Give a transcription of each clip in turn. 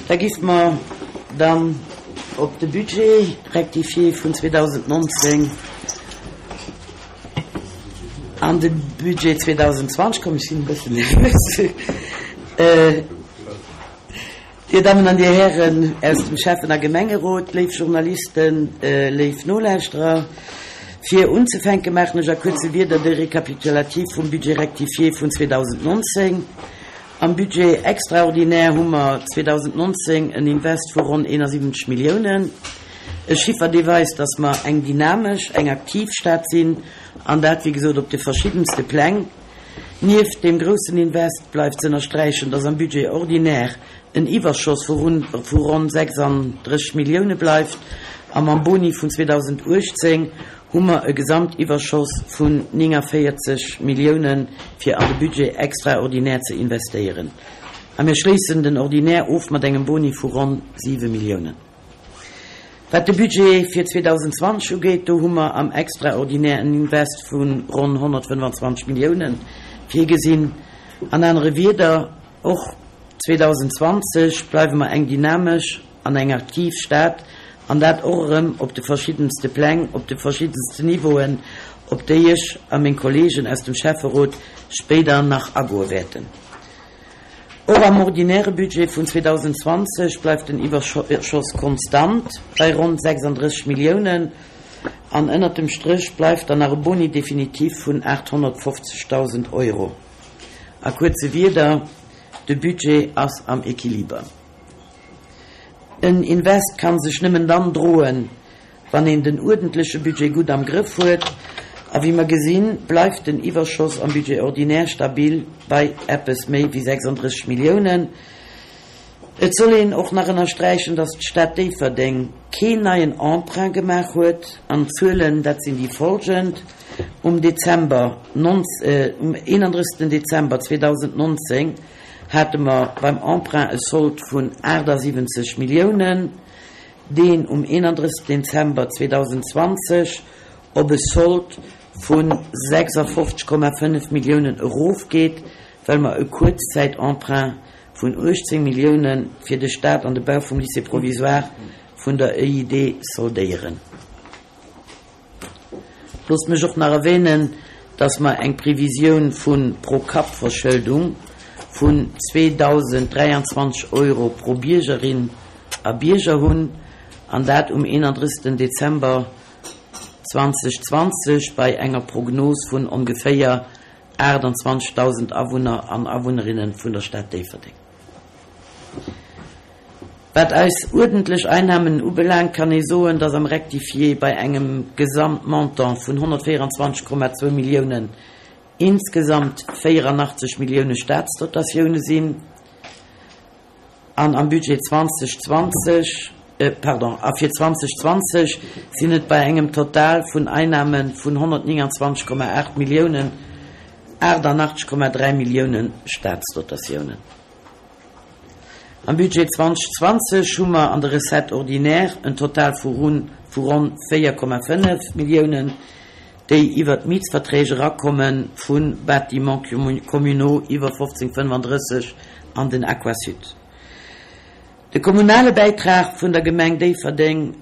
Da giff mer dann op de Budget rectifié vun 2019 an de Budget 2020 kommen. Ech sinn e bëssen nervös. Dir Dammen an Dir Hären aus dem Schäffen a Gemengerot, léif Journalisten, léif Nolauschterer, fir unzefänke maachen ech a kuerze Wierder de Récapitulatif vum Budget rectifié vun 2019. Am Budget extraordinaire hu mer 2019 en Invest vu ronn 71 Milliounen, e Chiffer dee weist, dass mer eng dynamesch, eng aktiv Stad sinn, an dat wéi gesot op de verschiddenste Pläng. Nieft deem groussen Invest bleift z'ënnersträichen, dass am Budget ordinaire en Iwwerschoss vu ronn 36 Millioune bleift a mam Boni vun 2018 hu mer e Gesamtiwwerschoss vun 49 Milliounen, fir an de Budget extraordinaire ze investéieren. A mir schléissen den Ordinaire of mat engem Boni vu ronn 7 Milliounen. Wat de Budget fir 2020 ugeet, do hu mer am Extraordinaire en Invest vu ronn 125 Milliounen virgesinn. An anere Wieder, och 2020 bleiwe mer eng dynamesch an eng aktiv Stad, an dat och erëm op de verschiddenste Pläng, op de verschiddensten Niveauen, op déi ech a meng Kollegen aus dem Schäfferot spéider nach agoe wäerten. Och am ordinäre Budget vun 2020 bleift den Iwwerschoss konstant bei ronn 36 Milliounen, an ënnert dem Stréch bleift dann nach e Boni définitif vun 850.000 Euro. A kuerze Wierder, De Budget ass am Equiliber. En Invest kann sech nëmmen dann droen, wann een den uerdentleche Budget gutt am Grëff huet. A wéi mer gesinn, bleift den Iwwerschoss am Budget ordinaire stabil bei eppes méi wéi 36 Milliounen. Et soll een och nach ënnersträichen, dass d'Stad Déifferdeng keen neien Emprunt gemaach huet. An d'Zuelen, dat sinn déi folgend, Um Dezember, um 31. Dezember 2019 hate mer beim Emprunt e Sold vun 78 Milliounen, deen um 31. Dezember 2020 op e Sold vu 56,5 Milliounen erofgeet, well mer e Kuerzzäitemprunt vun 18 Millioune fir de Staat an de Bau vum Lycée provisoire vun der EID soldéieren. Loosst mech och nach erwähnen, dass mer eng Previsioun vu Pro-Kapp-Verschëldung vun 2.023 Euro pro Biergerin a Bierger hunn, an dat um 31. Dezember 2020 bei enger Prognos vun ongeféier 28.000 Awunner an Awunnerinne vun der Stad Déifferdeng. Wat eis uerdentlech Einnahmen ubelaangt, kann ee soen, dass am Rectifié bei engem Gesamtmontant vun 124,2 Milliounen insgesamt 84 Millioune Statsdotatioune sinn an am Budget 2020, pardon, a fir 2020 sinn et bei engem Total vun Einnahme vun 129,8 Milliounen 88,3 Millioune Statsdotatiounen. Am Budget 2020 hu mer an de Recettes ordinaires en Total vu vu ronn 4,5 Milliounen, déi iwwert d'Mietsverträg erakomme vu Bâtiments communaux iwwer 1535 an den Aquasud. De kommunale Bäitrag vun der Gemeng Déifferdeng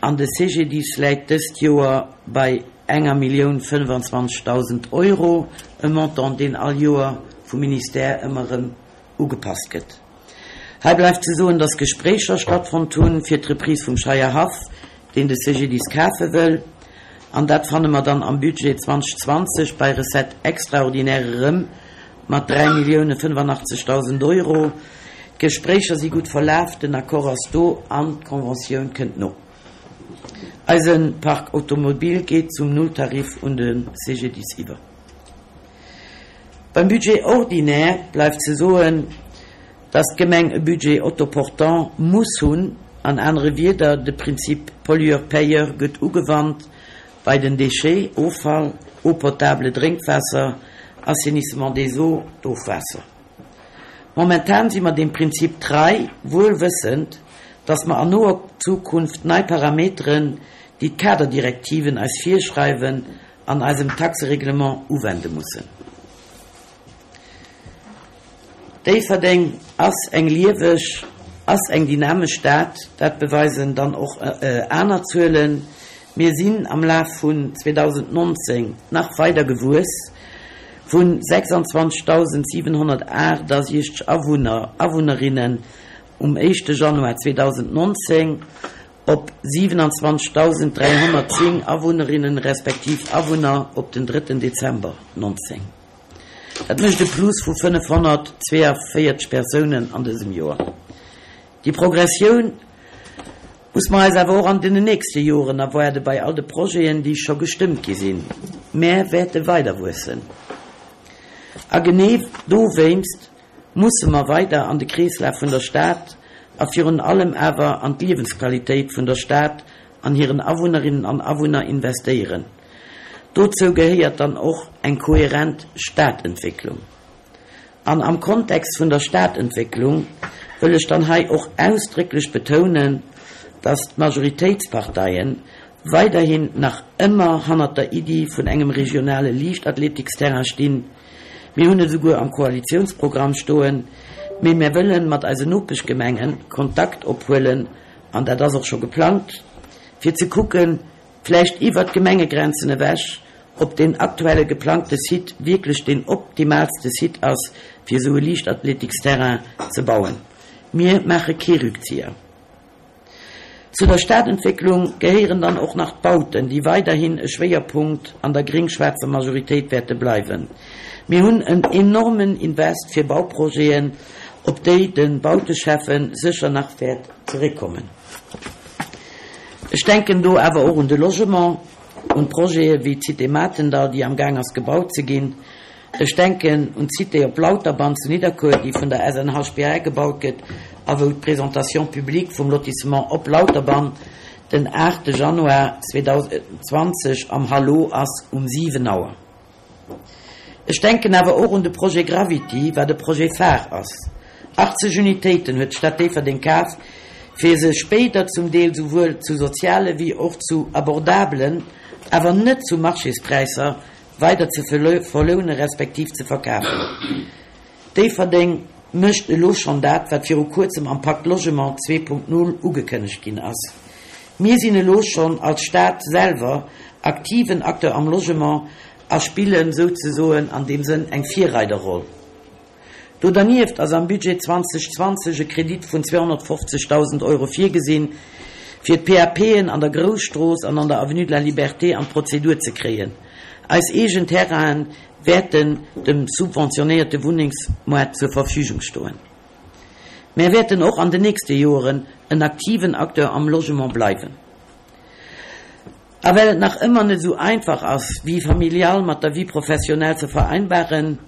an de CGDIS läit dëst Joer bei enger Millioun 25.000 Euro, e Montant, deen all Joer vum Ministère ëmmer erëm ugepasst gëtt. Hei bleift ze soen, dass Gespréicher stattfonnt hunn fir d'Reprise vum Scheierhaff, deen de CGDIS kafe wëll. An dat fanne mer dann am Budget 2020 bei Recettes extraordinaires erëm mat 3.085.000 Euro. D'Gespréicher si gutt verlaf, den Accord ass do an d'Conventioun kënnt no. Eise Parc automobile geet zum Nulltarif un de CGDIS iwwer. Beim Budget ordinaire bleift ze soen, dass d'Gemeng e Budget autoportant muss hunn, an anere Wieder, de Prinzip Pollueur-payeur gëtt ugewannt bei den Déchets, Offall, Eau potable, Drénkwaasser, Assainissement des eaux, d'Ofwaasser. Momentan si mer deem Prinzip trei, wuel wëssend, dass mer an noer Zukunft nei Parameteren, déi d'Kaderdirektiven eis virschreiwen, an eisem Taxereglement uwende mussen. Déifferdeng ass eng lieweg. ass eng dynamesch Stad, dat beweisen dann och aner Zuelen. Mir sinn am Laf vun 2019 nach weider gewuess, vu 26.768 Awunner, Awunnerinnen um éischte Januar 2019 op 27.310 Awunnerinnen respektiv Awunner op den drëtten Dezember 19. Dat mécht e Plus vu 542 Persounen an dësem Joer. Déi Progressioun muss mer eis awer och an den nächste Joren erwaarde bei all de Projeten, déi scho gestëmmt gi sinn. Mär wäerte weider wuessen. A genee dowéinst musse mer weider an de Kreeslaf vun der Stad a virun allem awer an d'Liewensqualitéit vun der Stad an hiren Awunnerinnen an Awunner investéieren. Dozou gehéiert dann och eng kohärent Stadentwécklung. An am Kontext vun der Stadentwécklung wëll ech dann hei och ausdrécklech betounen, dass d'Majoritéitsparteien weiderhin nach ëmmer hannert der Iddi vun engem regionale Liichtathletiksterrain stinn. Mir hunn et esouguer am Koalitionsprogramm stoen, mee mir wëlle mat eisen Nopeschgemenge Kontakt ophuelen, an dat ass och scho geplangt, fir ze kucken, vläicht iwwert d'Gemengegrenzen ewech, ob deen aktuelle geplangte Site wierklech deen optimaalste Site ass, fir esou e Liichtathletiksterrain ze bauen. Mir maache kee Rückzieher. Zu der Stadentwécklung gehéieren dann och nach d'Bauten, déi weiderhin e Schwéierpunkt an der gréng-schwaarzer Majoritéit wäerte bleiwen. Mir hunn en enormen Invest fir Bauprojeten, op déi de Bauteschäffe sécher nach wäert zeréckkommen. Ech denken do awer och un de Logement, un Projete wéi d'Cité Matendall, déi am Gaang ass gebaut ze ginn. Ech denken un d'Cité op Lauterbann zu Nidderkuer, déi vun der SNHBA gebaut gëtt a wou d'Présentation publique vum Lotissement Op Lauterbann den 8 Januar 2020 am Hallo ass um 7 Auer. Ech denken awer och un de Projet Gravity, wat e Projet phare ass. 80 Unitéiten huet d'Stad Déifferdeng kaf, fir se spéider zum Deel souwuel zu soziale wéi och zu abordabelen, awer net zu Marchéspräisser, weider ze verloune respektiv ze verkafen. Déifferdeng mécht elo schonn dat, wat viru kuerzem am Pakt Logement 2.0 ugekënnegt ginn ass. Mir sinn elo schonn als Stad selwer aktiven Acteur am Logement a spillen souzesoen an deem Sënn eng Virreiderroll. Do dernieft ass am Budget 2020 e Kredit vun 250.000 Euro virgesinn, fir d'PAPen an der Grousstrooss an an der Avenue de la Liberté an d'Prozedur ze kréien. Eis eegen Terrainen wäerten dem subventionéierte Wunnengsmoart zur Verfügung stoen. Mär wäerten och an den nächste Joeren en aktiven Acteur am Logement bleiwen. A well et nach ëmmer net esou einfach ass, Vie familiale mat der Vie professionnelle ze vereinbaren,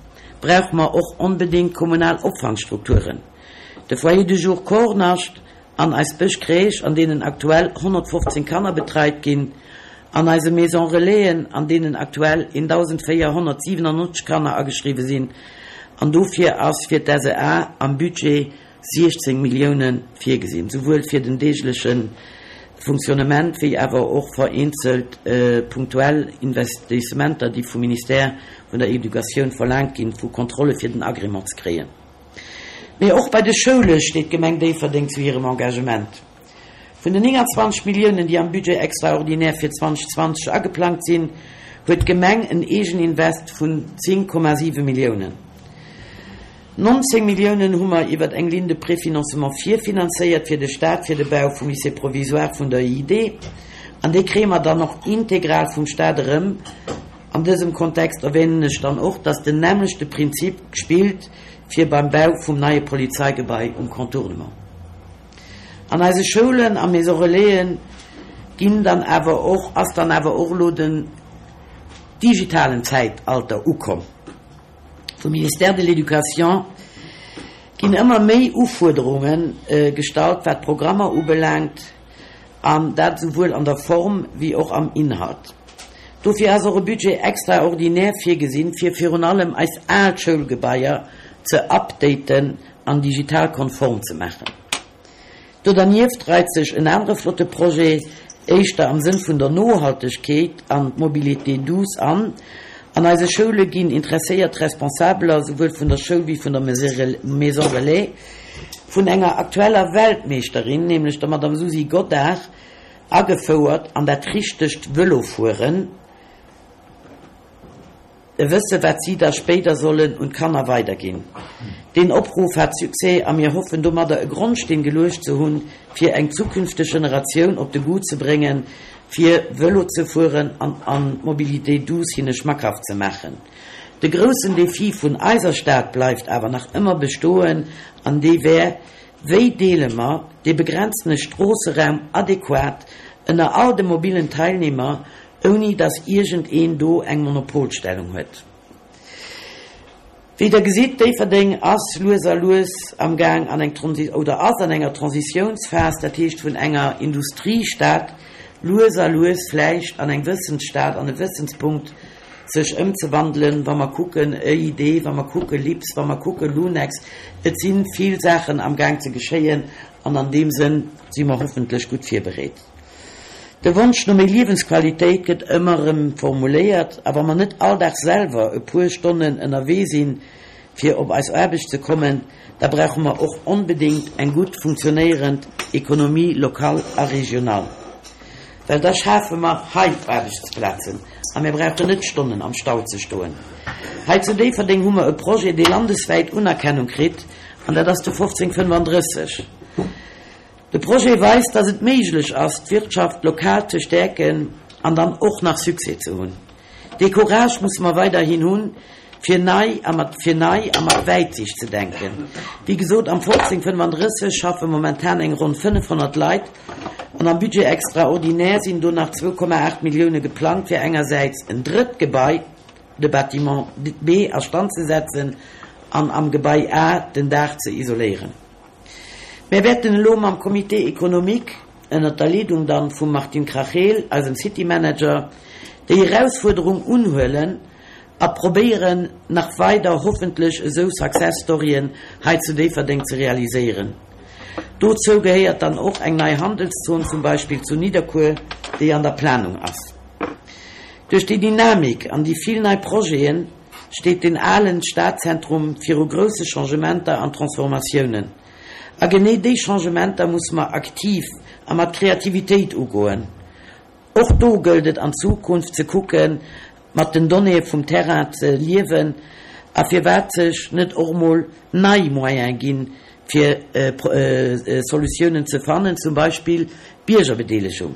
brauche mer och onbedéngt kommunal Opfangstrukturen. De Foyer de jour Kornascht an eis Bëschcrèche, an deenen aktuell 115 Kanner betreit ginn, an eise Maison Relaisen, an deenen aktuell 1.497 Kanner ageschriwwe sinn, an dofir ass fir d'SEA am Budget 16 Millioune virgesinn, souwuel fir den deegleche Fonctionnement wéi awer och vereenzelt punktuell Investissementer, déi vum Ministère vun der Educatioun verlaangt ginn, vu Kontrolle fir den Agrément ze kréien. Mee och bei de Schoule steet d'Gemeng Déifferdeng zu hirem Engagement. Vun den 29 Milliounen, déi am Budget extraordinaire fir 2020 ageplangt sinn, huet d'Gemeng en Eegeninvest vun 10,7 Milliounen. 19 Milliounen hu mer iwwer eng Ligne de préfinancement virfinanzéiert fir de Stat fir de Bau vum Lycée provisoire vun der EID. An déi kréie mer dann och integral vum Stat erëm. An dësem Kontext erwänen ech dann och, dass den nämmlechte Prinzip spillt fir beim Bau vum neie Polizeigebai um Contournement. An eise Schoulen a Maison Relaisen ginn dann awer och, ass dann awer och elo den digitalen Zäitalter ukomm. Vum Ministère de l'Éducation ginn ëmmer méi Ufuerderunge gestallt, wat d'Programmer ubelaangt. An dat esouwuel an der Form wéi och am Inhalt. Dofir ass och e Budget extraordinaire virgesinn, fir virun allem eis al Schoulgebaier ze updaten an digital konform ze maachen. Do dernieft reit sech en anere flotte Projet, éischter am Sënn vun der Nohaltegkeet an d'Mobilité douce an. An eise Schoule ginn interesséiert Responsabeler, souwuel vun der Schoul wéi vun der Maison Relais. vun enger aktueller Weltmeeschterin, nämlech der Madame Susi Godart, agefouert an dat richtegt Vëlofueren, e Wësse wat si da spéider sollen un d'Kanner weiderginn. Deen Opruff hat Succès a mir hoffen domadder e Grondsteen geluecht ze hunn, fir eng zukünfteg Generatioun op de Goût ze bréngen, fir Vëlo ze fueren an an d'Mobilité douce hinne schmackhaft ze maachen. De groussen Defi vun eiser Stad bleift awer nach ëmmer bestoen an dee wär, Wéi deele mer dee begrenztene Stroosseraum adequat ënner all de mobilen Teilnehmer, ouni dass iergend een do eng Monopolstellung huet? Wéi Der gesitt, Déifferdeng ass lues a lues am Gaang an eng oder ass an enger Transitiounsphas, dat heescht vun enger Industriestad lues a lues vläicht an eng Wëssensstad, an e Wëssenspunkt sech ëmzewandelen, wa mer kucken EID, wa mer kucke LIPS, wa mer kucke LUNEX, et si vill Saachen am Gaang ze geschéien an an deem Sënn si mer hoffentlech gutt virbereet. De Wonsch no méi Liewensqualitéit gëtt ëmmer erëm formuléiert a wa mer net all Dag selwer e puer Stonnen ënnerwee sinn, fir op eis Aarbecht ze kommen, da brauche mer och onbedéngt eng gutt funktionéierend Économie locale a régionale. Well da schafe mer hei Aarbechtsplazen a mir brauchen net Stonnen am Stau ze stoen. Hei zu Déifferdeng hu mer e Projet, dee landeswäit Unerkennung kritt, an dat ass de 1535. De Projet weist, dass et méiglech ass, d'Wirtschaft lokal ze stäerken an dann och nach Succès ze hunn. Dee Courage musse mer weiderhin hunn, fir nei a mat fir nei a mat Wäitsicht ze denken. Wéi gesot, am 1535 schaffe momentan eng ronn 500 Leit an am Budget extraordinaire sinn do nach 2,8 Millioune geplangt, fir engersäits en drëtt Gebai, de Bâtiment B, a Stand ze setzen an am Gebai A den Daach ze isoléieren. Mär wäerten elo mam Comité économique, ënnert der Leedung dann vum Martin Krachel, eisem City Manager, déi Erausfuerderung unhuelen a probéieren nach weider hoffentlech esou Success Storyen hei zu Déifferdeng ze realiséieren. Dozou gehéiert dann och eng nei Handelszon zum Beispill zu Nidderkuer, déi an der Planung ass. Duerch déi Dynamik an déi vill nei Projeten steet den alen Stadzentrum viru grousse Changementer an Transformatiounen. A genee déi Changementer musse mer aktiv a mat Kreativitéit ugoen. Och do gëllt et an Zukunft ze kucken, mat den Donnéeë vum Terrain ze liewen a firwat sech net och mol nei Moyene ginn, fir Solutiounen ze fannen, zum Beispill Biergerbedeelegung.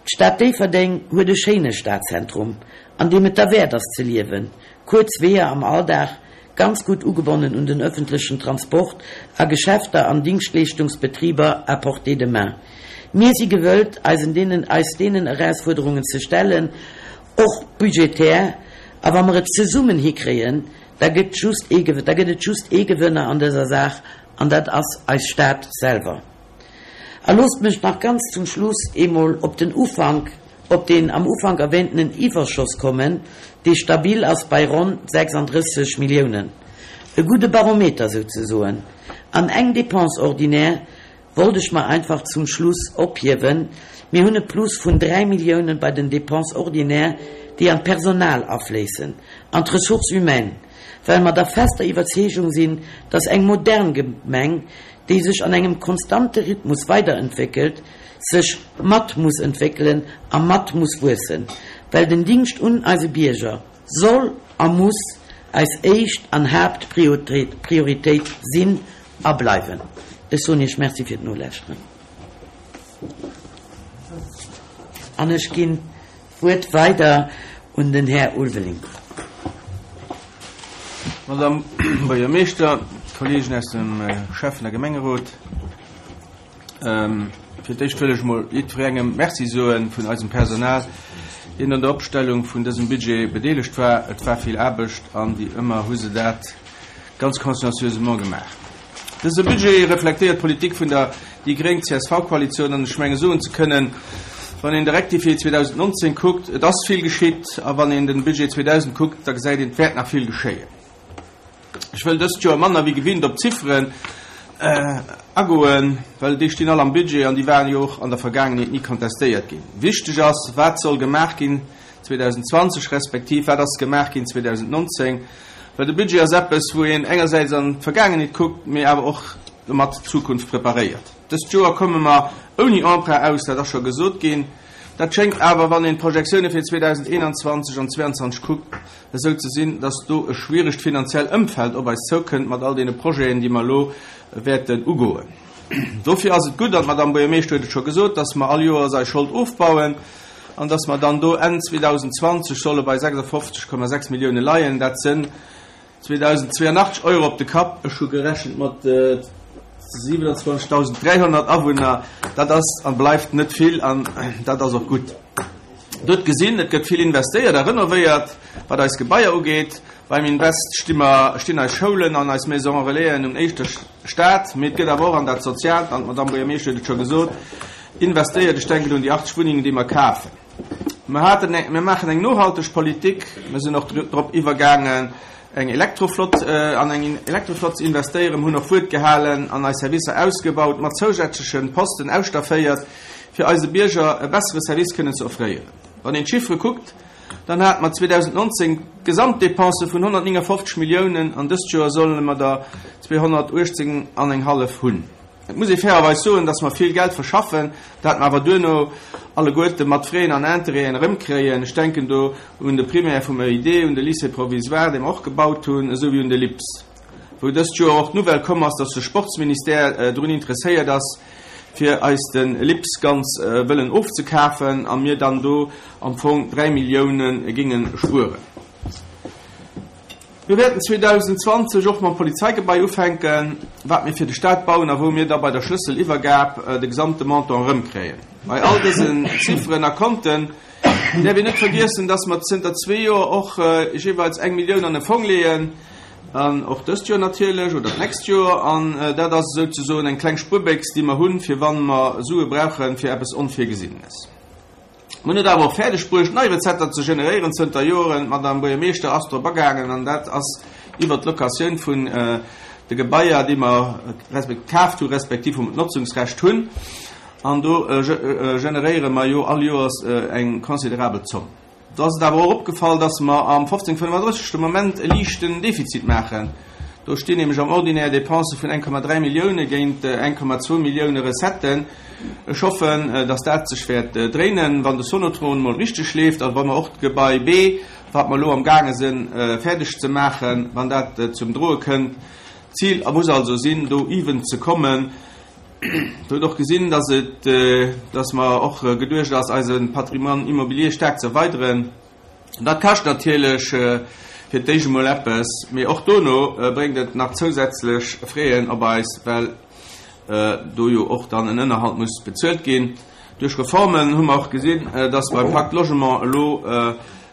D'Stad Déifferdeng huet e schéine Stadzentrum, an deem et derwäert ass ze liewen. Kuerz Weeër am Alldag, ganz gutt ugebonnen un den ëffentlechen Transport a Geschäfter an Dingschtleeschtungsbetriber à portée de main. Mir si gewëllt, eisen deenen eis deenen Erausfuerderungen ze stellen, och budgetär, a wa mer et zesummen hikréien, da gëtt just ee da gëtt et just ee Gewënner an dëser Saach, an dat ass eis Stad selwer. A loosst mech nach ganz zum Schluss eemol op den Ufank, op deen am Ufank erwähntenen Iwwerschoss kommen, dee stabil ass bei ronn 36 Milliounen. E gudde Barometer souzesoen. An eng Dépense ordinaire wollt ech mer einfach zum Schluss ophiewen, Mir hunn e Plus vun 3 Milliounen bei den Dépenses ordinaires, déi an d'Personal afléissen, an d'Ressources humaines, well mer der fester Iwwerzeegung sinn, dass eng modern Gemeng, déi sech an engem konstante Rhythmus weiderentwéckelt, sech mat muss entwéckelen a mat muss wuessen, well den Dingscht un eise Bierger soll a muss eis éischt an Haaptprioritéit sinn a bleiwen. Ech soen Iech Merci fir d'Nolauschteren an ech ginn d'Wuert weider un den Här Ulveling. Madame Buergermeeschter, Kollegen aus dem Schäffen a Gemengerot, fir d'éischt wëll ech mol jiddwerengem Merci soe vun eisem Personal, deen an der Opstellung vun dësem Budget bedeelegt war. Et war vill Aarbecht an wéi ëmmer hu se dat ganz consciencieusement gemaach. Dëse Budget reflektéiert d'Politik vun der déi gréng-CSV-Koalitioun an ech menge soen ze kënnen, wann een de Rectifié 2019 kuckt, et ass vill geschitt a wann een den Budget 2000 kuckt, da gesäit een, et wäert nach vill geschéien. Ech wëll dëst Joer manner wéi gewinnt op d'Zifferen agoen, well déi stinn all am Budget an déi waren jo och an der Vergaangenheet ni kontestéiert ginn. Wichteg ass, wat soll gemaach ginn 2020 respektiv wat ass gemaach ginn 2019, Well de Budget ass eppes, wou een engersäits an d'Vergaangenheet kuckt, mee awer och domat d'Zukunft preparéiert. Dëst Joer komme mer ouni Emprunt aus, dat ass scho gesot ginn. Dat schéngt awer, wann een d'Projektioune fir 2021 an 2022 kuckt, esou ze sinn, dass do e schwieregt finanziell Ëmfeld op eis zoukënnt mat all deene Projeten, déi mer elo wäerten ugoen. Dofir ass et gutt, an d'Madame Buergermeeschter huet et scho gesot, dass mer all Joers eis Schold ofbauen an dass mer dann do Enn 2020 solle bei 56,6 Millioune leien. Dat sënn 2.082 Euro op de Kapp. Ech hu gerechent mat 27.300 Awunner. Dat ass a bleift net vill an dat ass och gutt. Der hutt gesinn, et gëtt vill investéiert a renovéiert, wat eis Gebaier ugeet. Beim Invest sti mer, stinn eis Schoulen an eis Maisons Relaisen un éischter Stad, mee et gëtt awer och an dat Soziaalt, an d'Madamm Buergermeeschter huet et scho gesot, investéiert. Ech denken un déi 80 Wunnengen, déi mer kafen. Mer haten eng, mir maachen eng nohalteg Politik. Mer sinn och drop iwwergaangen, eng Elektroflott, an eng Elektroflott ze investéieren. Mer hunn och Wuert gehalen an eis Servicer ausgebaut, mat zousätzleche Posten ausstafféiert, fir eise Bierger e bessere Service kënnen ze offréieren. Wann een d'Chiffere kuckt, dann hate mer 2019 Gesamtdepensë vun 159 Milliounen an dëst Joer solle mer der 218 an eng hallef hunn. Et muss ee fairerweis soen, dass mer vill Geld verschaffen, dat mer awer duerno alleguerte mat Frais an Intérêten erëmkréien. Ech denken do un de Primaire vum EID, un de Lycée provisoire, dee mer och gebaut hunn, esou wéi un de LIPS, wou dëst Joer och d'Nouvelle komm ass, dass de Sportsministère drun interesséiert ass, fir eis de LIPS ganz wëllen ofzekafen a mir dann do am Fong 3 Millioune géinge spueren. Mir wäerten 2020 och mam Polizeigebai ufänken, wat mir fir de Staat bauen a wou mir da bei der Schlësseliwwergab de gesamte Montant erëmkréien. Bei all dësen Zifferen a Konten däerf een net vergiessen, dass mer zënter zwee Joer och jeeweils eng Millioun an e Fong leeën, an och dëst Joer natierlech oder d'nächst Joer, an dat ass esouzesoen eng kleng Spuerbéchs, déi mer hunn, fir wann mer Sue brauchen fir eppes Onvirgesinnenes. Mer hunn et awer och fäerdeg bruecht, nei Recetter ze generéieren zënter Joren. D'Madame Buergermeeschter ass drop agaangen, an dat ass iwwert d'Locatioun vun de Gebaier, déi mer kaaft hu respektiv wou mer d'Notzungsrecht hunn. An do generéiere mer jo all Joers eng considerabel Zomm. Do ass et awer och opgefall, dass mer am 1535 de Moment e liichten Defizit maachen. Do stinn nämlech am Ordinaire Dépensë vun 1,3 Millioune géint 1,2 Millioune Recetten. Ech hoffen, dass dat sech wäert dréinen, wann de Sonotron emol richteg leeft a wa mer och d'Gebai B, wat mer elo amgaange sinn fäerdeg ze maachen, wann dat zum Droe kënnt. D'Zil muss also sinn, do even ze kommen. Der hutt och gesinn, dass et, dass mer och geduecht ass, eise Patrimoine immobilier staark ze erweideren. Dat kascht natierlech fir d'éischt emol eppes, mee och dono bréngt et nach zousätzlech Fräen op eis, well do jo och dann en Ënnerhalt muss bezuelt ginn. Duerch Reformen hu mer och gesinn, dass beim Pacte Logement elo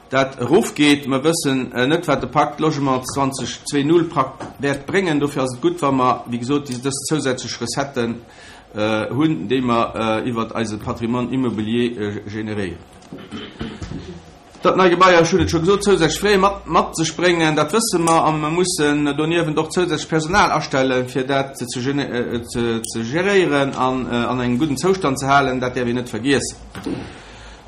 dat erofgeet. Mer wëssen net, wat de Pacte Logement 20 2.0 prak wäert bréngen. Dofir ass et gutt, wa mer, wéi gesot, déi dës zousätzlech Recetten hunn, déi mer iwwert eise Patrimoine immobilier generéieren. Datt nei Gebaier, ech hunn et scho gesot, zousätzlech Frais mat mat sech bréngen, dat wësse mer. A mer mussen doniewent och zousätzlech Personal astellen, fir dat ze ze geréieren an an engem gudden Zoustand ze halen. Dat däerf een net vergiessen.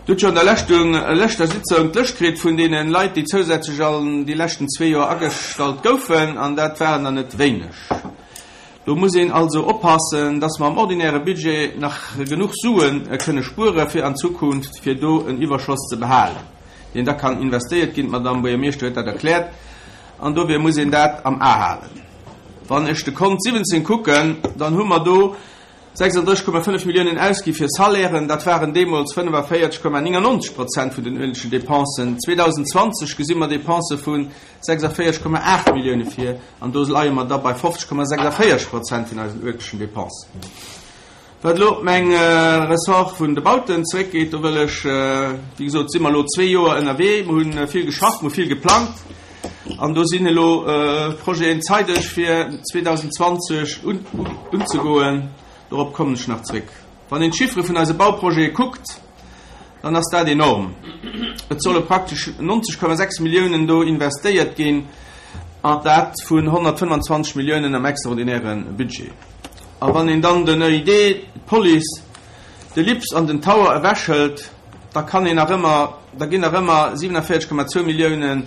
Dir hutt jo an der leschtung leschter Sitzung d'Lëscht kritt vun deene Leit, déi zousätzlech an déi leschten zwee Joer agestallt goufen, an dat waren der net wéineg. Do muss een also oppassen, dass mer am ordinäre Budget nach genuch Sue kënne spuere fir an Zukunft, fir do en Iwwerschoss ze behalen, deen da kann investéiert ginn. D'Madame Buergermeeschter huet dat erkläert, an dofir muss een dat am A halen. Wann ech de Kont 17 kucken, dann hu mer do 36,5 Milliounen ausgi fir Salairen, dat waren deemools 45,99 Prozent vun den uerentlechen Dépensen. 2020 gesi mer Dépensë vu 46,8 Millioune vir, an do leie mer da bei 50,46 Prozent vun eisen uerentlechen Dépensen. Wat elo op meng Ressort vun de Bauten zeréckgeet, do wëll ech, wéi gesot, si mer elo zwee Joer ënnerwee, mer hu vill geschafft, mer hu vill geplangt, an do sinn elo Projeten zeideg fir 2020 unzegoen. Dorop kommen ech nach zréck. Wann een d'Chiffere vun eise Bauprojete kuckt, dann ass dat enorm. Et solle praktesch 90,6 Milliounen do investéiert ginn, an dat vun 125 Milliounen am extraordinäre Budget. A wann een dann den EID, d'Police, de LIPS an den Tower ewechhëlt, da kann een nach ëmmer, da ginn nach ëmmer 47,2 Milliounen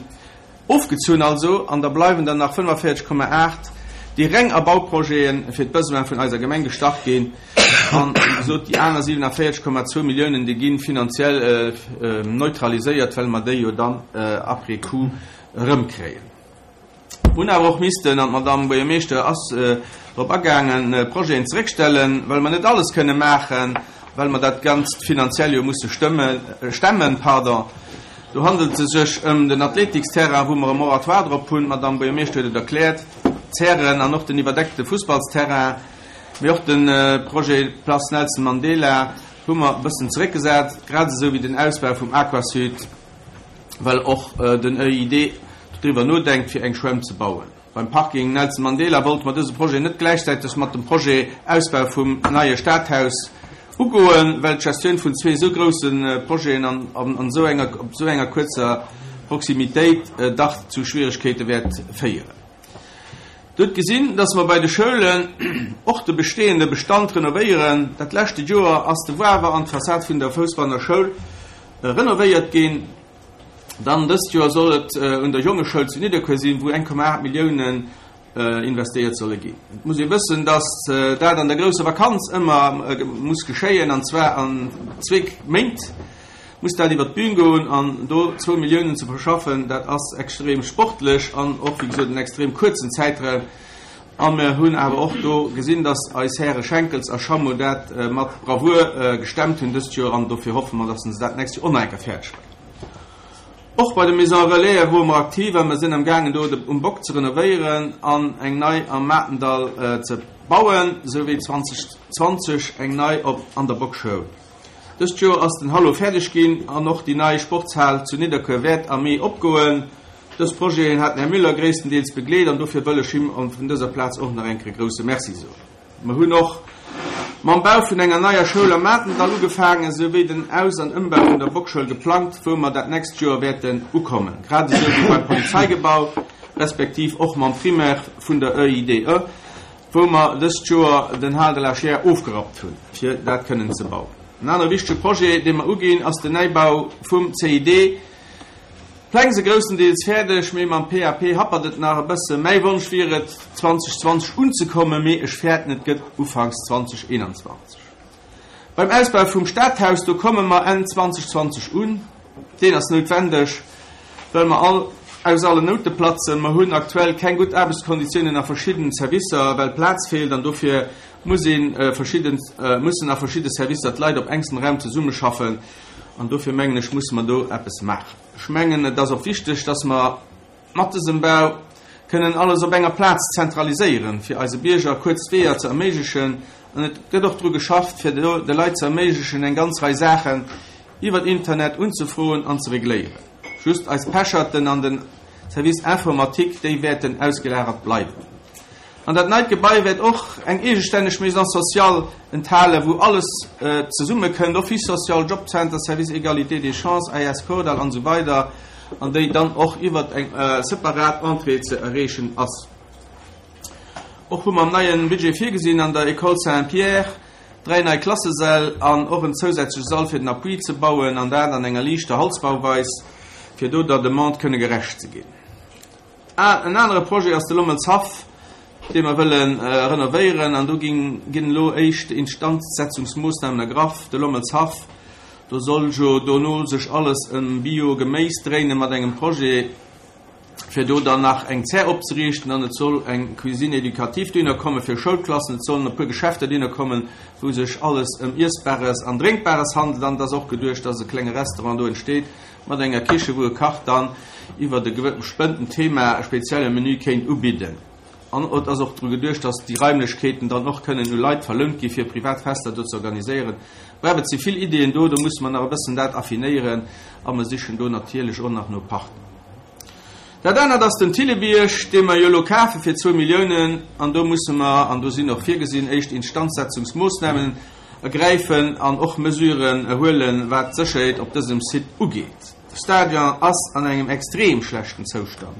ofgezunn also, an da bleiwen der nach 45,8. déi reng a Bauprojete fir d'Besoin vun eiser Gemeng gestach ginn. An, wéi gesot, déi aner 47,2 Milliounen, déi gi finanziell neutraliséiert, well mer déi jo dann après coup erëmkréien. Hunn awer och missten, an d'Madamm Buergermeeschter ass drop agaangen, Projeten zeréckstellen, well mer net alles kënne maachen, well mer dat Ganzt finanziell jo musse stëmmen, stemmen. Pardon. Do handelt se sech ëm den Athletiksterrain, wou mer e Moratoire drop hunn, d'Madamm Buergermeeschter huet et erkläert, d'Zären an och den iwwerdeckte Fussballsterrain, mee och de Projet Place Nelson Mandela hu mer e bëssen zeréckgesat, grad esou wéi den Ausbau vum Aquasud, well och den EID doriwwer nodenkt, fir eng Schwämm ze bauen. Beim Parking Nelson Mandela wollte mer dëse Projet net gläichzäiteg mat dem Projet Ausbau vum neie Stadhaus ugoen, well d'Gestioun vun zwee esou grousse Projeten an esou enger op esou enger kuerzer Proximitéit dach zu Schwieregkeete wäert féieren. Dir hutt gesinn, dass mer bei de Schoulen och de bestehende Bestand renovéieren. Dat leschte Joer ass de Wawer an d'Fassad vun der Fousbanner Schoul renovéiert ginn. Dann dëst Joer soll et un der Jongeschoul zu Nidderkuer sinn, wou 1,8 Milliounen investéiert solle ginn. Et muss ee wëssen, datt dat an der grousser Vakanz ëmmer muss geschéien, an zwar an zweek Méint muss dat iwwer d'Bün goen. An do zwou Milliounen ze verschaffen, dat ass extrem sportlech an och, wéi gesot, en extrem kuerzen Zäitraum. A mir hunn awer och do gesinn, datt eis Häre Schenkels a Schammo dat mat Bravour gestemmt hunn dëst Joer an dofir hoffe mer, datt se dat d'nächst Joer och nach eng Kéier fäerdeg bréngen. Och bei de Maisons Relaisen wore mer aktiv a mer sinn am gaangen do de um Bock ze renovéieren an eng nei am Maartendall ze bauen, sou wéi 2020 eng nei op an der Bockschoul. Dëst Joer ass den Hallo fäerdeg ginn an och déi nei Sportshal zu Nidderkuer wäert am Mee opgoen. Dës Projeten hat den Här Müller gréisstendeels begleet an dofir wëll ech him vun dëser Plaz och nach eng Kéier e grouse Merci soen. Mer hunn och mam Bau vun enger neier Schoul am Maartendall ugefaangen, souwéi den Aus an Ëmbau vun der Bockschoul geplangt, wou mer dat nächst Joer wäerten ukommen, grad esou wéi beim Polizeigebau, respektiv och mam Primaire vun der EIDE, wou mer dëst Joer den Hal de la Chiers ofgerappt hunn, fir dat kënnen ze bauen. En anere wichtege Projet, dee mer uginn, ass den Neibau vum CID. D'Pläng se groussendeels fäerdeg, mee mam PAP happert et nach e bësse. Mäi Wonsch wier et, 2020 unzekommen, mee ech fäerten, et gëtt ufanks 2021. Beim Ausbau vum Stadhaus, do komme mer Enn 2020 un. Deen ass noutwendeg, well mer all aus allen Noute platzen. Mer hunn aktuell keng gutt Aarbechtskonditiounen a verschiddenen Servicer, well Plaz feelt an dofir muss ee verschidden, mussen a verschidde Servicer d'Leit op engstem Raum zesummeschaffen. An dofir mengen ech, musse mer do eppes maachen. Ech mengen, et ass och wichteg, dass mer mat dësem Bau kënnen alles op enger Plaz zentraliséieren, fir eise Bierger kuerz Weeër ze erméiglechen. An et gëtt och dru geschafft, fir de Leit ze erméiglechen, eng ganz Rei Saachen iwwert Internet unzefroen an ze regléieren. Just eis Pecherten an den Service informatique, déi wäerten ausgelagert bleiwen. An dat neit Gebai wäert och eng eegestänneg Maison sociale enthalen, wou alles zesummekënnt, Office social, Jobcenter, Service égalité des chances, AS Kordall an esou weider, an déi dann och iwwert eng separat Entrée ze erreechen ass. Och hu mer am neie Budget virgesinn, an der École Saint-Pierre dräi nei Klassesäll an och en zousätzleche Sall fir den Appui ze bauen, an dat an enger liichter Holzbauweis, fir do der Demande kënne gerecht ze ginn. En anere Projet ass de Lommelshaff, dee mer wëlle renovéieren. An do ginn elo éischt Instandsetzungsmoossnamen ergraff. De Lommelshaff, do soll jo dono sech alles ëm Bio-Geméis dréinen, mat engem Projet, fir do dann nach eng Zär opzeriichten. An et soll eng Cuisine éducative dohinner komme fir Schoulklassen. Et sollen e puer Geschäfter dohinner kommen, wou sech alles ëm Iessbares an Drénkbares handelt. An et ass och geduecht, dass e klenge Restaurant do entsteet, Mat enger Kiche wou e Kach dann iwwert e bestëmmten Thema e spezielle Menü kéint ubidden. An et ass och dru geduecht, dass déi Raimlechkeeten dann och kënnen u Leit verlount gi fir privat Fester do ze organiséieren. Bref, et si vill Ideeën do, do musse mer nach e bëssen dat affinéieren a mer sichen do natierlech och nach no Partner. Dat anert ass den Thillebierg, dee mer jo elo kafe fir zwou Milliounen an do musse mer, an do sinn och virgesinn, éischt Instandsetzungsmoossnamen, Ergräifen an och Mesuren huelen, wat d'Sécherheet op dësem Site ugeet. De Stadion ass an engem extrem schlechten Zoustand,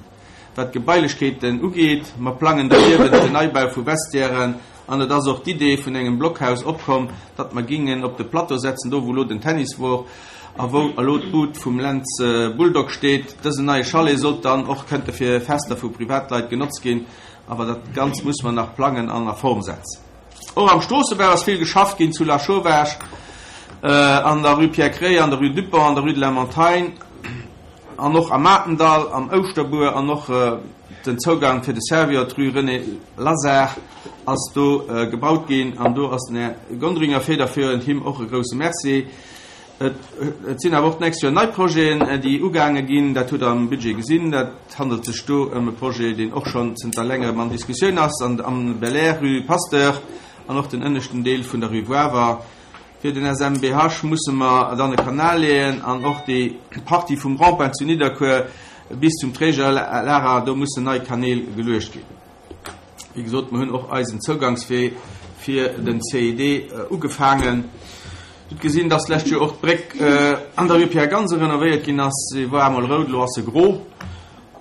wat d'Gebailechkeeten ugeet. Mer plangen doniewent den Neibau vu Vestiairen an et ass och d'Idee vun engem Blockhaus opkomm, datt mer gingen op de Plateau setzen, do wou elo den Tennis wor a wou elo d'Bud vum Lentz Bulldog steet. Dësen neie Chalet sollt dann och kënnte fir Fester vu Privatleit genotzt ginn. Awer dat Ganzt musse mer nach plangen an a Form setzen. Och am Stroossebau ass vill geschafft ginn, zu Lachauvage, an der Rue Pierre Kréier, an der Rue Dupont, an der Rue de la Montagne an och am Matendall, am Ouschterbuer an och den Zougang fir de Servior, d'Rue René Lazard ass do gebaut ginn an do ass den Här Gonderinger federführend, him och e grouse Merci. Et sinn awer och d'nächst Joer nei Projeten, déi ugaange ginn. Dat hutt Der am Budget gesinn. Dat handelt sech do ëm e Projet, deen och schonn zënter längerem an Diskussioun ass, an am Belair, Rue Pasteur, an och den ënneschten Deel vun der Rue Wawer. Fir den SMBH musse mer dann e Kanal leeën an och déi Partie vum Rond-point zu Nidderkuer bis zum Trägerlager, do mussen nei Kanäl geluecht ginn. Wéi gesot, mir hunn och eisen Zougangswee fir den CID ugefaangen. Dir hutt gesinn, dass d'lescht Joer och d'Bréck an der Rue Pierre Gansen renovéiert ginn ass. Se war emol rout, elo ass se gro.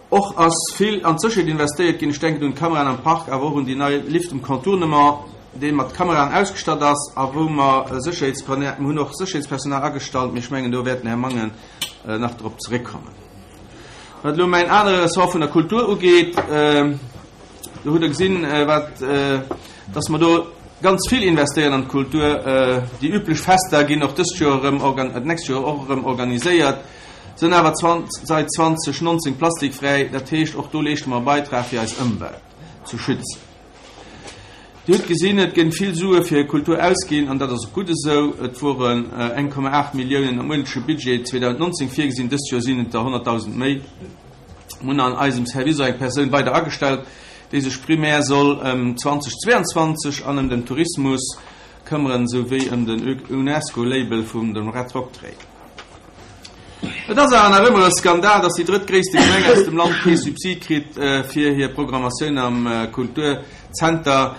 Och ass vill an d'Sécherheet investéiert ginn. Ech denken un d'Kameraen am Park, awer och un déi nei Lift um Contournement, dee mat Kameraen ausgestatt ass a wou mer Sécherheetspersonal, mir hunn och Sécherheetspersonal agestallt, mee ech mengen, do wäert den Här Mangen nach drop zeréckkommen. Wat elo mäin anere Ressort vun der Kultur ugeet, do hutt Der gesinn, wat, dass mer do ganz vill investéieren an d'Kultur. Déi üblech Fester ginn och dëst Joer erëm, d'nächst Joer och erëm organiséiert, sënn awer seit 2019 plastikfräi. Dat heescht, och do leeschte mer e Beitrag, fir eis Ëmwelt ze schützen. Dir hutt gesinn, et ginn vill Sue fir Kultur ausginn, an dat ass och gutt esou. Et woren 1,8 Milliounen am uerdentleche Budget 2019 virgesinn, dëst Joer sinn et der 100.000 méi. Mir hunn an eisem Service och eng Persoun weider agestellt, déi sech primär soll ëm 2022 an ëm den Tourismus këmmeren, esou wéi ëm den UNESCO-Label vum dem Red Rock Trail. Et ass awer nach ëmmer e Skandal, datt déi drëttgréisste Gemeng aus dem Land kee Subsid kritt fir hir Programmatioun am Kulturzenter,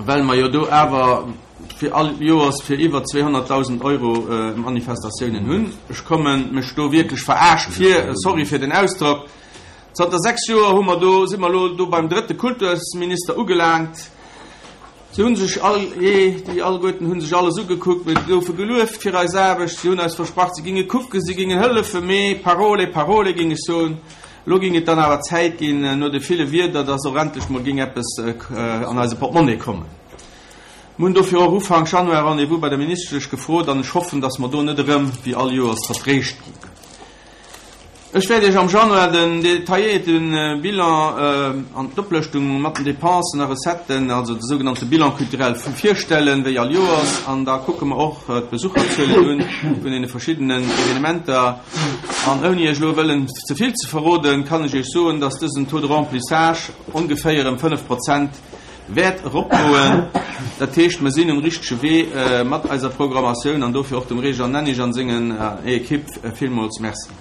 well mer jo do awer fir all Joers fir iwwer 200.000 Euro Manifestatiounen hunn. Ech komme mech do wierklech verarscht vir, sorry fir den Ausdrock. Zanter 6 Joer hu mer do, si mer elo do beim drëtte Kultusminister ugelaangt. Si hunn sech all, jee, déi alleguerten hunn sech alles ugekuckt, mir goufe gelueft fir eis Aarbecht, si hunn eis versprach, si ginge kucken, si gingen hëllefen, mee parole est parole, ging ech soen. Elo ging et dann awer Zäit ginn, no de ville Wierder, dass och endlech mol ging eppes an eise Portemonnaie kommen. Mir hunn dofir och Ufank Januar Rendez-vous bei der Ministesch gefrot an ech hoffen, dass mer do net erëm, wéi all Joers, vertréischt ginn. Ech wäert Iech am Januar den detailléierte Bilan an d'Oplëschtung mat den Dépensen a Recetten, also de sougenannte Bilan culturel, virstellen, wéi all Joers. An da kucke mer och d'Besucherzuelen un vun deene verschiddenen Evenementer. An ouni Iech elo wëllen ze vill ze verroden, kann ech Iech soen, dass dësen Taux de remplissage ongeféier ëm 5 Prozent wäert eropgoen. Dat heescht, mer sinn um richtege Wee mat eiser Programmatioun an dofir och dem Réjean Nennig an sengen Equipe villmools Merci.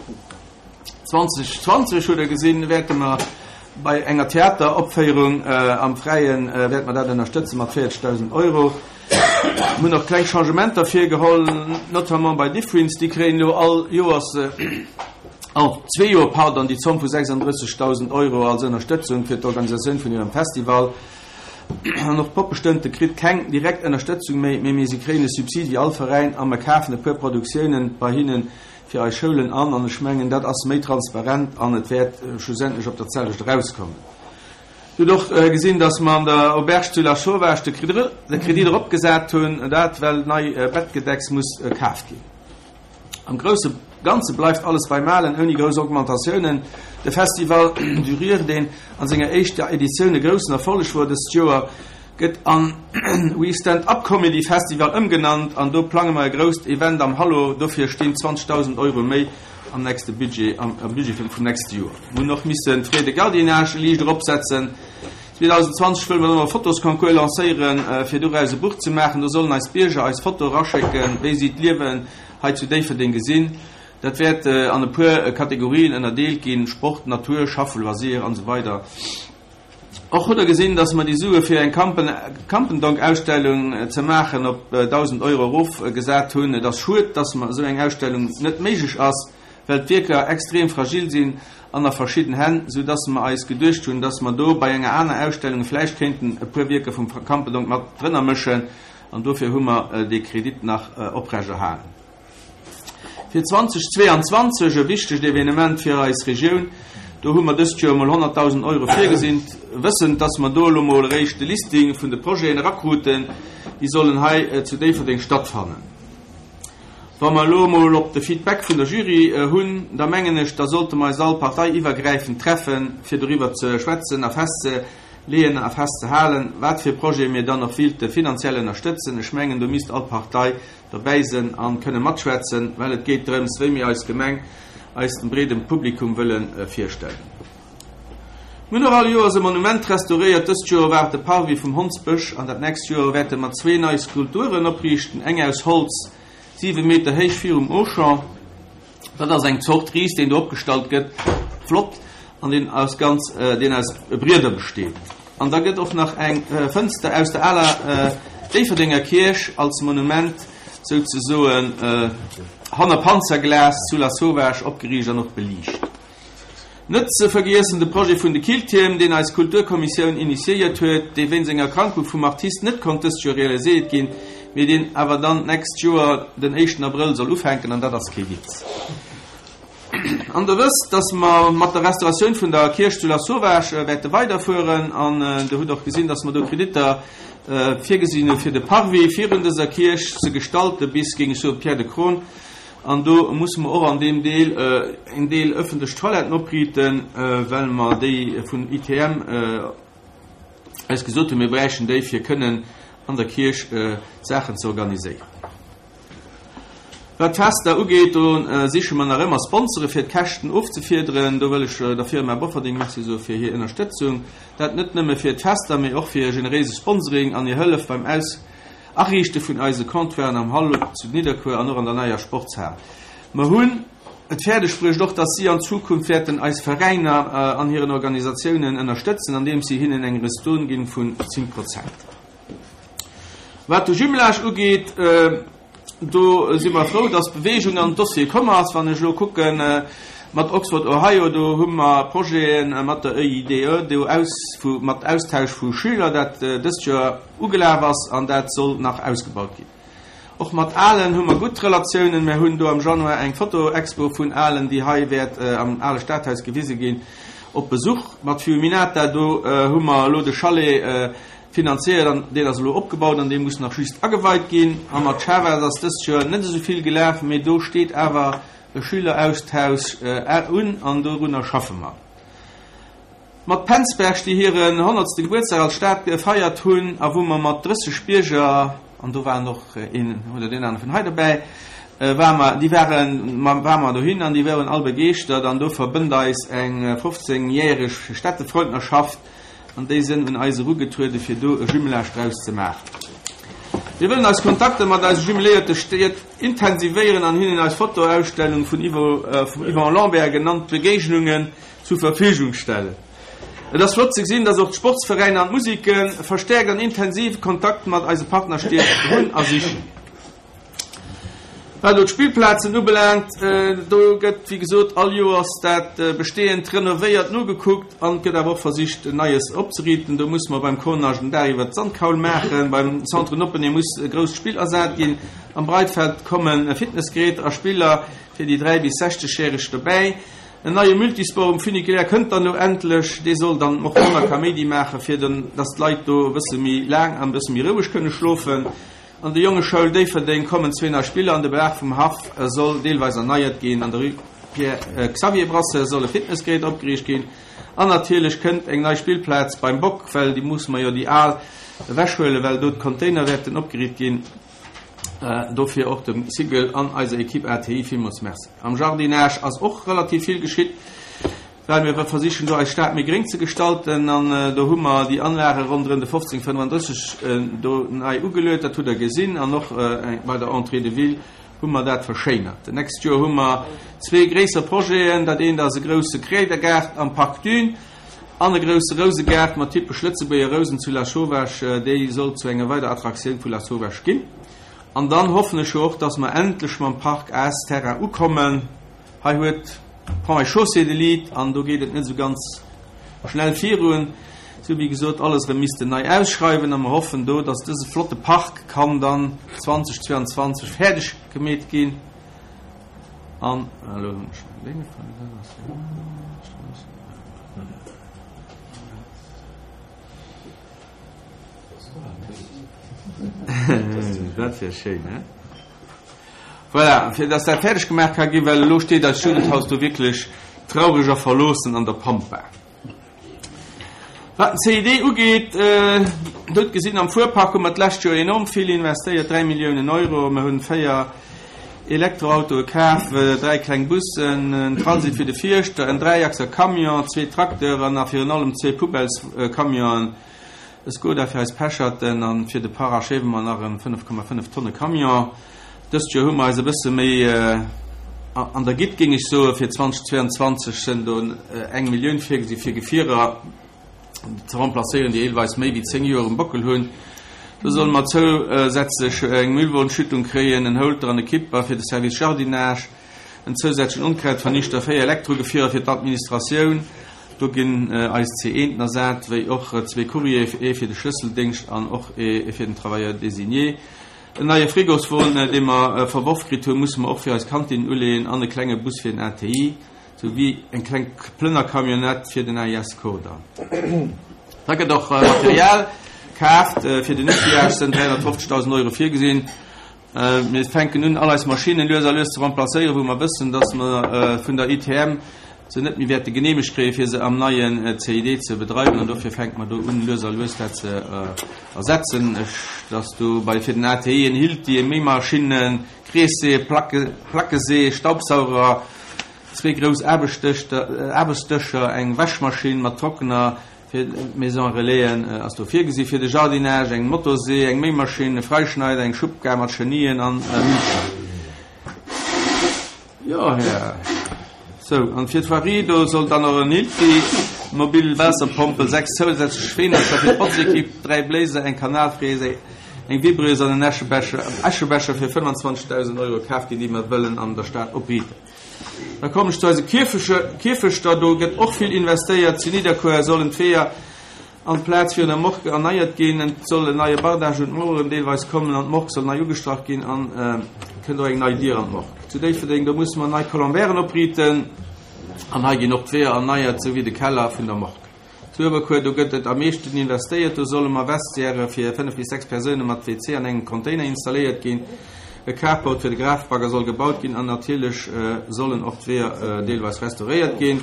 2020, hutt Der gesinn, wäerte mer bei enger Theateropféierung am Fräien, wäerte mer dat ënnerstëtze mat 40.000 Euro. Mir hunn och kleng Changementer virgeholl, notamment bei Diffwins, déi kréien elo all Joers, all zwee Joer, pardon, déi Zomm vu 36.000 Euro als Ënnerstëtzung fir d'Organisatioun vun hirem Festival. An och d'Poppestënte kritt keng direkt Ënnerstëtzung méi, mee mee si kréien e Subsid wéi all Veräin a mer kafen e puer Produktiounen bei hinne fir eis Schoulen an. An ech mengen, dat ass méi transparent an et wäert schlussendlech op dat selwecht erauskommen. Dir hutt och gesinn, dass mer an der Auberge zu Lasauvage de Kredit eropgesat hunn, dat well nei Bettgedecks muss kaaft ginn. Am grousse Ganze bleift alles beim Alen, ouni grouss Augmentatiounen. De Festival du Rire, deen an senger éischter Editioun e groussen Erfolleg wor dëst Joer, gëtt an We Stand Up Comedy Festival ëmgenannt an do plange mer e grousst Event am Hallo. Dofir stinn 20.000 Euro méi am nächste Budget, am Budget vum nächste Joer. Mir hunn och missen d'Frais de gardiennage liicht eropsetzen. 2020 wëlle mer dann och e Fotosconcours lancéieren, fir doraus e Buch ze maachen. Do sollen eis Bierger eis Foto eraschécken, wéi si d'Liewen hei zu Déifferdeng gesinn. Dat wäert an e puer Kategorien ënnerdeelt ginn, Sport, Natur, Schaffen, Loisir an esou weider. Och hutt Der gesinn, dass mer déi Sue fir eng Campendonk-Ausstellung ze maachen op 1.000 Euro erofgesat hunn. Et ass schued, dass mer esou eng Ausstellung net méiglech ass, well d'Wierker extrem fragil sinn an a verschidden Hänn, sou dass mer eis geduecht hunn, dass mer do bei enger aner Ausstellung vläicht kéinten e puer Wierker vum Campendonk mat drënner mëschen an dofir hu mer dee Kredit nach oprechterhalen. Fir 2022, e wichtegt Evenement fir eis Regioun. Do hu mer dëst Joer emol 100.000 Euro virgesinn, wëssend, dass mer do elo mol eréischt de Listing vun de Projeten erakruten, déi sollen hei zu Déifferdeng stattfannen. Wa mer elo emol op de Feedback vun der Jury hunn, da mengen ech, da sollte mer eis all parteiiwwergräifend treffen, fir doriwwer ze schwätzen a festzeleeën a festzehalen, wat fir Projete mir dann och wílte finanziell ënnerstëtzen. Ech mengen, do misst all Partei dobäi sënn an kënne matschwätzen, well et geet drëms, wéi mir eis Gemeng eis dem breedem Publikum wëlle virstellen. Mir hunn och all Joers e Monument restauréiert. Dëst Joer war et de Parvis vum Hondsbësch an dat nächst Joer wäerte mer zwee nei Skulpturen opriichten, eng aus Holz, 7 Meter héich virum Auchan. Dat ass eng Zort Ris, deen do opgestallt gëtt, flott, an deen aus ganz, deen aus Brieder besteet. An da gëtt och nach eng Fënster aus der aler Déifferdenger Kierch als Monument souzesoen hanner Panzerglas zu Lasauvage opgeriicht an och beliicht. Net ze vergiessen de Projet vun de Killtierm, deen eis Kulturkommissioun initiéiert huet, dee wéinst enger Erkrankung vum Artist net konnt dëst Joer realiséiert ginn, mee deen awer dann d'nächst Joer den éischten Abrëll soll ufänken, an dat ass kee Witz. An Der wësst, dass mer mat der Restauratioun vun der Kierch zu Lasauvage wäerte weiderfueren, an Der hutt och gesinn, dass mer do Kreditter virgesinn hu fir de Parvis virun dëser Kierch ze gestalten bis, géing ech soen, Pierre de Cron. An do musse mer och an deem Deel en Deel öffentlech Toiletten opriiten, well mer déi vun ITM eis gesot hunn, mir bräichten déi, fir kënnen an der Kierch Saachen ze organiséieren. Wat d'Fester ugeet, do siche mer nach ëmmer Sponsore fir d'Käschten ofzefiederen. Do wëll ech der Firma Bofferding Merci soe fir hir Ënnerstëtzung, dat net nëmme fir d'Fester, mee och fir hir generéise Sponsoring an hir Hëllef beim Aus Ariichte vun eise Comptoiren am Hall zu Nidderkuer an och an der neier Sportshal. Mer hunn et fäerdeg bruecht och, dass si an Zukunft wäerten eis Veräiner an hiren Organisatiounen ënnerstëtzen, andeems si hinnen eng Ristourne ginn vun 10 Prozent. Wat de Jumelage ugeet, Do si mer frou, dass Bewegung an den Dossier komm ass. Wann ech elo kucke mat Oxford, Ohio, do hu mer Projete mat der EIDE, do aus, mat Austausch vu Schüler, dat dëst Joer ugelaf ass an dat soll nach ausgebaut ginn. Och mat Ahlen hu mer gutt Relatiounen. Mer hunn do am Januar eng Fotoexpo vun Ahlen, déi hei wäert am ale Stadhaus gewise ginn, op Besuch. Mat Fiuminata, do hu mer elo de Chalet Finanziéiert an deen ass elo opgebaut an dee muss nach just ageweit ginn. A mat Chavez ass dëst Joer net esou vill gelaf, mee do steet awer e Schüleraustausch un an dorunner schaffe mer. Mat Penzberg, déi hiren honnertste Gebuertsdag als Stad gefeiert hunn a wou mer mat 30 Bierger, an do waren och een oder deen anere vun hei dobäi, ware mer, déi waren, ware mer dohin an déi waren all begeeschtert an do verbënnt eis eng 15 järeg Städtefreundnerschaft. An déi sënn un eis erugetruede fir do e Jumelage draus ze maachen. Mir wëllen eis Kontakter mat eise jumeléierte Stied intensivéieren an hinnen eis Fotoausstellung vun vum Yvon Lambert genannt Begegnungen zur Verfügung stellen. Et ass flott ze gesinn, dass och d'Sportsveräiner an d'Museke verstäerkt an intensiv Kontakt mat eise Partnerstied hunn a sichen. Wat elo d'Spillplazen ubelaangt, do gëtt, wéi gesot, all Joers dat Bestehend renovéiert, nogekuckt an et gëtt awer och versicht, Neies opzeriiten. Do musse mer beim Cornage den Daach iwwert d'Sandkaul maachen, beim Centre Noppenee muss e grousst Spill ersat ginn, am Breitfeld komme Fitnessgeräter a Spiller fir déi 3 bis 60 Järeg dobäi. En neie Multisport um Funiculaire kënnt dann elo endlech. Dee soll dann och manner Kaméidi maachen, fir dass d'Leit do e bësse méi laang an e bësse méi roueg kënne schlofen. An der Jongeschoul Déifferdeng kommen zwee nei Spiller an de Belag vum Haff soll deelweis erneiert ginn. An der Rue Pierre Xavier Brasseur soll e Fitnessgerät opgeriicht ginn. An natierlech kënnt eng nei Spillplaz beim Bock, well déi musse mer jo déi al ewechhuelen, well do d'Container wäerten opgeriicht ginn. Dofir och dem Cigl an eiser Equipe ATI villmools Merci. Am Jardinage ass och relativ vill geschitt. Well mir versichen do eis Stad méi gréng ze gestalten an do hu mer déi Anlage ronderëm de 1535 do nei ugeluet, dat hutt Der gesinn, an och bei der Entrée de ville hu mer dat verschéinert. D'nächst Joer hu mer zwee gréisser Projeten, dat eent ass e grousse Kräidergaart am Parc Dune an e grousse Rousegaart mat typesch Lëtzebuerger Rousen zu Lasauvage, déi soll zu enger weider Attraktioun vu Lasauvage ginn. An dann hoffen ech jo och, dass mer endlech mam Parc AS Terrain ukommen. Hei huet Ponts et Chaussées de Lead an do geet et net esou ganz schnell virun. Si hu wéi gesot alles erëm missten nei ausschreiwen a mer hoffen do, dass dëse flotte Park kann dann 2022 fäerdeg gemeet ginn. An elo hunn ech mäin Dénge verluer. Dat wär schéin, he? Voilà, fir dass dat fäerdeg gemaach ka ginn, well elo steet eist Jugendhaus do wierklech traureg a verloossen an der Pampa. Wat den CID ugeet, do hutt gesinn, am Fuerpark hu mer d'lescht Joer enorm vill investéiert, 3 Milliounen Euro. Mer hunn 4 Elektroautoe kaf, 3 kleng Bussen, en Transit fir de Fierschter, en Dräiachser Camion, zwee Tracteuren a virun allem zwee Poubellescamionen, e Skoda fir eis Pecherten an fir de Paracheve mer nach en 5,5 Tonne Camion. Dëst Joer hu mer eis e bësse méi an der Gitt, géing ech soen. Fir 2022 sënn do eng Millioun virgesi fir Gefierer ze remplacéieren, déi deelweis méi wéi 10 Joer um Bockel hunn. Do solle mer zousätzlech eng Müllwonschüttung kréien, en Holter an e Kipper fir de Service Jardinage, en zousätzlechen Onkrautvernichter, 4 Elektrogefierer fir d'Administratioun, do ginn eis C1en ersat, wéi och zwee Courrier, ee fir de Schlësseldéngscht an och ee fir den Travailleur désigné. En neie Frigoswon, dee mer verworf kritt hunn, musse mer och fir eis Kantin uleeën an e klenge Bus fir den ATI, sou wéi eng kleng Plënnercamionnette fir den AIS Kordall. Da gëtt och Material kaaft. Fir den Outillage sënn 350.000 Euro virgesinn. Mir fänken un, all eis Maschinnen lues a lues ze remplacéieren, wou mer wëssen, dass mer vun der ITM se net méi wäerte geneemegt kréien, fir se am neien CID ze bedreiwen. An dofir fänke mer do un, lues a lues dat ze ersetzen. Ech, dass do bei fir den ATI en Hilti, eng Méimaschinn, Kreessee, Placke, Plackesee, Staubsauger, zwee grouss Aarbechtsdëscher, eng Wäschmaschinn mat Trockner fir d'Maison Relaisen ass do virgesi fir de Jardinage, eng Motorsee, eng Méimaschinn, e Freischneider, eng Schubkar mat Chenillen an e Mulcher. Jo, Här. Sou, an fir d'Voirie, do soll dann och en Hilti, mobil Waasserpompel, 6 zousätzlech Schweenercher fir d'Botzequipe, 3 Bléiser, eng Kanalfräse, eng Vibreuse an en Äschebecher, Äschebecher fir 25.000 Euro kaf ginn, déi mer wëllen an der Stad opriiten. Da kommen ech zu eise Kierfechter. Do gëtt och vill investéiert. Zu Nidderkuer sollen d'Weeër An d'Plaz virun der Morgue erneiert ginn. Et soll en neie Bardage un d'Maueren deelweis kommen an d'Morgue soll nei ugestrach ginn an kënnt och eng nei Dier an d'Morgue. Zu Déifferdeng, do musse mer nei Colombairen opriiten an hei ginn och d'Weeër erneiert, sou wéi de Keller vun der Morgue. Zu Uewerkuer, do gëtt et am meeschten investéiert. Do solle mer Vestiairë fir 5 bis 6 Persoune mat WC an engem Container installéiert ginn. E Carport fir de Grafbagger soll gebaut ginn an natierlech sollen och d'Weeër deelweis restauréiert ginn.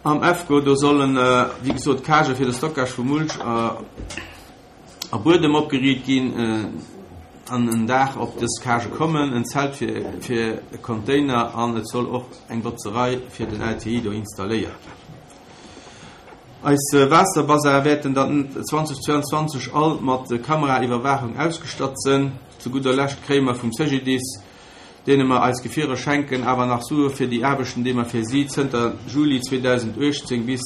Am EFCO, do sollen, wéi gesot, Cagë fir de Stockage vu Mulch a Buedem opgeriicht ginn an en Daach op dës Cagë kommen, en Zelt fir e Container an et soll och eng Botzerei fir den LTI do installéiert ginn. Eis Waasserbassin wäerten dann 2022 all mat Kameraiwwerwaachung ausgestatt sënn. Zu gudder Lescht kréie mer vum CGDIS deene mer eis Gefierer schenken, awer nach Sue fir déi Aarbechten, déi mer fir si zënter Juli 2018 bis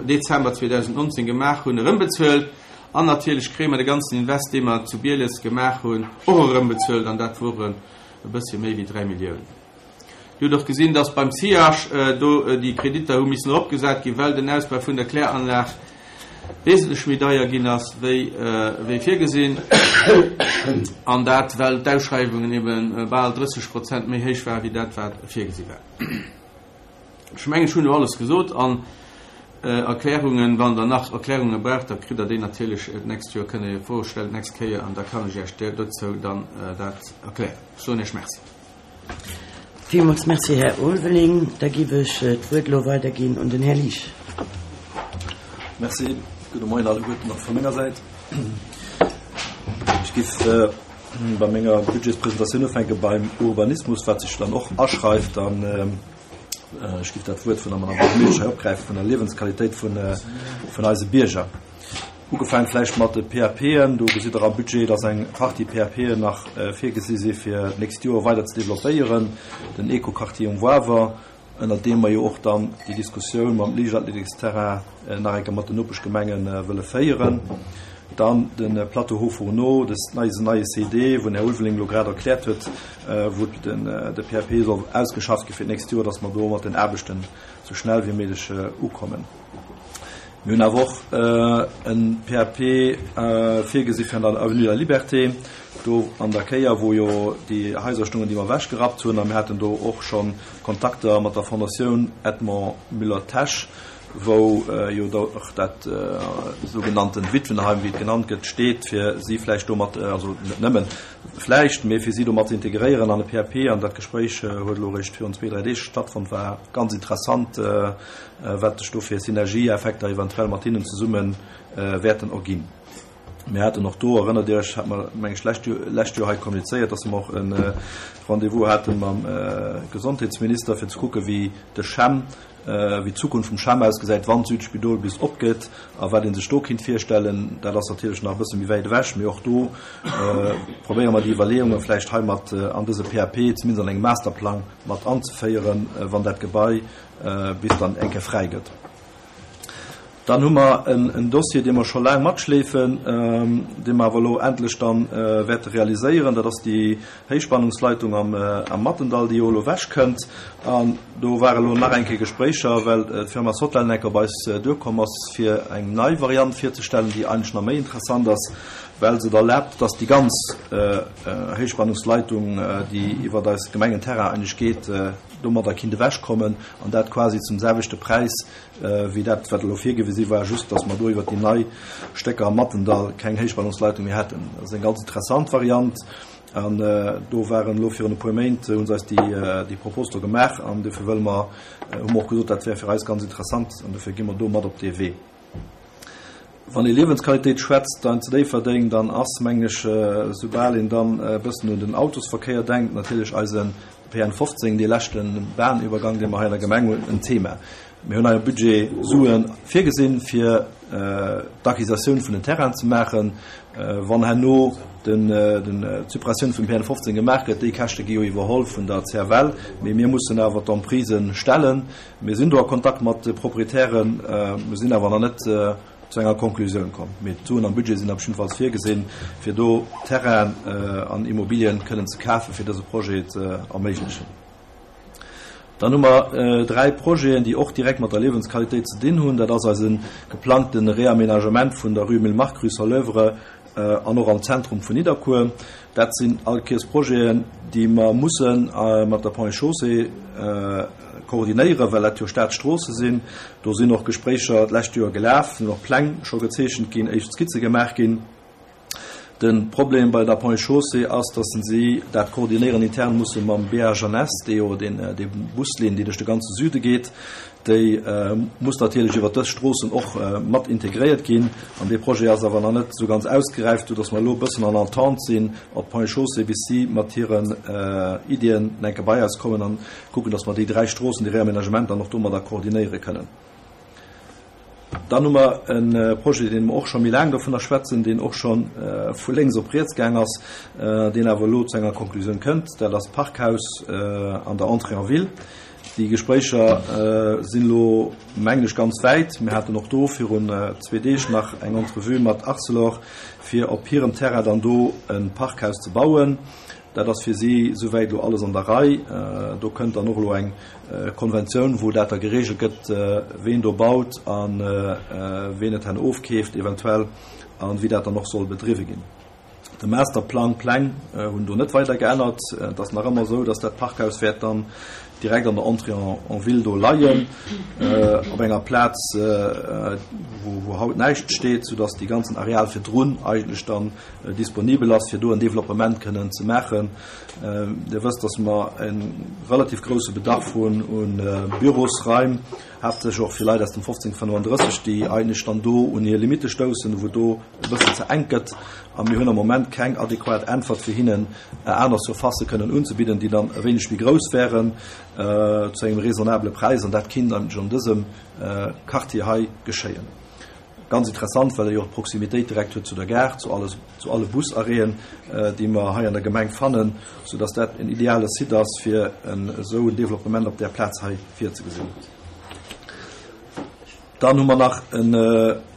Dezember 2019 gemaach hunn, erëmbezuelt. An natierlech kréie mer de ganzen Invest, dee mer zu Bieles gemaach hunn, och erëmbezuelt, an dat woren e bëssche méi wéi 3 Milliounen. Dir hutt och gesinn, dass beim SIAG do déi Kreditter hu missen eropgesat ginn, well den Ausbau vun der Kläranlag wesentlech méi deier ginn ass wéi wéi virgesinn, an dat well d'Ausschreiwungen ebe bal 30 Prozent méi héich waren, wéi dat wat virgesi war. Ech mengen, ech hunn elo alles gesot an Erklärungen, wann Der nach Erklärunge braucht, da kritt Der déi natierlech d'nächst Joer, kënnt Der jo Froe stellen d'nächst Kéier an da kann ech Iech dozou dann dat erklären. Ech soen Iech Merci. Villmools Merci, Här Ulveling. Da giff ech d'Wuert elo weiderginn un den Här Liesch. Merci. Gudde Moien alleguerten och vu menger Säit. Ech giff bei menger Budgetspresentatioun ufänke beim Urbanismus, wat sech dann och aschreift an, ech giff dat Wuert vun der Madame Buergermeeschtesch hei opgräifen, vun der Liewensqualitéit vun eise Bierger. Ugefaang vläicht mat de PAPen, do gesitt Der am Budget, dass eng Partie PAPen nach virgesi si fir d'nächst Joer weider ze developpéieren, den Eco-Quartier um Wawer, ënnert deem mer jo och dann déi Diskussioun mam Liichtathletiksterrain nach eng Kéier mat den Nopeschgemenge wëlle féieren, dann de Plateau Hauts-Fourneaux, dës eisen neie CD, wou den Här Ulveling elo grad erkläert huet, wou de PAP soll ausgeschafft gi fir d'nächst Joer, dass mer do mat den Aarbechten esou schnell wéi méiglech ukommen. Mir hunn awer och e PAP virgesi fir an der Avenue de la Liberté, do an der Kéier, wou jo déi Haiser stungen, déi mer ewechgerappt hunn. A mir haten do och scho Kontakter mat der Fondatioun Edmond Müller-Tesch. wou jo och dat sougenannten Witwenheim, wéi et genannt gëtt, steet, fir si vläicht do mat, also net nëmmen vläicht, mee fir si do mat ze integréieren an e PAP. An dat Gespréich huet elo eréischt virun zwee, dräi Deeg stattfonnt, war ganz interessant, wat sech do fir Synergieeffekter eventuell mat hinnen zesumme wäerten erginn. Mir haten och do, erënnert Dir Iech, hat mer, meng ech, lescht Joer, lescht Joer hei kommunizéiert, dass mer och e Rendez-vous hate mam Gesondheetsminister, fir ze kucken, wéi de CHEM, wéi d'Zukunft vum CHEM ausgesäit, wann d'Südspidol bis opgeet a wat ee sech do kinnt virstellen. Dat ass natierlech nach e bësse méi wäit ewech, mee och do probéiere mer déi Iwwerleeunge vläicht hei mat an dëse PAP, zumindest an engem Masterplang, mat anzeféieren, wann dat Gebai bis dann eng Kéier fräi gëtt. Dann hu mer en Dossier, dee mer scho laang matschleefen, dee mer awer elo endlech da wäerte realiséieren. Dat ass déi Héichspannungsleitung am Mattendall, déi jo elo ewechkënnt. An do ware elo nach eng Kéier Gespréicher, well d'Firma Sotlen eng Kéier op eis duerkomm ass, fir eng nei Variant virzestellen, déi eigentlech nach méi interessant ass, well se et erlaabt, dass déi ganz Héichspannungsleitung, déi iwwert eis Gemengenterrain eigentlech geet, domadder kinnt ewechkommen, an dat quasi zum selwechte Präis, wéi dat, wat elo virgewisi war, just datt mer do iwwert déi nei Stécker am Mattendall keng Héichspannungsleitung méi hätten. Dat ass eng ganz interessant Variant an do waren elo virun e puer Méint, hu se eis déi Propos do gemaach an dofir wëlle mer, hu mer och gesot, dat wär fir eis ganz interessant an dofir gi mer do mat op dee Wee. Wann ee Liewensqualitéit schwätzt dann zu Déifferdeng, dann ass, mengen ech, soubal een dann e bëssen un den Autosverkéier denkt, natierlech eise PN 15, dee leschte Bahnübergang, dee mer hei an der Gemeng hunn, en Thema. Mir hunn hei am Budget Sue virgesinn, fir d'Acquisitioun vun den Terrainen ze maachen. Wann herno d'Suppressioun vum PN 15 gemaach gëtt, déi Käschte gi jo iwwerholl vun der CFL, mee mir mussen awer d'Emprisë stellen. Mir sinn do a Kontakt mat de Proprietären, mir sinn awer nach net zu enger Konklusioun komm. Mee d'Suen am Budget sinn op jiddefalls virgesinn, fir do Terrainen an Immobilien kënnen ze kafen, fir dëse Projet ze erméiglechen. Dann hu mer dräi Projeten, déi och direkt mat der Liewensqualitéit ze dinn hunn. Dat ass eise geplangte Réaménagement vun der Rue Emile Mark, Rue Soleuvre an och am Zentrum vun Nidderkuer. Dat sinn all Kiers Projeten, déi mer musse mat der Ponts et Chaussées koordinéieren, well dat jo Staatsstroosse sinn. Do sinn och Gespréicher d'lescht Joer gelaf, sinn och Pläng scho gezeechent ginn, éischt Skizze gemaach ginn. De Problem bei der Ponts et Chaussées ass, datt si dat koordinéieren intern musse mam BHNS, dee jo déi Buslinn, déi duerch de ganze Süde geet, Déi muss natierlech iwwert dës Stroossen och mat integréiert ginn. An dee Projet ass awer nach net esou ganz ausgeräift, soudass mer elo e bëssen en attente sinn op d'Ponts et Chaussées, bis si mat hiren Iddien enke bei eis kommen an kucken, dass mer déi dräi Stroossen, déi Réaménagement dann och domadder koordinéiere kënnen. Dann hu mer e Projet, dee mer och scho méi laang dovunner schwätzen, deen och scho vu lénks op riets gaang ass, deen awer elo zu enger Konklusioun kënnt. Dat ass d'Parkhaus an der Entrée en ville. Déi Gespréicher sinn elo, mengen ech, ganz wäit. Mir haten och do virun zwee Deeg nach eng Entrevue mat Arcelor, fir op hirem Terrain dann do e Parkhaus ze bauen. Dat ass fir si souwäit elo alles an der Rei. Do kënnt dann och elo eng Konventioun, wou dat da geregelt gëtt, ween do baut a ween et herno ofkeeft eventuell a wéi dat dann och soll bedriwwe ginn. De Masterplang, Pläng hunn do net weider geännert. Et ass nach ëmmer esou, dass dat Parkhaus wäert dann direkt an der Entrée en ville do leien, op enger Plaz, wou haut näischt steet, soudass dee ganzen Areal virdrun eigentlech dann disponibel ass, fir do en Developpement kënnen ze maachen. Dir wësst, dass mer e relativ grouse Bedarf hunn u Bürosraim, haaptsächlech och fir Leit aus dem 1535, déi eigentlech dann do un hir Limitte stoussen, wou do e bëssen ze enk gëtt a mir hunn am Moment keng adequat Äntwert fir hinnen aner Surfacë kënnen unzebidden, déi dann e wéineg méi grouss wären zu engem raisonnabele Präis an dat kinnt eigentlech an dësem Quartier hei geschéien. Ganz interessant, well e jo och d'Proximitéit direkt huet zu der Gare, zu alles, zu alle Busarrêten, déi mer hei an der Gemeng fannen, soudass dat en ideale Site ass, fir en esou en Développement op där Plaz hei virzegesinn. Dann hu mer nach en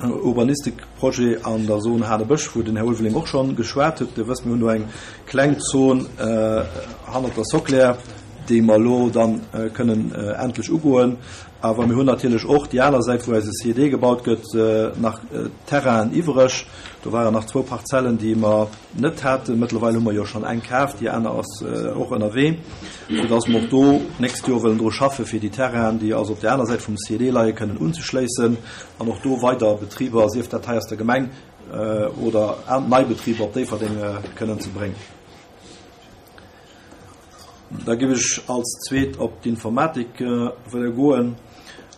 Urbanistikprojet an der Zone Hanebësch, wou den Här Ulveling och scho geschwat huet. Dir wësst, mir hunn do eng kleng Zon hannert der Soclär. Déi mer elo dann kënnen endlech ugoen. Awer mir hunn natierlech och déi aner Säit, wou eise CED gebaut gëtt, nach Terrainen iwwereg. Do waren nach zwou Parzellen, déi mer net haten. Mëttlerweil hu mer jo schonn eng kaf, déi aner ass och ënnerwee, soudass mer och do d'nächst Joer wëllen dru schaffen, fir déi Terrainen, déi also op där aner Säit vum CED leien, kënnen unzeschléissen an och do weider Betriber, sief dat hei aus der Gemeng oder nei Betriber op Déifferdeng kënnen ze bréngen. Da géif ech als zweet op d'Informatik wëlle goen.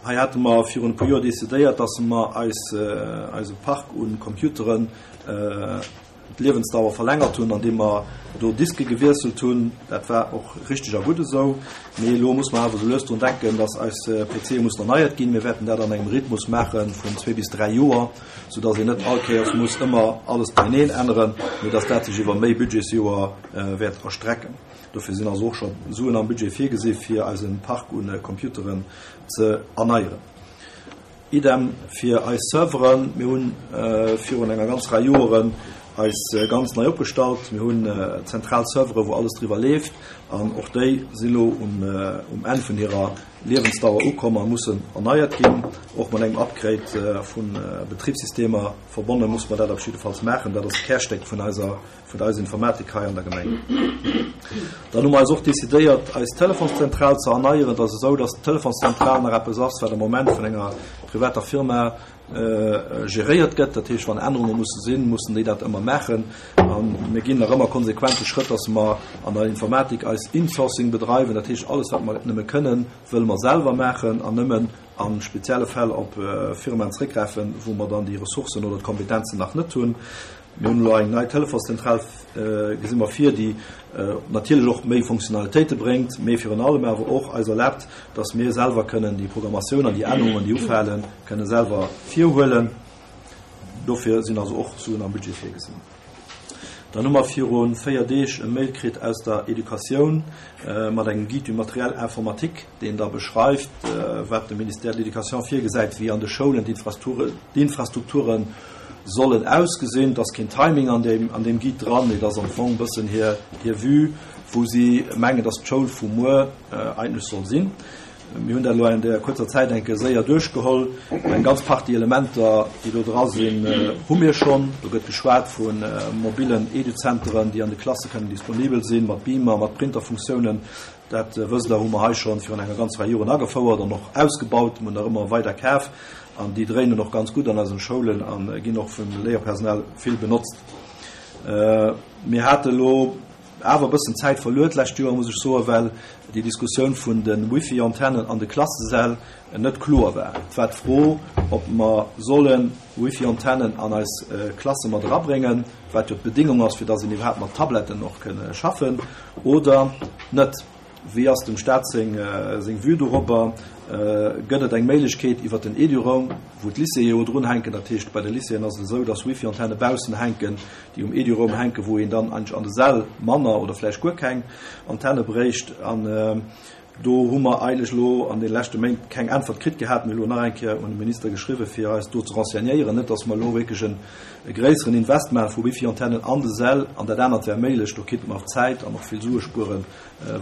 Hei hate mer virun e puer Joer decidéiert, dass mer eis, eise Park u Computeren d'Liewensdauer verlängert hunn, andeem mer do Diske gewiesselt hunn. Dat war och richteg a gutt esou. Mee elo muss mer awer esou lues drun denken, dass eis PCe mussen erneiert ginn. Mir wäerten dat an engem Rhythmus maache vun zwee bis dräi Joer, soudass een net all Kéiers muss ëmmer alles beieneen änneren, mee dass dat sech iwwer méi Budgetsjoer wäert erstrecken. Dofir sinn also och scho Suen am Budget virgesi fir eise Park u Computeren ze erneieren. Idem fir eis Serveren. Mir hu virun enger ganz Rei Joeren eis ganz nei opgestallt. Mir hunn zentral Servere wou alles driwwer leeft an och déi sinn elo um Enn vun hirer Liewensdauer ukomm a mussen erneiert ginn. Och mat engem Upgrade vu Betribssystemer verbonne muss mer dat op jiddefalls maachen. Dat ass d'Kärstéck vun eiser vun eiser Informatik hei an der Gemeng. Dann hu mer eis och decidéiert, eis Telefonszentral ze erneieren. Et ass esou, dass d'Telefonszentral nach eppes ass, wat am Moment vun enger privater Firma geréiert gëtt. Dat heescht, wann Ännerunge musse sinn, mussen déi dat ëmmer maachen. A mir ginn nach ëmmer konsequent de Schrëtt, dass mer an der Informatik eis Insourcing bedreiwen. Dat heescht, alles, wat mer nëmme kënnen, wëlle mer selwer maachen an nëmmen a spezielle Fäll op Firmaen zréckgräifen, wou mer dann déi Ressourcen oder d'Kompetenzen nach net hunn. Mir hunn elo eng nei Telefonszentral, gesi mer vir, déi natierlech och méi Funktionalitéite bréngt, mee virun allem awer och eis erlaabt, dass mir selwer kënnen déi Programmatioun an déi Ännerungen, déi ufalen, kënne selwer virhuelen. Dofir sinn also och Suen am Budget virgesinn. Dann hu mer viru 4 Deeg e Mail kritt aus der Educatioun mat engem Guide du matériel informatique, deen da beschreift, wat de Ministère de l'Éducation virgesäit, wéi an de Schoulen d'Infrastrukture sollen ausgesinn. Et ass keen Timing an deem, an deem Guide dran, mee et ass am Fong e bëssen hir, hir Vue, wou si mengen, dass d'Schoul vu muer eigentlech soll sinn. Mir hunn dat elo an där kuerzer Zäit eng Kéier séier duerchgeholl. Eng ganz Partie Elementer, déi do dra sinn, hu mir schonn. Do gëtt geschwat vu mobilen Eduzenteren, déi an de Klasse kënnen disponibel sinn, mat Beamer, mat Printerfunktiounen. Dat wësst Der, hu mer hei schonn virun enger ganzer Rei Joren agefouert an och ausgebaut. Mir hunn der ëmmer weider kaf an déi dréinen och ganz gutt an eisen Schoulen a ginn och vum Léierpersonal vill benotzt. Mir hate elo awer e bëssen Zäit verluer d'lescht Joer, muss ech soen, well déi Diskussioun vun de Wifi-Antennen an de Klassesäll net kloer war. Et war d'Fro, ob mer solle Wifi-Antennen an eis Klasse mat erabréngen, wat jo d'Bedéngung ass, fir dass een iwwerhaapt mat Tabletten och kënne schaffen, oder net. Wéi ass dem Staat seng Vue dorobber? Gëtt et eng Méiglechkeet iwwer den Eduroam, wou d'Lycéeë jo drun hänken, dat heescht bei de Lycéeën ass et esou, dass Wifi-Antenne baussen hänken, déi um Eduroam hänken, wou een dann eigentlech an de Säll manner oder vläicht guer keng Antenne bréicht. An do hu mer eigentlech elo an de leschte Méint keng Äntwert kritt gehat. Mir hu elo nach eng Kéier un de Minister geschriwwen, fir eis do ze renseignéieren, net dass mer elo wierklech e gréisseren Invest maache vu Wifi-Antennen an de Säll an dat anert wär méiglech. Do kéinte mer och Zäit an och vill Sue spueren.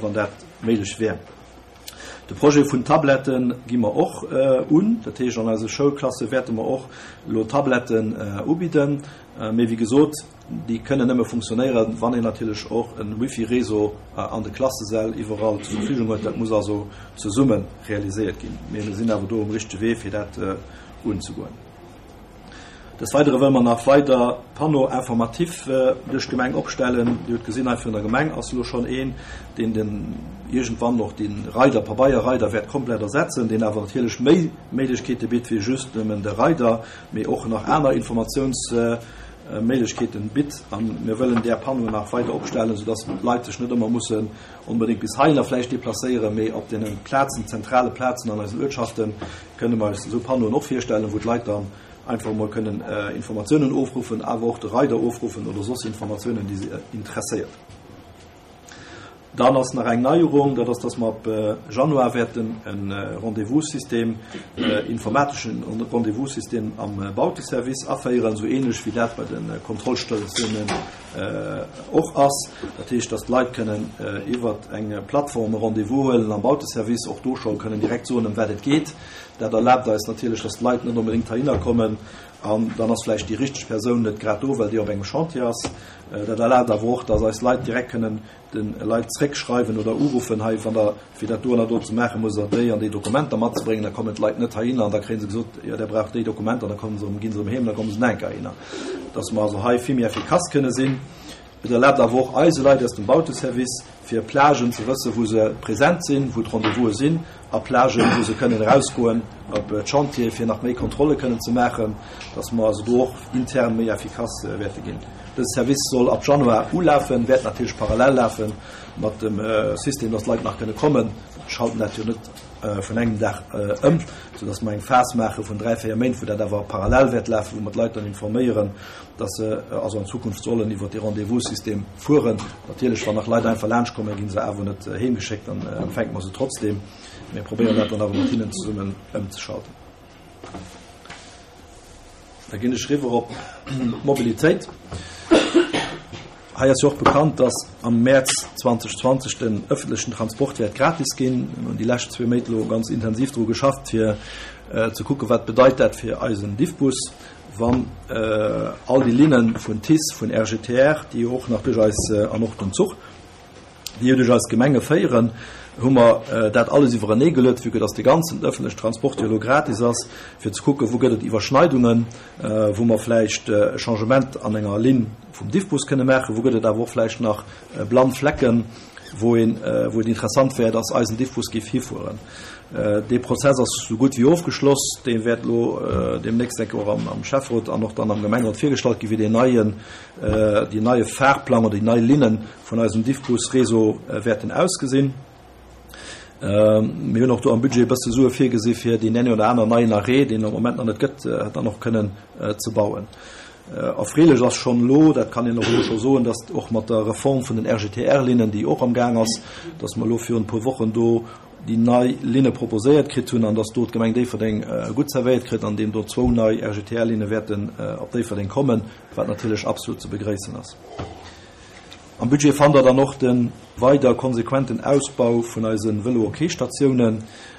wann dat méiglech wär. De Projet vun Tablette gi mer och un. Dat heescht, an eise Schoulklasse wäerte mer och elo Tabletten ubidden. Mee wéi gesot, déi kënnen nëmme funktionéieren, wann een natierlech och e Wifi-Réseau an de Klassesäll iwwerall zur Verfügung huet. Dat muss also zesumme realiséiert ginn. Mee mir sinn awer do um richtege Wee, fir dat unzegoen. Des Weidere wëlle mer nach weider Panneaux informatifs duerch d'Gemeng opstellen. Dir hutt gesinn, hei virun der Gemeng ass elo schonn een, deen den iergendwann och de Reider, Pabeierreider wäert komplett ersetzen, deen awer natierlech méi Méiglechkeete bitt wéi just nëmmen de Reider, mee och nach aner Informatiounsméiglechkeeten bitt. A mir wëllen där Panneauen nach weider opstellen, soudass d'Leit sech net ëmmer mussen onbedéngt bis heihinner vläicht deplacéieren, mee op deene Plazen, zentrale Plazen an eisen Uertschaften, Kënne mer eis esou Panneauen och virstellen, wou d'Leit dann einfach emol kënnen Informatiounen ofruffen, awer och de Reider ofruffen oder soss Informatiounen, déi se interesséiert. Dann ass nach eng Neierung, dat ass, dass mer ab Januar wäerten e Rendez-vous-System, informateschen Rendez-vous-System am Bauteservice aféieren, esou ähnlech wéi dat bei de Kontrollstatiounen och ass. Dat heescht, dass d'Leit kënnen iwwer eng Plattform e Rendez-vous huelen am Bauteservice, och do scho kënnen direkt soen, ëm wat et geet. Dat erlaabt eis natierlech, dass d'Leit net onbedéngt heihinner kommen an dann ass vläicht déi richteg Persoun net grad do, well déi op engem Chantier ass. Dat erlaabt awer och, dass eis Leit direkt kënnen de Leit zréckschreiwen oder uruffen, hei, wann Der fir dat do an dat do ze maachen, musst Der déi an déi Dokumenter matzebréngen. Da kommen d'Leit net heihinner an da kréie se gesot, jo, Der braucht déi Dokumenter, an da kommen se erëm, gi se erëm heem an da komme se nach eng Kéier heihinner. Dass mer also hei vill méi effikass kënne sinn. Et erlaabt awer och eise Leit aus dem Bauteservice, fir Plagen ze wëssen, wou se present sinn, wou d'Rendez-vouse sinn, a Plagen, wou se kënnen erausgoen op d'Chantiere fir nach méi Kontrolle kënnen ze maachen, dass mer also do och intern méi effikass wäerte ginn. Dëse Service soll ab Januar ulafen, wäert natierlech parallel lafe mat dem System, dass d'Leit nach kënne kommen. Mir schalten dat jo net vun engem Dag ëm, soudass mer eng Phas maache vun dräi, véier Méint, wou dat awer parallel wäert lafen, wou mer d'Leit dann informéieren, dass se also an Zukunft sollen iwwert dee Rendez-vous-System fueren. Natierlech, wann nach Leit einfach laanscht kommen, gi se awer net heemgeschéckt, dann empfänke mer se trotzdem. Mir probéieren dat dann awer mat hinnen zesummen ëmzeschalten. Da ginn ech riwwer op d'Mobilitéit. Hei ass jo och bekannt, dass am Mäerz 2020 den ëffentlechen Transport wäert gratis ginn. Mir hunn déi lescht zwee Méint elo ganz intensiv dru geschafft, fir ze kucken, wat bedeit dat fir eisen Diffbus. Wann all déi Linne vun TICE, vun RGTR, déi jo och nach duerch eis, an och den Zuch, déi jo duerch eis Gemenge féieren, hu mer dat alles iwwerenee geluet, vue que dass de ganzen öffentlechen Transport jo elo gratis ass, fir ze kucken, wou gëtt et Iwwerschneidungen, wou mer vläicht e Changement an enger Linn vum Diffbus kënne maachen, wou gëtt et awer och vläicht nach blann Flecken, wou een, wou et interessant wär, dass eisen Diffbus géif hifueren. Dee Prozess ass esou gutt wéi ofgeschloss. Dee wäert elo deemnächst, denke och am Schäfferot an och dann am Gemengerot virgestallt ginn, wéi deen neien, deen neie Fahrplang oder déi nei Linne vun eisem Diffbus-Réseau wäerten ausgesinn. Mir hunn och do am Budget e bësse Sue virgesi fir deen ene oder aner neien Arrêt, deen am Moment nach net gëtt, dann och kënnen ze bauen. Erfreelech ass schonn elo, dat kann een och elo scho soen, datt och mat der Reform vun den RGTR-Linnen, déi och am Gaang ass, datt mer elo virun e puer Wochen do déi nei Linne proposéiert kritt hunn an datt do d'Gemeng Déifferdeng gutt zerwéiert kritt, andeem do zwou nei RGTR-Linne wäerten op Déifferdeng kommen, wat natierlech absolut ze begréissen ass. Am Budget fannt der dann och de weider konsequenten Ausbau vun eise Vëlo-OK-Statiounen.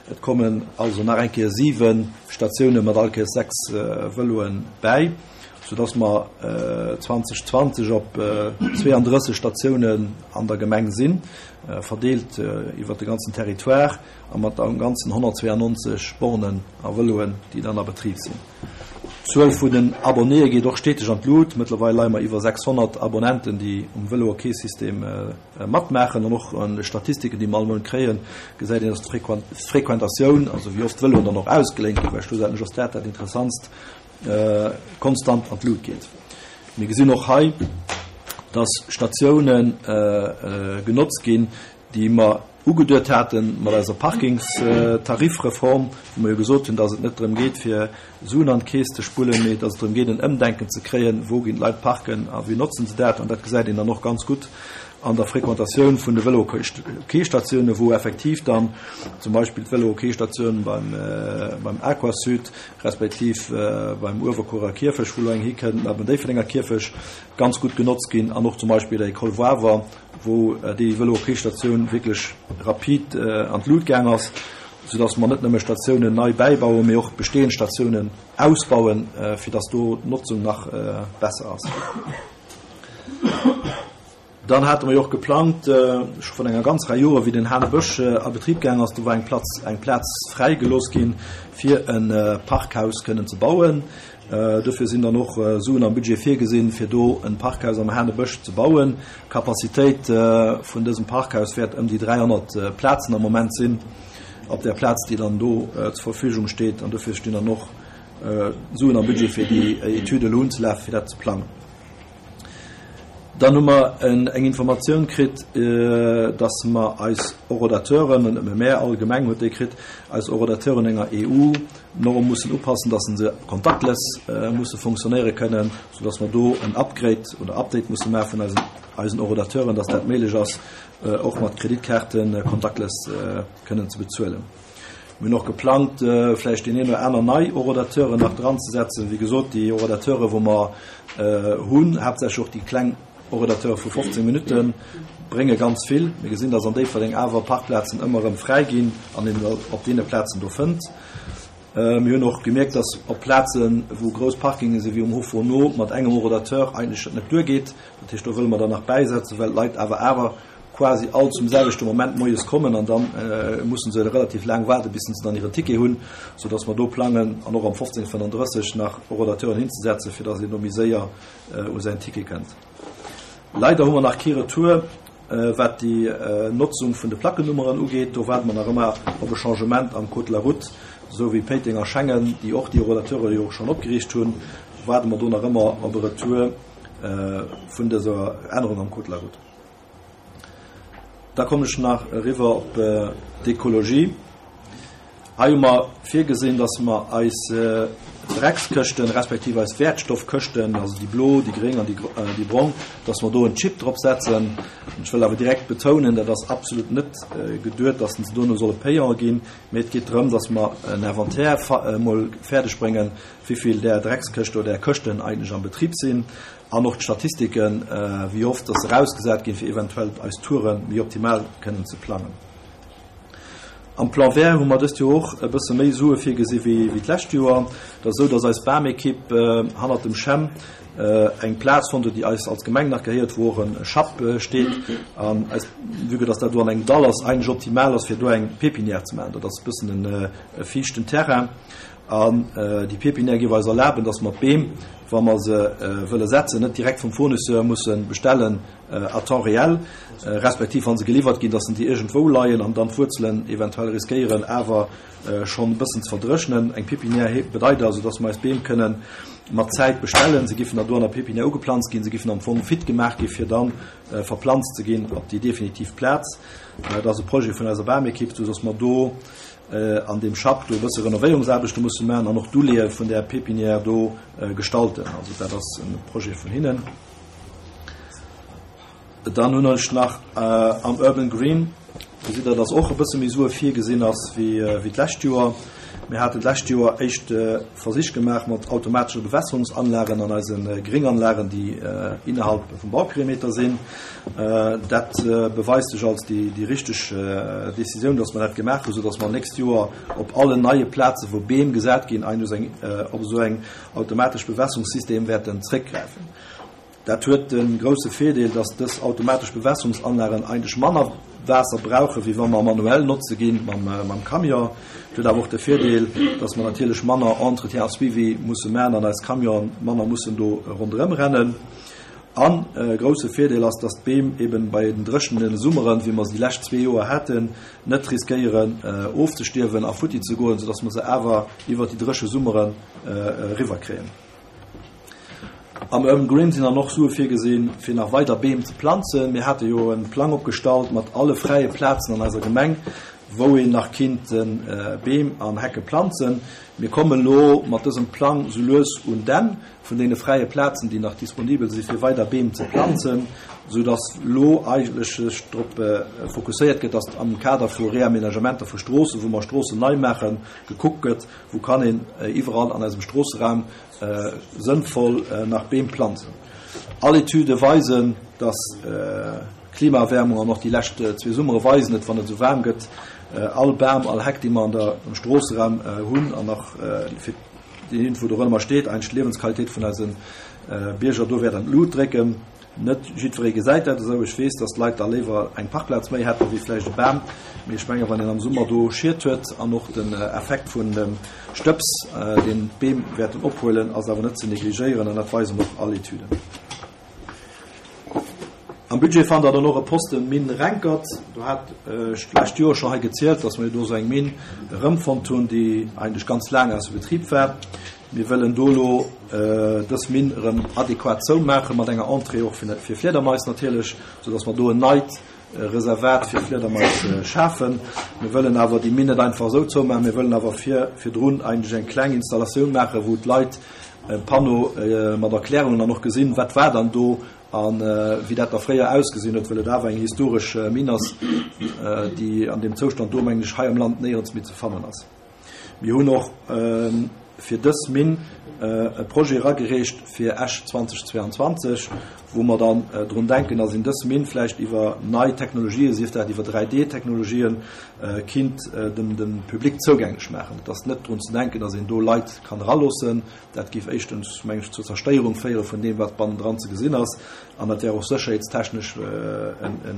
Et kommen also nach eng Kéier 7 Statioune mat all Kéiers 6 Vëloe bäi, soudass mer 2020 op 32 Statiounen an der Gemeng sinn, verdeelt iwwert de ganzen Territoire a mat am Ganzen 192 Bornen a Vëloen, déi dann a Betrib sinn. D'Zuel vun den Abonnéë geet och steteg an d'Lut. Mëttlerweil leie mer iwwer 600 Abonnenten, déi um Vëlo-OK-System matmaachen. An och an de Statistiken, déi mer all Mount kréien, gesäit een, dass d'Frequentatioun, also wéi oft d'Vëloen dann och ausgeléint ginn, well schlussendlech ass dat dat Interessantst, konstant an d'Lut geet. Mir gesinn och hei, dass Statioune genotzt ginn, déi mer ugeduet hate mat eiser Parkingstarifreform, wou mer jo gesot hunn, dass et net drëm geet, fir Suen an d'Keess ze spullen, mee dass et drëm geet, en Ëmdenken ze kréien, wou ginn d'Leit parken a wéi notzen se dat. An dat gesäit een dann och ganz gutt an der Frequentatioun vun de Vëlo-Quai-Statiounen, wou effektiv dann zum Beispill d'Vëlo-Quai-Statioun beim Aquasud respektiv beim Uewerkuerer Kierfech, wou elo eng hikënnt, a beim Déifferdenger Kierfech ganz gutt genotzt ginn an och zum Beispill der École Wawer, wou déi Vëlo-OK-Statioun wierklech rapid an d'Lut gaang ass, soudass mer net nëmme Statiounen nei bäibauen, mee och bestehend Statiounen ausbauen, fir dass do d'Notzung nach besser ass. Dann hate mer jo och geplangt, scho vun enger ganz Rei Joren, wéi den Hanebësch a Betrib gaang ass, do war eng Platz, eng Plaz fräi gelooss ginn, fir e Parkhaus kënnen ze bauen. Dofir sinn dann och Suen am Budget virgesinn, fir do e Parkhaus am Hanebësch ze bauen. D'Capacitéit vun dësem Parkhaus wäert ëm déi 300 Plazen am Moment sinn, op där Plaz, déi dann do zur Verfügung steet. An dofir stinn dann och Suen am Budget, fir déi Etüd elo unzelafen, fir dat ze plangen. Dann hu mer eng Informatioun kritt, dass mer eis Horodateuren, an net nëmme mär, all Gemeng huet déi kritt, eis Horodateuren enger EU-Norm mussen upassen, dass se contactless musse fonctionnéiere kënnen, soudass mer do en Upgrade oder Update musse maache vun eisen eisen Horodateuren, dass dat méiglech ass, och mat Kreditkaarte contactless kënnen ze bezuelen. Mir hunn och geplangt, vläicht deen een oder aner nei Horodateuren nach dranzesetzen. Wéi gesot, déi Horodateure wou mer hunn, haaptsächlech och déi kleng Horodateure vu 15 Minutten, brénge ganz vill. Mir gesinn, dass an Déifferdeng awer Parkplazen ëmmer erëm fräi ginn an een op deene Plazen do fënnt. Mir hunn och gemierkt, dass op Plazen, wou grouss Parkinge sinn, wéi um Hof Vono, mat engem Horodateur eigentlech dat net duergeet. Dat heescht, do wëlle mer dann nach bäisetzen, well d'Leit awer awer quasi all zum selwechte Moment moies kommen an dann mussen se relativ laang waarden, bis se dann hiren Ticket hunn, soudass mer do plangen, an och am 15:35 nach Horodateuren hinzesetzen, fir dass een do méi séier u säin Ticket kënnt. Leider hu mer nach kee Retour, wat déi Notzung vun de Plackennummeren ugeet. Do waarde mer nach ëmmer op e Changement am Code de la route, esou wéi Péiteng a Schengen, déi och déi Horodateure jo schonn opgeriicht hunn, waarde mer do nach ëmmer op e Retour vun dëser Ännerung am Code de la route. Da kommen ech nach eriwwer op d'Ekologie. Hei hu mer virgesinn, dass mer eis Dreckskëschten, respektiv eis Wäertstoffkëschten, also déi blo, déi gréng an déi brong, dass mer do en Chip drop setzen. Ech wëll awer direkt betounen, dat ass absolut net geduet, dass se dono solle payant ginn, mee et geet drëm, dass mer en Inventaire emol fäerdeg bréngen, wéi vill där Dreckskëschten oder där Këschten eigentlech am Betrib sinn an och d'Statistiken, wéi oft dass se erausgesat ginn, fir eventuell eis Toure méi optimal kënnen ze plangen. Am Plan vert hu mer dëst Joer och e bësse méi Sue virgesi wéi d'lescht Joer. Et ass esou, dass eis Bamekipp hannert dem Chem eng Plaz fonnt huet, déi eis als Gemeng nach gehéiert, wou och e Schapp steet. An eis, vue que dass dat do an engem Dall ass, eigentlech optimal ass, fir do eng Pépinière ze maachen. Dat ass e bëssen e fiichten Terrain. An déi Pépinière géif eis erlaben, dass mer d'Beem, wa mer se wëlle setzen, net direkt vum Fournisseur musse bestellen à temps réel, respektiv wa se geliwwert ginn, dass se déi iergendwou leien an dann d'Wuerzelen eventuell riskéieren awer schonn e bëssen ze verdréchnen. Eng Pépinière bedeit also, dass mer eis Beem kënnen mat Zäit bestellen. Se giffen dann do an der Pépinière ugeplanzt ginn, se giffen am Fong fit gemaach gi fir da verplanzt ze ginn op déi definitiv Plaz. Dat ass e Projet vun eiser Bamekipp, soudass mer do an deem Schapp do e bësse Renovéierungsaarbechte musse maachen an och d'Uleeë vun där Pépinière do gestalten. Also dat ass e Projet vun hinnen. Dann hunn ech nach am Urban Green, gesitt Der, dass och e bësse méi Sue virgesinn ass wéi d'lescht Joer. Mir haten d'lescht Joer éischt Versich gemaach mat automatesche Bewässerungsanlagen an eise Grénganlagen, déi innerhalb vum Bauperimeter sinn. Dat beweist sech als déi richteg Decisioun, dass mer dat gemaach hunn, soudass mer nächst Joer op allen neie Plazen, wou Beem gesat ginn, op esou eng automatesch Bewässerungssystem wäerten zréckgräifen. Dat huet de grousse Virdeel, dass dës automatesch Bewässerungsanlagen eigentlech manner Waasser brauchen, wéi wa mer manuell notze ginn mam Camion. Et huet awer och de Virdeel, dass mer natierlech manner Entretien a Suivi musse maachen an eis Camionen manner mussen do ronderëm rennen. An e grousse Virdeel ass, dass d'Beem eben bei den dréchene Summeren, wéi mer se déi lescht zwee Joer haten, net riskéieren ofzestierwen a futti ze goen, soudass mer se awer iwwert déi dréche Summeren eriwwerkréien. Am Urban Green sinn dann och Sue virgesinn, fir nach weider Beem ze planzen. Mir hate jo e Plang opgestallt mat alle fräie Plazen an eiser Gemeng, wou een nach kinnt Beem an Hecke planzen. Mir kommen elo mat dësem Plang sou lues un d'Enn vun deene fräie Plazen, déi nach disponibel si fir weider Beem ze planzen, sou dass elo eigentlech sech drop fokusséiert gëtt, dass am Kader vu Reaménagementer vu Stroossen, wou mer Stroossen nei maachen, gekuckt gëtt, wou kann een iwwerall an eisem Stroosseraum sënnvoll nach Beem planzen. All Etüde weisen, dass d'Klimaerwärmung an och déi lescht zwee Summere weisen et, wann et esou waarm gëtt, all Bam, all Heck, déi mer an der, am Stroosseraum hunn an nach fir deen iergendwou dorëmmer steet, eigentlech d'Liewensqualitéit vun eise Bierger do wäert an d'Lut drécken. Net jiddweree gesäit dat esou. Ech weess, datt d'Leit da léiwer eng Parkplaz méi hätten, wéi vläicht e Bam. Mee ech menge wann een am Summer do Schied huet an och den Effekt vun dem Stëbs, deen d'Beem wäerten ophuelen, ass awer net ze negligéieren an dat weisen och all Etüden. Am Budget fannt Der dann och e Posten Mine Renkert. Do hat ech d'lescht Joer scho hei gezielt, dass mer jo do esou eng Minn erëmfonnt hunn, déi eigentlech ganz laang ausser Betrib war. Mir wëllen do elo dës Minn erëm adequat zoumaache mat enger Entrée och fir Fliedermais natierlech, soudass mer do en neit Reservat fir Fliedermais schafen. Mir wëllen awer déi Minn net einfach esou zoumaachen, mir wëllen awer vir virdrun eigentlech eng kleng Installatioun maachen, wou d'Leit e Panneau mat Erklärungen dann och gesinn, wat war dann do a wéi dat da fréier ausgesinn huet, well et awer eng historesch Minn ass, déi an deem Zoustand do, mengen ech, hei am Land néierens méi ze fannen ass. Mir hunn och fir dës Minn e Projet eragereecht fir Esch 2022, wou mer dann drun denken, dass een dës Minn vläicht iwwer nei Technologien, sief dat iwwer 3D-Technologien, kinnt dem Public zougänglech maachen. Et ass net drun ze denken, dass een do Leit kann eraloossen. Dat géif éischtens, meng ech, zur Zerstéierung féiere vun deem, wat bannendran ze gesinn ass, an dat wär och sécherheetstechnesch e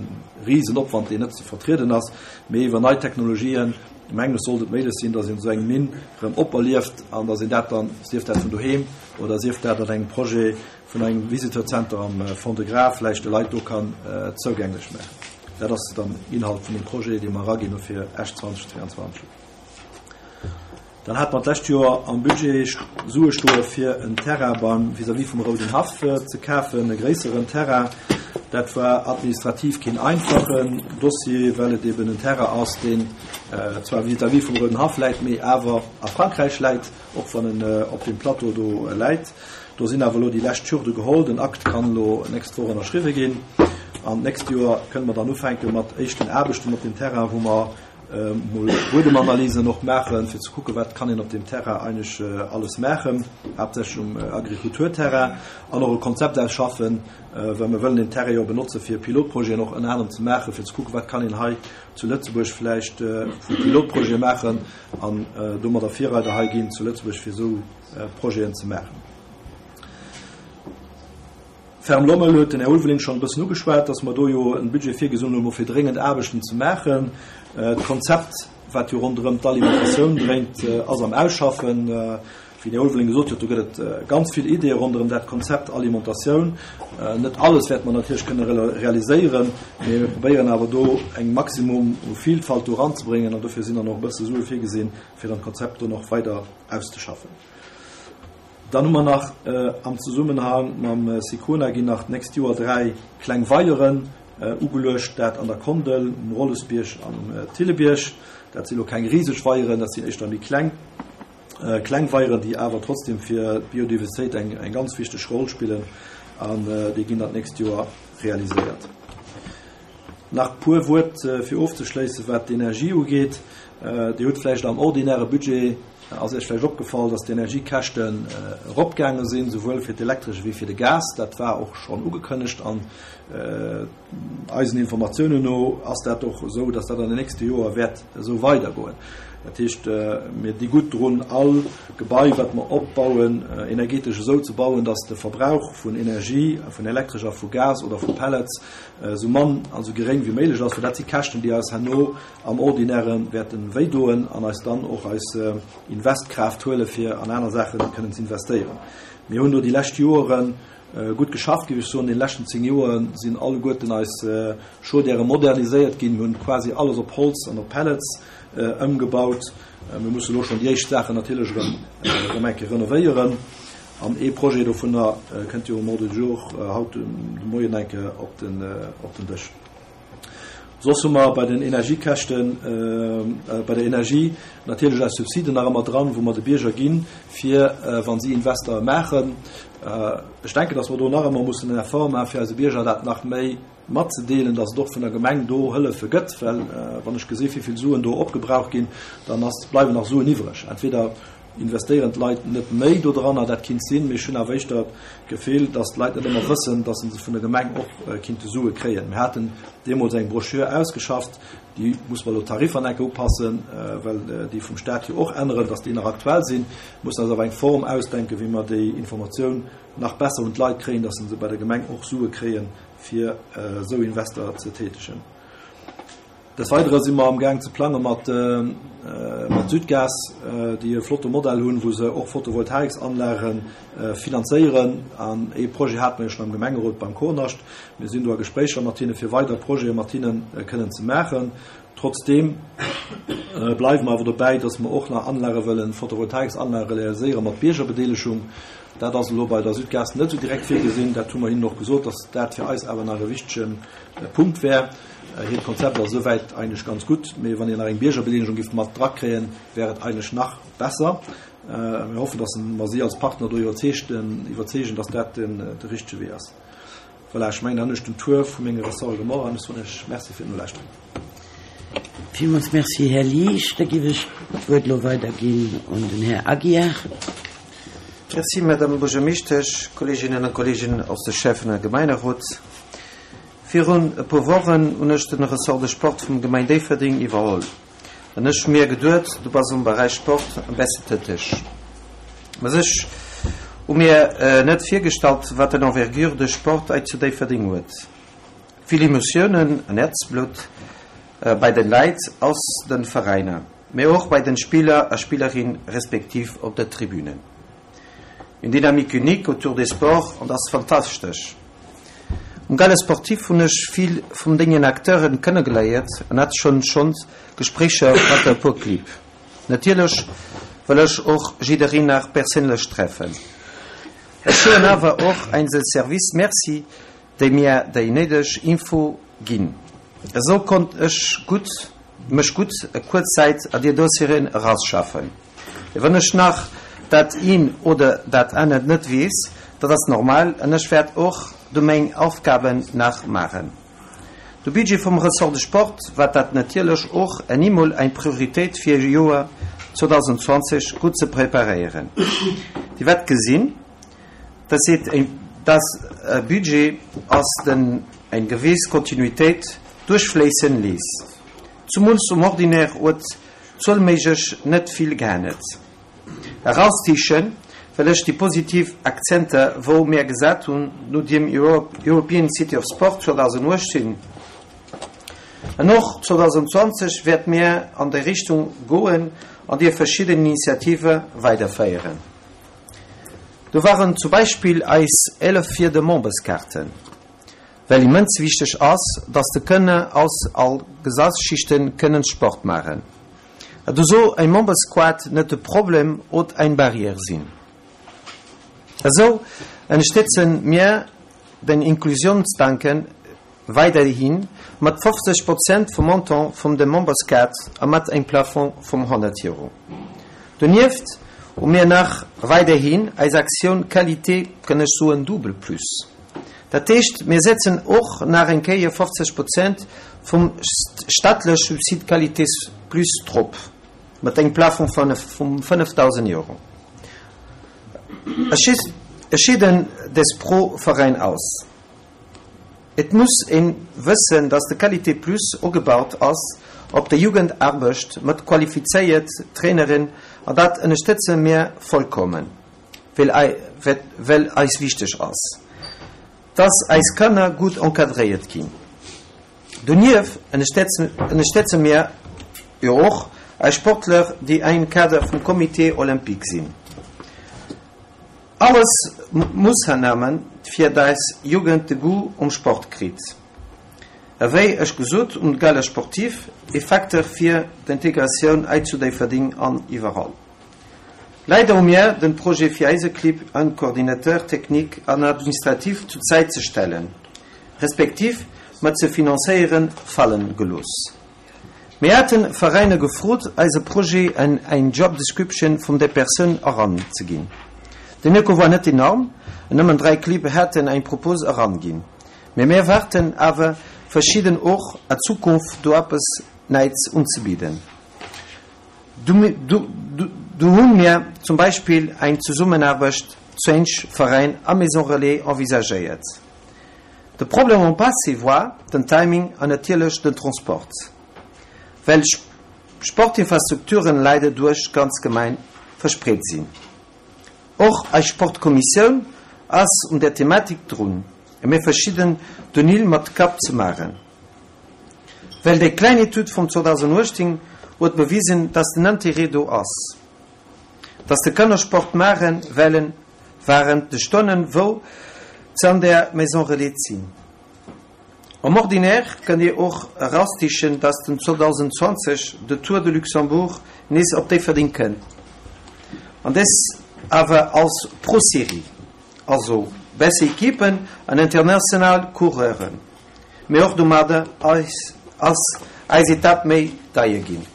Risenopwand, deen net ze vertrieden ass. Mee iwwer nei Technologien, Mengen ech, sollt et méiglech sinn, datt een esou eng Minn erëm operlieft an datt een dat dann, sief dat vun doheem oder sief dat an engem Projet vun engem Visiteurzenter am Fond-de-Gras, vläicht de Leit do kann zougänglech maachen. Dat ass dann Inhalt vun dem Projet, dee mer eraginn hu fir Esch 2022. Dann hate mer d'lescht Joer am Budget Sue stoe fir en Terrain beim vis-à-vis vum Rouden Haff ze kafen, e gréisseren Terrain. Dat war administrativ keen einfachen Dossier, well et eben en Terrain ass, deen zwar vis-à-vis vum Rouden Haff läit, mee awer a Frankräich läit, och wann en op deem Plateau do läit. Do sinn awer elo déi lescht Hürde geholl. Den Akt kann elo nächst Woch ënnerschriwwe ginn an d'nächst Joer kënne mer dann ufänke mat éischten Aarbechten op deem Terrain, wou mer mol Buedemanalysen och maachen, fir ze kucken, wat kann een op deem Terrain eigentlech alles maachen, haaptsächlech um Agrikulturterrain, an och e Konzept ausschaffen, well mir wëllen deen Terrain jo benotze fir Pilotprojeten och ënner anerem ze maachen, fir ze kucken, wat kann een hei zu Lëtzebuerg vläicht vu Pilotprojete maachen an domadder Virreider hei ginn zu Lëtzebuerg, fir esou Projeten ze maachen. Ferme Lommel huet den Här Ulveling schonn e bëssen ugeschwat, dass mer do jo en Budget virgesinn hunn, fir dréngend Aarbechten ze maachen. D'Konzept, wat jo ronderëm d'Alimentatioun dréint, ass am Ausschaffen. Wéi den Här Ulveling gesot huet, do gëtt et ganz vill Ideeë ronderëm dat Konzept Alimentatioun. Net alles wäerte mer natierlech kënne realiséieren, mee mir probéieren awer do eng Maximum u Vielfalt do eranzebréngen an dofir sinn dann och e bësse Sue virgesinn, fir dann d'Konzept do nach weider auszeschaffen. Dann hu mer nach am Zesummenhang mam Sicona ginn nach d'nächst Joer 3 kleng Weieren ugeluecht, dat an der Kondel, um Rollesbierg an um Thillebierg. Dat si lo keng riseg Weieren, dat sinn éischter méi kleng kleng Weieren, déi awer trotzdem fir d'Biodiversitéit eng eng ganz wichteg Roll spillen an déi ginn dann d'nächst Joer realiséiert. Nach puer Wuert fir ofzeschléissen, wat d'Energie ugeet. Dir hutt vläicht am ordinäre Budget Ass Iech vläicht opgefall, dass d'Energiekäschten eropgaange sinn, souwuel fir d'Elektresch ewéi fir de Gas? Dat war och schonn ugekënnegt an eisen Informatiounen no ass dat och esou, dass dat an den nächste Joer wäert esou weidergoen. Dat heescht, mir di gutt drun, all Gebai, wat mer opbauen, energetesch esou ze bauen, dass de Verbrauch vun Energie, vun Elektresch a vu Gas oder vu Pellets esou mann an esou geréng wéi méiglech ass, well dat si Käschten, déi eis herno am Ordinäre wäerten wéi doen an eis dann och eis Investkraaft huele fir an aner Saache kënnen ze investéieren. Mir hunn do déi lescht Joere gutt geschafft, géif ech soen. An deene leschten 10 Joer sinn alleguerten eis Chaudièrë moderniséiert ginn. Mir hunn quasi alles op Holz an op Pellets ëmgebaut. Mir musse elo schonn déi éischt Saachen natierlech erëm erëm eng Kéier renovéieren. An ee Projet dovunner kënnt jo um Ordre du jour haut de Moien eng Kéier op den Dësch. Soss hu mer bei den Energiekäschten, bei der Energie natierlech eis Subsiden nach ëmmer dran, wou mer de Bierger ginn, fir wa si Investere maachen. Ech denken, datt mer do nach ëmmer mussen en Effort maachen, fir eise Bierger dat nach méi matzedeelen, datt et och vun der Gemeng do Hëllefe gëtt. Well wann ech gesi wéi vill Suen do opgebraucht ginn, dann ass, bleiwen nach Suen iwwreg. Entweder Investéieren d'Leit net méi dodranner? Dat kinnt sinn, mee ech hunn awer éischter d'Gefill, datt d'Leit net ëmmer wëssen, datt se vun der Gemeng och kinnte Sue kréien. Mir haten deemools eng Broschür ausgeschafft, déi muss mer elo d'Tariffer nach eng Kéier upassen, well déi vum Staat jo och änneren, datt déi nach aktuell sinn. Mir mussen eis awer eng Form ausdenken, wéi mer déi Informatioun nach besser un d'Leit kréien, datt se bei der Gemeng och Sue kréien, fir esou Invester ze tätegen. Des Weidere si mer amgaang ze plange mat Südgas, déi e flotte Modell hunn, wou se och Photovoltaiksanlage finanzéieren. An ee Projet hate mer jo schonn am Gemengerot beim Kornascht. Mir sinn do a Gespréicher mat hinne fir weider Projete mat hinne kënnen ze maachen. Trotzdeem bleiwe mer awer dobäi, dass mer och nach Anlage wëllen, Photovoltaiksanlage realiséiere mat Biergerbedeelegung. Dat ass elo bei der Südgas net esou direkt virgesinn. Dat hu mer hinnen och gesot, dass dat fir eis awer nach e wichtege Punkt wär. Hiert Konzept ass esouwäit eigentlech ganz gutt, mee wann een nach eng Biergerbedeelegung géif mat drakréien, wär et eigentlech nach besser. Mir hoffen, dass mer si als Partner do iwwerzeegen, dass dat de richtege Wee ass. Voilà, ech mengen, dann hunn ech den Tour vu menge Ressorte gemaach an ech soen Iech Merci fir d'Nolauschteren. Villmools Merci, Här Liesch. Da géif ech d'Wuert elo weiderginn un den Här Aguiar. Merci, Madame Buergermeeschtesch, Kolleeginnen a Kolleegen aus de Schäffen a Gemeinerot. Virun e puer Wochen hunn ech den Ressort de Sport vum Gemeng Déifferdeng iwwerholl an ech hu mir geduet, du bass am Beräich Sport am beste täteg. Mä ech hu mir net virgestallt, wat en Envergure de Sport hei zu Déifferdeng huet. Vill Emotiounen an Häerzblutt bei den Leit aus den Veräiner, mä och bei den Spiller a Spillerin respektiv op der Tribünen. Une dynamique unique autour des sports an ass fantastesch. Um Gala Sportif hunn ech vill vum dengen Acteuren kënnegeléiert an hat schonn schonns Gespréicher mat e puer Clibb. Natierlech wëll ech och jiddereen nach perséinlech treffen. Ech soen awer och einzel Service Merci déi mir déi néideg Info ginn. Esou konnt ech gutt mech gutt e kuerz Zäit a dir Dossieren erasschaffen. Wann ech nach dat een oder dat anert net weess, dat ass normal an ech wäert och do meng Aufgaben nach maachen. De Budget vum Ressort de Sport war dat natierlech och en emol eng Prioritéit fir Joer 2020 gutt ze preparéieren. Dir wäert gesinn, dass et dass e Budget ass, den eng gewéss Kontinuitéit duerchfléissen léisst. Zumools um Ordinaire huet zuelméiglech net vill geännert. Eraustichen well ech déi positiv Akzenter wou mär gesat hunn no dem European City of Sport 2018. An och 2020 wäert mär an déi Richtung goen an déi verschidden Initiative weiderféieren. Do waren zu Beispill eis 11 fir de Memberskaarten. Well immens wichteg ass, dass de Kënner aus all Gesasschichten kënnen Sport maachen. A do soll eng Membersquad net de Problem od eng Barrière sinn. Esou ënnerstëtzen mir den Inklusionsdanken weiderhi mat 50 Prozent vum Montant vum de Memberskaart a mat engem Plafond vum 100 Euro. Donieft hu mir nach weiderhin eis Aktioun Qualité, kënn ech soen, double plus. Dat heescht, mir setzen och nach eng Kéier 50 Prozent vum staatlech Subsid Qualité plus drop, mat engem Plafond vum 5.000 Euro. Ech scheeden des pro Veräin aus. Et muss ee wëssen, dass de Qualité plus ogebaut ass op der Jugendaarbecht mat qualifizéiert Traineren, an dat ënnerstëtze mir vollkommen. Well eis wichteg ass, dass eis Kanner gutt encadréiert ginn. Donieft ënnerstëtze mir jo och eis Sportler, déi am Kader vum Comité olympique sinn. Alles Moossnamen, fir dass Jugend de Goût um Sport kritt. Ewéi ech gesot, um Gala sportif, e Facteur fir d'Integratioun hei zu Déifferdeng an iwwerall. Leider hu mir den Projet fir eise Clibb en Coordinateur technique an administratif zu Zäit ze stellen, respektiv mat ze financéieren, fallen gelooss. Mir haten Veräiner gefrot eise Projet en eng Job Description vum der Persoun eran ze ginn. Den Echo war net enorm, nëmmen 3 Clibb haten eng Propose eran ginn. Mee mir warten awer verschidden och a Zukunft do eppes Neits unzebidden. Do hu mir zum Beispill eng Zesummenaarbecht zwéinsch Veräin a Maison Relais envisagéiert. De Problem am Passé war den Timing an natierlech den Transport, well Sportinfrastrukturen leider duerch d'ganz Gemeng verspreet sinn. Och eis Sportkommissioun ass un där Thematik drun, a mir verschidden Donil mat Kapp ze maachen. Well déi kleng Etüd vum 2018 huet bewisen, dass den Intérêt do ass, dass de Kanner Sport maache wellen wahrend de Stonnen, wou se an der Maison Relais sinn. Am Ordinaire kënnt Dir och erastichen, dass den 2020 de Tour de Luxembourg nees op Déifferdeng kënnt, an des awer als Pro-Série, also besser Equipen an international Coureuren, mee och domadder ass eis Etapp méi deier ginn.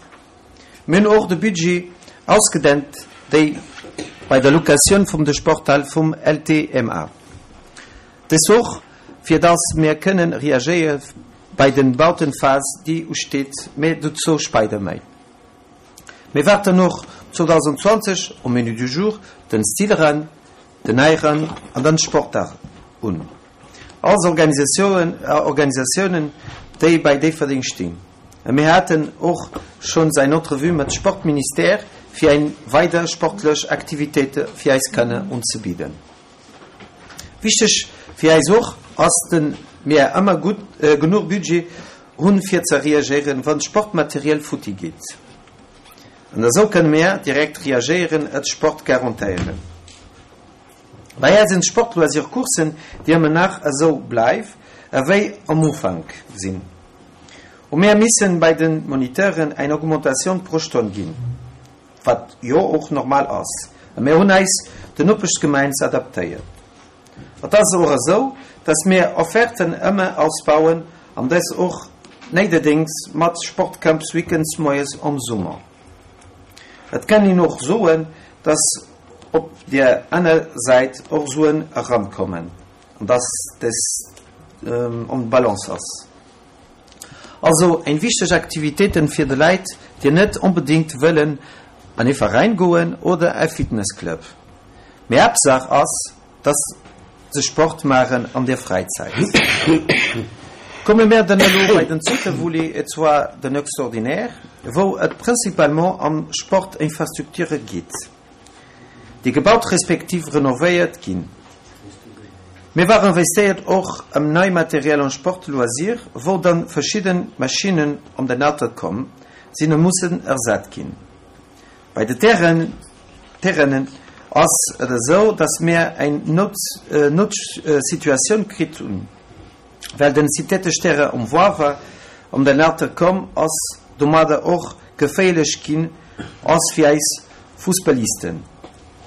Mir hunn och de Budget ausgedent, déi bei der Locatioun vum de Sporthal vum LTMA. Dës och, fir dass mir kënnen reagéiere bei den Bautenphase, déi usteet, mä dozou speider méi. Mir waarten och 2020 um Menu du jour den Stilrun, den Äirun an den Sportdag un. Alles Organisatiounen, déi bei Déifferdeng stinn. A mir haten och schonns eng Entrevue mat Sportministère, fir eng weider sportlech Aktivitéite fir eis Kanner unzebidden. Wichteg fir äis och ass den mir ëmmer gutt genuch Budget hunn fir ze reagéieren wann Sportmateriel futti geet. An esou kënne mir direkt reagéieren et Sport garantéieren. Bei äis sinn d'Sportloisir Coursen déi ëmmer nach esou bleiw ewéi am Ufank sinn. Hu mir missen bei den Moniteuren eng Augmentatioun pro Stonn ginn. Wat jo och normal ass. A mir hunn eis den Nopeschgemein ze adaptéiert. Et ass och esou, dass mir Offerten ëmmer ausbauen an dës och néiderdéngs mat Sportcamps weekends moies am Summer. Et kann een och soen, dass op där aner Säit och Suen erankommen an dass dës en Balance ass. Also eng wichteg Aktivitéiten fir de Läit déi net onbedingt wëllen an ee Veräin goen oder e Fitnessclub. Mee Haaptsaach ass dass se Sport maachen an der Fräizäit. Komme mär dann elo bei den zweete Volet, et zwar den Extraordinaire, wou et principalement ëm Sportinfrastrukture geet. déi gebaut respektiv renovéiert ginn. Mir war investéiert och ëm nei Materiel en Sport loisir, wou dann verschidden Maschinnen om den Alter komm sinn a mussen ersat ginn. Bei de Terrainen ass et esou, dass mir eng Noutsituatioun kritt hunn, well den synthetesch Terrain um Woiwer om den Alter komm ass, domadder och geféierlech ginn ass fir eis Fussballisten.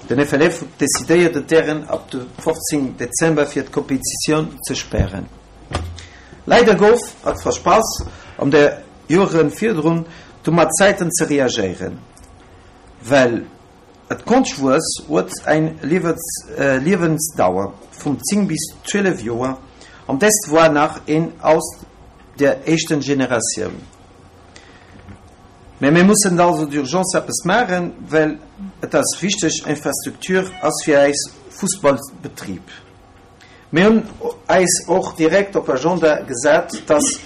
Den FLF huet decidéiert den Terrain ab de 15 Dezember fir d'Kompetitioun ze spären. Leider gouf et verspass an de Joren virdrun do mat Zäiten ze reagéieren, well et Konschtwuess huet eng Liewensdauer vum 10 bis 12 Joer an dest woar nach een aus der éischten Generatioun. Mä mir mussen also d'urgence eppes maachen, well et ass wichteg Infrastruktur ass fir eis Fussballbetrib. Mir hunn eis och direkt op Agenda gesat, dass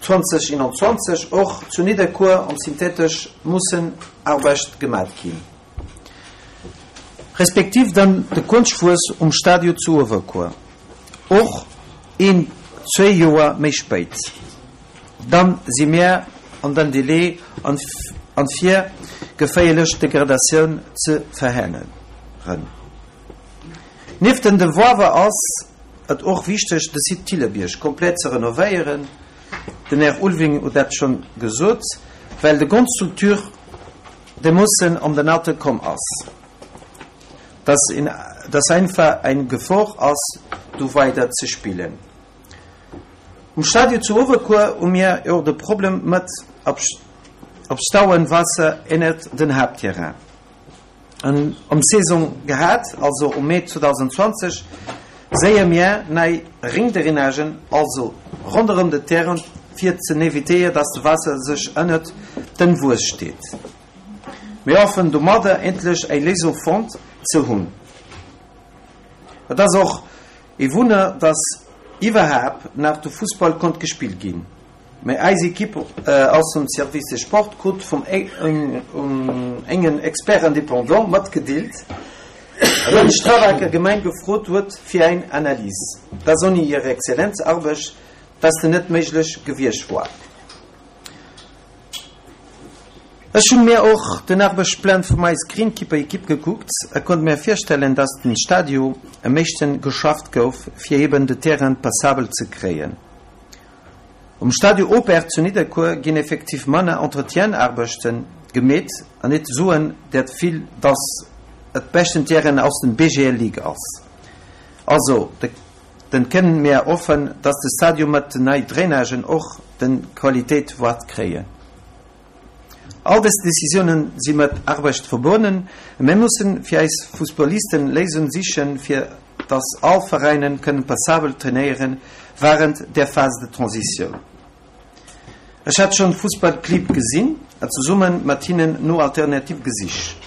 2021 och zu Nidderkuer am Synthetesch mussen Arbecht gemat ginn, respektiv dann de Konschtwuess um Stadio zu Uewerkuer och een, zwéi Joer méi spéit. Dann si mir an den Délai an fir geféierlech Degradatioun ze verhenneren. Nieft den Devoirer ass et och wichteg de Site Thillerbierg komplett ze renovéieren, den Här Ulving huet dat schonn gesot, well de Grondstruktur dermoossen an den Alter komm ass, dass einfach eng Gefor ass do weider ze spillen. Um Stadio zu Uewerkuer hu mir jo de Problem mat opstauen Waasser ennert den Haaptterrain. An am Saison gehat, also um Mee 2020, séie mir nei Ringdrainagen, also ronderëm de Terrain fir ze évitéier dass de Waasser sech ënnert den Wues steet. Mir hoffen domadder endlech eng Léisung fonnt ze hunn. Et ass och ee Wunner, dass iwwerhaapt nach de Fussball konnt gespillt ginn. Mä eis Equipe aus dem Service des Sports krut vum engen Expert indépendant matgedeelt, datt d'Straabaker Gemeng gefrot huet fir eng Analys, dass ouni hir exzellent Arbecht dass de net méiglech gewiescht woar. Ech hunn mir och den Arbechtsplan vum eis Greenkeeper Equipe gekuckt a konnt mir virstellen, dass den Stadio am meeschten geschafft gouf fir eben de Terrain passabel ze kréien. Um Stadio Opert zu Nidderkuer ginn effektiv manner Entretienarbechten gemeet an net soen der vill, dass et beschten Terrain aus den BGL Ligue ass. Also de den kënnen mir hoffen, dass de Stadio mat den nei Drainagen och den Qualitéit waert kréien. All dës Decisiounen si mat Arbecht verbonnen a mir mussen fir eis Fussballisten Léisungen sichen fir dass all Veräinen kënnen passabel trainéieren wahrend der Phase de transition. Ech hat schon Fussballclibb gesinn a zesummen mat hinnen no Alternative gesicht.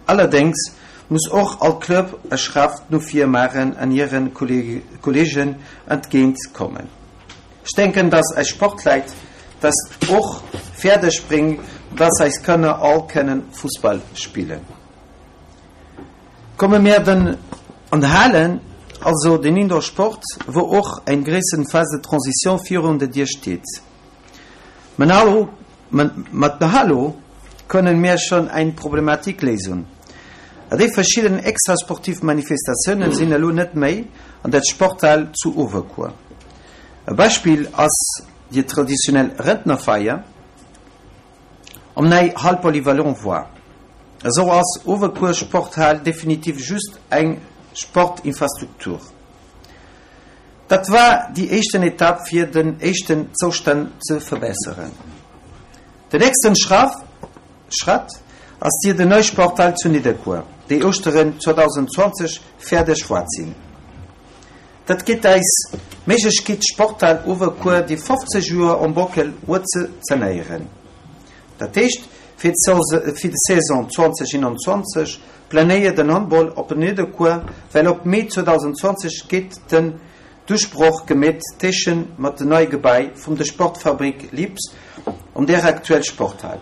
Allerdéngs muss och all Club e Schratt no vir maachen an hiren Kollegen entgéint kommen. Ech denken, dass eis Sportleit dat och fäerdeg bréngen, dass eis Kanner all kënnen Fussball spillen. Komme mir dann an d'Halen, also den Indoor-Sport, wou och eng gréissen Phase de transition virun der Dier steet. Mat der Halo kënnen mir schonn eng Problematik léisen. A déi verschidden extrasportiv Manifestatiounen sinn elo net méi an der Sporthal zu Uewerkuer. E Beispill ass déi traditionell Rentnerfeier am nei Hall polyvalent war. Esou ass Uewerkuer Sporthal definitiv just eng Sportinfrastruktur. Dat war déi éischten Etapp fir den éischten Zoustand ze verbesseren. Den nächsten Schratt ass dir den nei Sporthal zu Nidderkuer, déi Ouschteren 2020 fäerdeg waert sinn. Dat gétt eis d'Méiglechkeet d'Sporthal Uewerkuer, déi 50 Joer um Bockel huet, ze sanéieren. Dat heescht, fir d'Saison 2021 planéiert den Handball op Nidderkuer, well op Mee 2020 gétt den Duerchbroch gemeet téschen mat de nei Gebäi vum de Sportfabrik Lips an där aktuell Sporthal.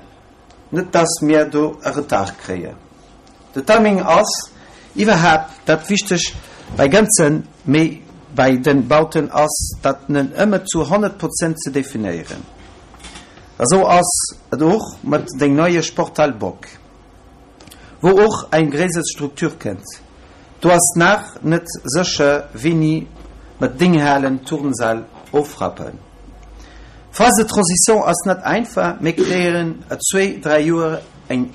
Net dass mir do e Retard kréien. De Timing ass iwwerhaapt dat Wichteg bei ganzen, mee bei den Bauten ass dat net ëmmer zu 100 Prozent ze definéieren. Esou ass et och mat deng neie Sporthal Bock, wou och eng gréisser Struktur kënnt. Do ass nach net sécher wéini mer deng Halen, Turnsäll ofrappen. Phase de transition ass net einfach, mee kréien a zwéi, dräi Joer eng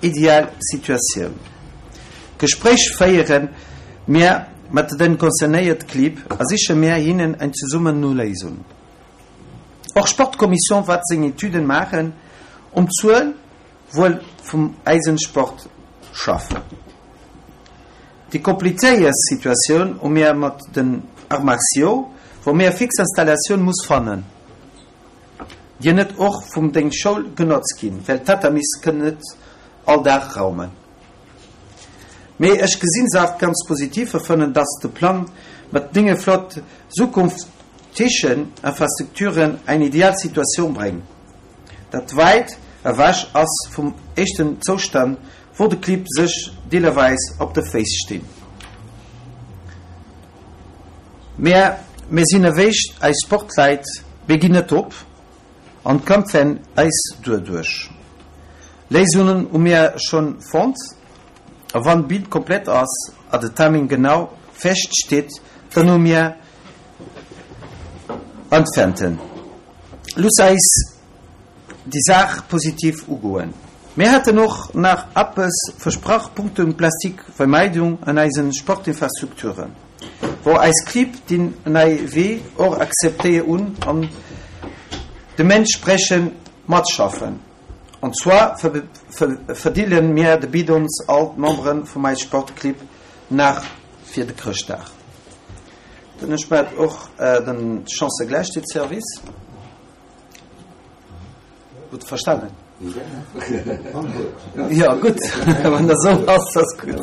ideal Situatioun. Gespréich féiere mir mat den concernéiert Clibb a siche mir hinnen eng zesummen no Léisung. Och Sportkommission waert seng Etüden maachen um Zuel Wuel vum eisen Sport schaffen. Déi komplizéiert Situatioun hu mir mat den Arts martiaux, wou mir fix Installatioun muss fannen, déi net och vum deng Schoul genotzt ginn, well d'Tatamis kënnen net all Dag raumen. Mee ech gesinn Saach ganz positiv a fannen, dass de Plang mat denge flott zukunftegen Infrastrukturen eng ideal Situatioun bréngt, dat wäit ewech ass vum éischten Zoustand, wou de Clibb sech deelerweis op de Féiss stinn. Mä mir sinn ewéi eis Sportleit, mir ginn net op an kämpfen eis duerduerch. Léisungen hu mir schonn fonnt a wann d'Bild komplett ass a de Timing genau fest steet, dann hu mir Äntwerten. Looss eis déi Saach positiv ugoen. Mir haten och nach eppes versprach punkto Plastikvermeidung an eisen Sportinfrastrukturen, wou eis Clibb deen nei Wee och akzeptéier hunn an deementsprechend matschaffen. An zwar verdeele mir de Bidons all d'Membere vum eis Sportclibb nach fir de Chrëschtdag. Dann ech mat och den Chancëgläichheetsservice. Gutt verstanen? Ja gutt, wann dat esou ass, ass gutt.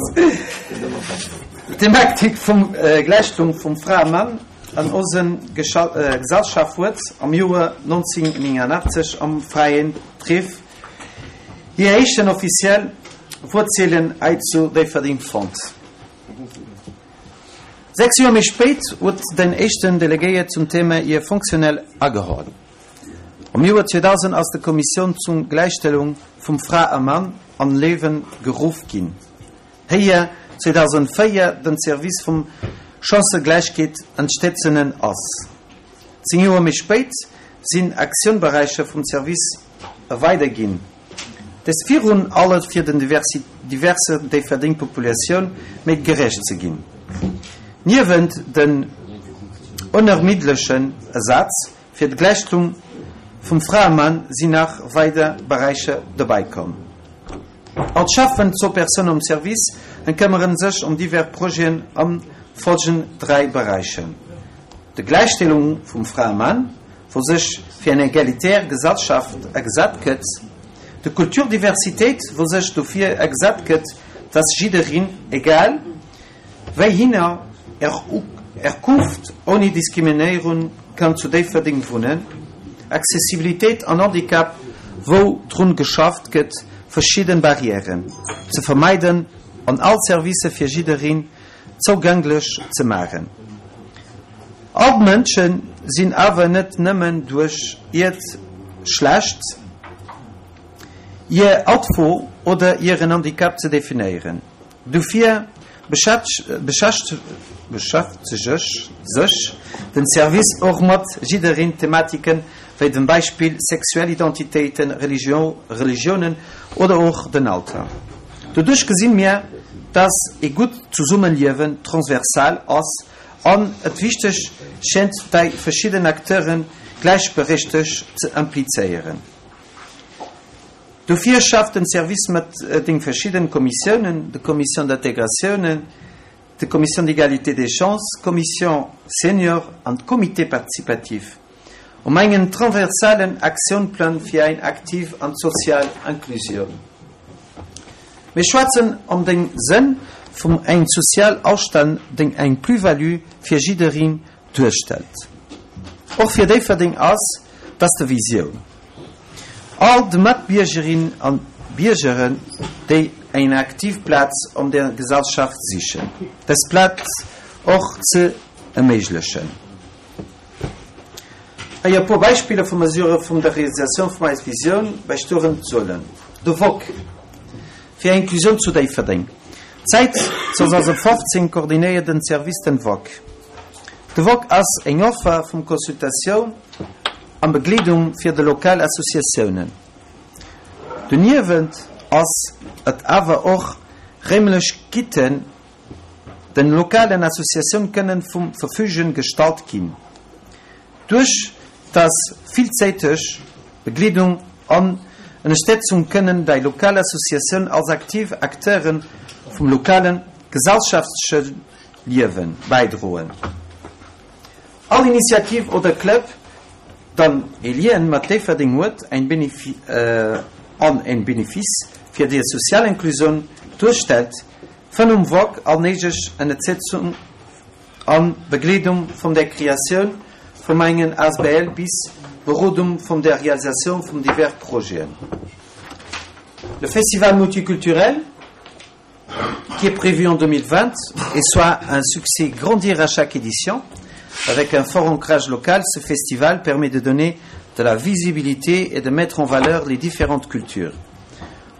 D'Thematik vum Gläichstellung vum Fra a Mann an onse Gesellschaft huet am Joer 1989 am Fräien Treff hir éischten offiziell Wuerzelen hei zu Déifferdeng fonnt. Sechs Joer méi spéit huet den éischten Delegéiert zum Thema hir fonctionnel ageholl. Am Joer 2000 ass de Kommissioun zum Gläichstellung vum Fra a Mann an Liewen geruff ginn. Héier 2004 den Service vum Chancëgläichkeet entstetzenen ass. 10 Joer méi spéit sinn Aktiounberäicher vum Service erweidert ginn, dëst virun alle fir den diverser Déifferdeng Populatioun méi gerecht ze ginn. Niewent den onermiddlechen Asaz fir d'Gläichstellung vum Fra a Mann sinn nach weider Beräicher dobäi komm. All d'Cheffen zur Persoun um Service en këmmeren sech ëm divers Projeten an folgenden 3 Beräichen, De Gläichstellung vum Fra a Mann, wou sech fir eng egalitär Gesellschaft agesat gëtt, de Kulturdiversitéit, wou sech dofir agesat gëtt, dass jiddereen, egal wéi hinner Herkunft, ouni Diskriminéierung kann zu Déifferdeng wunnen, Accessibilitéit an Handicap, wou drun geschafft gëtt, verschidden Barrièren ze vermeiden an all Servicer fir jiddereen zougänglech ze maachen. All d'Mënsche sinn awer net nëmmen duerch hiert Schlecht, hir Altfo oder hiren Handicap ze definéieren. Dofir beschäftegt sech den Service och mat jiddereen Thematiken, wéi dem Beispill sexuell Identitéiten, Religiounen oder och den Alter. Doduerch gesinn mir, dass ee gutt Zesummeliewen transversal ass an et wichteg schéngt dei verschidden Acteuren gläichberechtegt ze implizéieren. Dofir schafft den Service mat den verschidden Kommissiounen, de Commission d'intégratioune, de Commission d'égalité des chances, Commission senior an Comité participatif, um engen transversalen Aktiounplang fir eng aktiv an sozial Inclusioun. Mir schwätzen om den Sënn vum eng sozial Ausstand, deng eng Plus-value fir jiddereen duerstellt. Och fir Déifferdeng ass dass de Visioun. All de Matbiergerinnen an Biergeren, déi eng aktiv Plaz an der Gesellschaft sichen, dës Plaz och ze erméiglechen. Hei e puer Beispiller vu Mesurë vum der Realisatioun vum eis Visioun bäistoeren sollen. De Voc fir Inklusioun zu Déifferdeng. Säit 2015 koordinéiert den Service den Voc. De Voc ass eng Offer vum Consultatioun an Begleedung fir de lokal Associatiounen. Doniewent ass et awer och réimlech Gitten den lokalen Associatioun kënnen vum Verfügen gestallt ginn. Duerch dass villzäiteg Begleedung an Ënnerstetzung kënnen dei lokal Associatioun als aktiv Acteuren vum lokalen gesellschaftlechen Liewen bäidroen. All Initiativ oder Club dann e Lien mat Déifferdeng huet, ein an en Benefice fir déi sozial Inclusioun duerstellt, fënn um Voc all néideg Ënnertsetzung an Begleedung vun der Kreatioun vum engen asbl bis Berodung vum der Realisatioun vum divers Projeten. Le Festival multiculturel qui est prévu en 2020 et soit un succès grandir à chaque édition. Avec un fort ancrage local, ce festival permet de donner de la visibilité et de mettre en valeur les différentes cultures.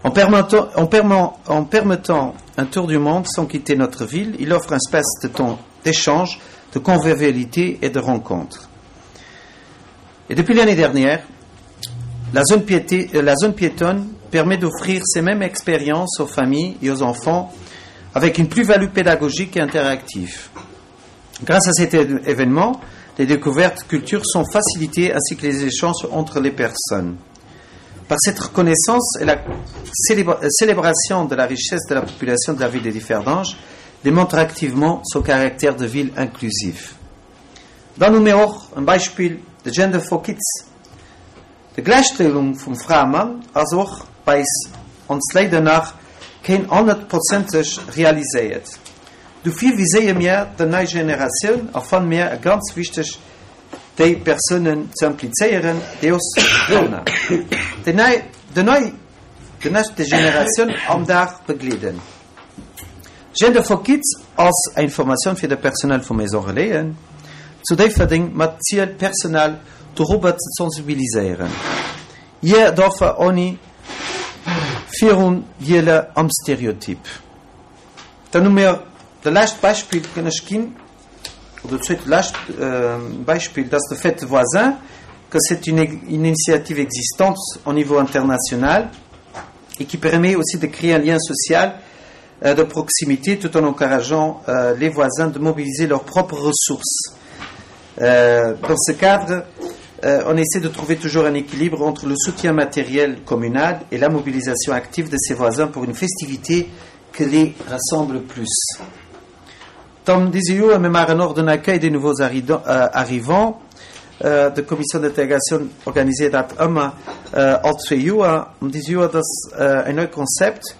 En permettant, en, permettant, en permettant un tour du monde sans quitter notre ville, il offre un espace de temps d'échange, de convivialité et de rencontre. Et depuis l'année dernière, la zone, piété, euh, la zone piétonne permet d'offrir ces mêmes expériences aux familles et aux enfants avec une plus-value pédagogique et interactive. Grâce à cet événement, les découvertes cultures sont facilitées ainsi que les échanges entre les personnes. Par cette reconnaissance et la euh, célébration de la richesse de la population de la ville de Differdange démontre activement son caractère de ville inclusive. Dann hu mir och en Beispill, de Gender for Kids. De Gläichstellung vum Fra a Mann ass och bei ons léider nach keen honnertprozenteg realiséiert. Dofir viséiere mir der nei Generatioun a fanne mir et ganz wichteg déi Persounen ze implizéieren, déi ons Kanner, déi nei, déi nei, déi nächste Generatioun am Dag begleeden. Gender for Kids ass eng Formatioun fir de Personnel vu Maison Relaisen zu Déifferdeng mat Ziel d'Personal. dorobber ze sensibiliséieren. Hir Doffer ouni Virundeeler am Stereotyp. Dann hu mir de lescht Beispill kënn ech ginn, oder zweet lescht Beispill, dat ass de Fête voisin, que c'est une initiative existante au niveau international et qui permet aussi de créer un lien social de proximité tout en encourageant les voisins de mobiliser leurs propres ressources. Dans ce cadre, on essaie de trouver toujours un équilibre entre le soutien matériel communal et la mobilisation active de ses voisins pour une festivité que les rassemble plus. Tom dise me mar en den accueil des nouveaux arrivants de Commission d'intégration organisée dat ëmmer all zwee Joer. An dise Joer dat ass en neit Konzept,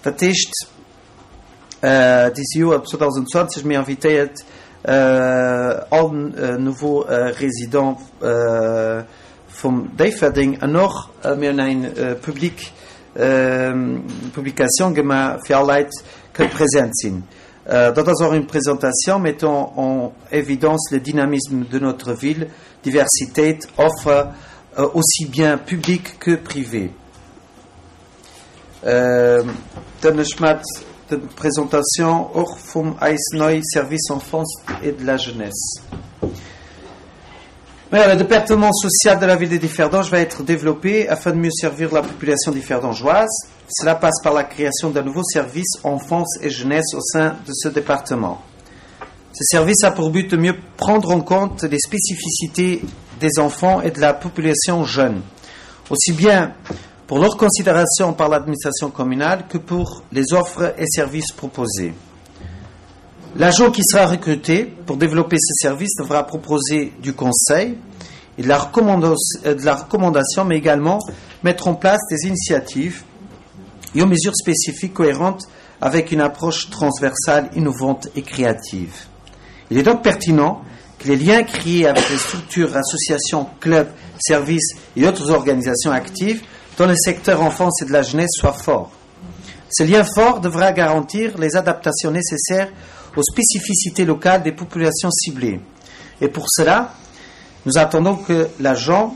dat heescht dise Joer 2020 mir invitéiert all nouveaux résidents vum Déifferdeng an och mir hunn eng public Publication gemaach fir all Leit kënnt present sinn. Dat ass och une présentation mettant en évidence le dynamisme de notre ville, diversitéit, offre aussi bien publique que privée. Dann ech mat de Présentation och vum eis nei Service Enfance et de la Jeunesse. Maja, le département social de la ville de Differdange va être développé afin de mieux servir la population differdangeoise. Cela passe par la création d'un nouveau service enfance et jeunesse au sein de ce département. Ce service a pour but de mieux prendre en compte les spécificités des enfants et de la population jeune, aussi bien pour leur considération par l'administration communale que pour les offres et services proposés. L'agent qui sera recruté pour développer ce service devra proposer du conseil et de la, de la recommandation, mais également mettre en place des initiatives et aux mesures spécifiques cohérentes avec une approche transversale, innovante et créative. Il est donc pertinent que les liens créés avec les structures, associations, clubs, services et autres organisations actives dans le secteur enfance et de la jeunesse soient forts. Ce lien fort devra garantir les adaptations nécessaires aux spécificités locales des populations ciblées. Et pour cela, nous attendons que l'agent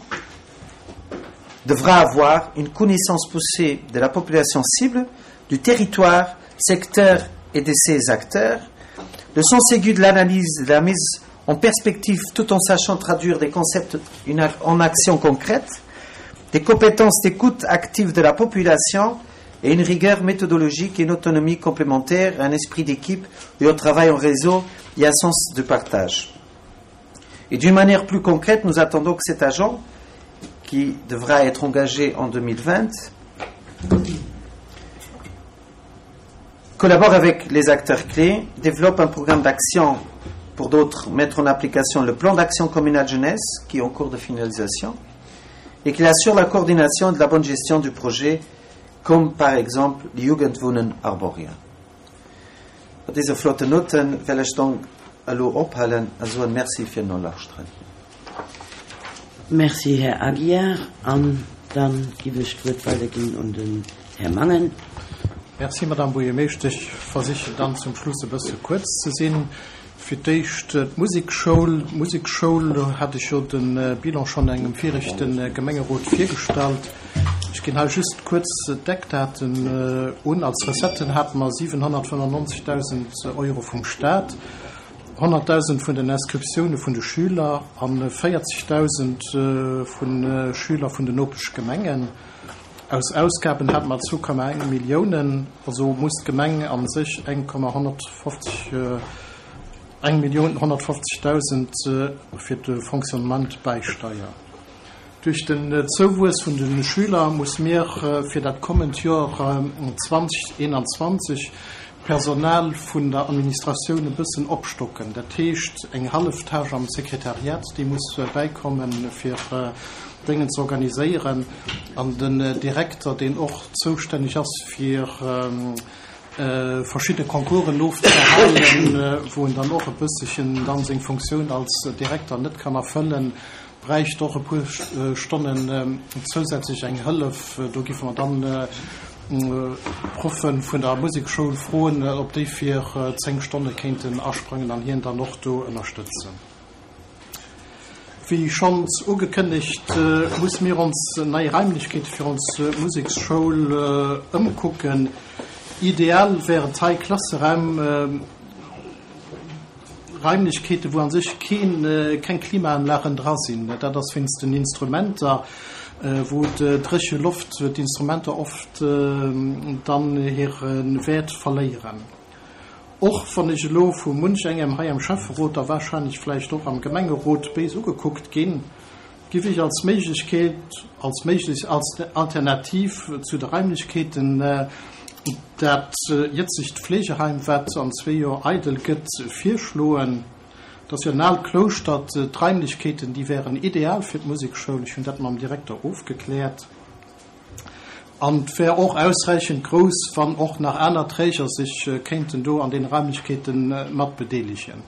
devra avoir une connaissance poussée de la population cible, du territoire, secteur et de ses acteurs, le sens aigu de l'analyse, de la mise en perspective tout en sachant traduire des concepts en actions concrètes, des compétences d'écoute active de la population et une rigueur méthodologique et une autonomie complémentaire, un esprit d'équipe et un travail en réseau et un sens de partage. Et d'une manière plus concrète, nous attendons que cet agent, qui devra être engagé en 2020, collabore avec les acteurs clés, développe un programme d'action pour d'autres, mettre en application le plan d'action communal jeunesse qui est en cours de finalisation et qu'il assure la coordination de la bonne gestion du projet, comme par exemple Jugendwohnen Arboria. Mat dëse flotten Notten well ech dann elo ophalen a soen Merci fir Nolauschteren. Merci, Här Aguiar. An da giff ech d'Wuert weiderginn un den Här Mangen. Merci, Madame Buergermeeschtesch. Ech versichen dann zum Schluss e bësse kuerz ze sinn. Fir d'éischt d'Musekschoul. D'Musekschoul, do hat ech jo de Bilan schonn engem viregte Gemengerot virgestallt. Ech ginn hei just kuerz d'Eckdaten un. Als Recetten hate mer 795.000 Euro vum Staat, 100.000 vun den Inscriptioune vun de Schüler a 40.000 vu Schüler vun den Nopeschgemengen. Aus Ausgaben hate mer 2,1 Milliounen, also muss d'Gemeng a sech 1,150, eng Millioun 150.000 fir de Fonctionnement bäisteier. Duerch den Zouwuess vun de Schüler muss mir fir dat kommend Joer 2021 d'Personal vun der Administratioun e bëssen opstocken. Dat heescht eng hallef Tâche am Sekretariat, déi muss bäikommen, fir Déngen ze organiséieren. An den Direkter, deen och zoustänneg ass fir verschidde Concoursen ofzehalen, wou en dann och e bëssechen dann seng Funktioun als Direkter net kann erfëllen, bräicht och e puer Stonnen zousätzlech eng Hëllef. Do giffe mer dann d'Proffe vun der Musekschoul froen, ob déi fir 10 Stonne kéinten asprangen an hien dann och do ënnerstëtzen. Wéi schonns ugekënnegt, musse mir ons nei Raimlechkeete fir ons Museksschoul ëmkucken. Ideal wären hei Klasseraim, Raimlechkeete wou an sech keen, keng Klimaanlagen dra sinn. Dat ass wéinst den Instrumenter, wou d'dréche Loft d'Instrumenter oft dann hire Wäert verléieren. Och wann ech elo vu munch engem hei am Schäfferot a wahrscheinlech vläicht och am Gemengerot béis ugekuckt ginn, giff ech als Méiglechkeet, als méiglech Alternativ zu de Raimlechkeeten dat jëtzegt Fleegeheim, wat an zwee Joer eidel gëtt, virschloen. Et ass jo en aalt Klouschter, d'Raimlechkeeten, déi wären ideal fir d'Musekschoul. Ech hunn dat mam Direkter ofgekläert. An et wär och ausräichend grouss, wann och nach aner Träger sech kéinten do an deene Raimlechkeete mat bedeelegen.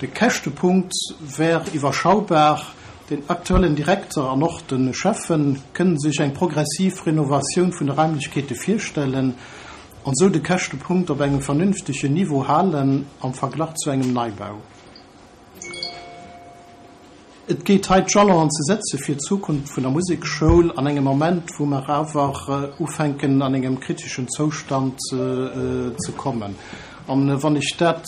De Käschtepunkt wär iwwerschaubar. Den aktuellen Direkter an och de Schäffen kënnen sech eng progressiv Renovatioun vun de Raimlechkeete virstellen an esou de Käschtepunkt op engem vernünftegen Niveau halen am Verglach zu engem Neibau. Et geet hei d'Jalonen ze setze fir d'Zukunft vun der Musekschoul an engem Moment, wou mer awer ufänken an engem kriteschen Zoustand ze kommen. An wann ech dat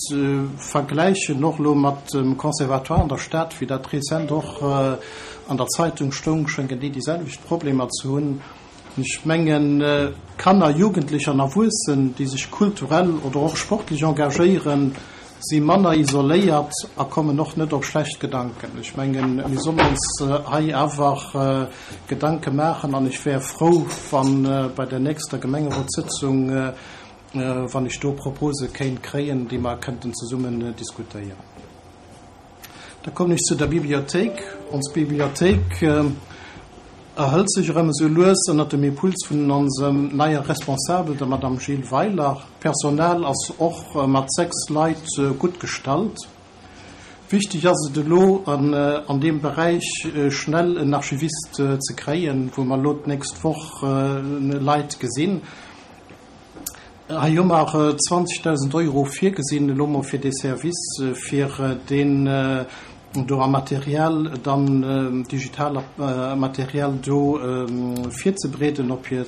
vergläichen och elo mat dem Conservatoire an der Stad, wéi dat rezent och an der Zeitung stoung, schéngen déi déi selwecht Problemer ze hunn. Ech mengen, Kanner, Jugendlech an Erwuessen, déi sech kulturell oder och sportlech engagéieren, si manner isoléiert a kommen och net op schlecht Gedanken. Ech mengen, mir sollen ons hei awer Gedanke maachen an ech wär frou, wa bei der nächster Gemengerotssëtzung, wann ech do Propose kéint kréien, déi mer kënnten zesummen diskutéieren. Da kommen ech zu der Bibliothéik. Ons Bibliothéik erhëlt sech erëm esou lues ënnert dem Impuls vun onsem neier Responsabel, der Madame Jill Weiler. D'Personal ass och mat 6 Leit gutt gestallt. Wichteg ass et elo an deem Beräich schnell en Archivist ze kréien, wou mer elo d'nächst Woch Leit gesinn. Hei hu mer 20.000 Euro virgesinn elo mol fir dee Service, fir deen do a Material dann, digital Material do virzebereeden op hir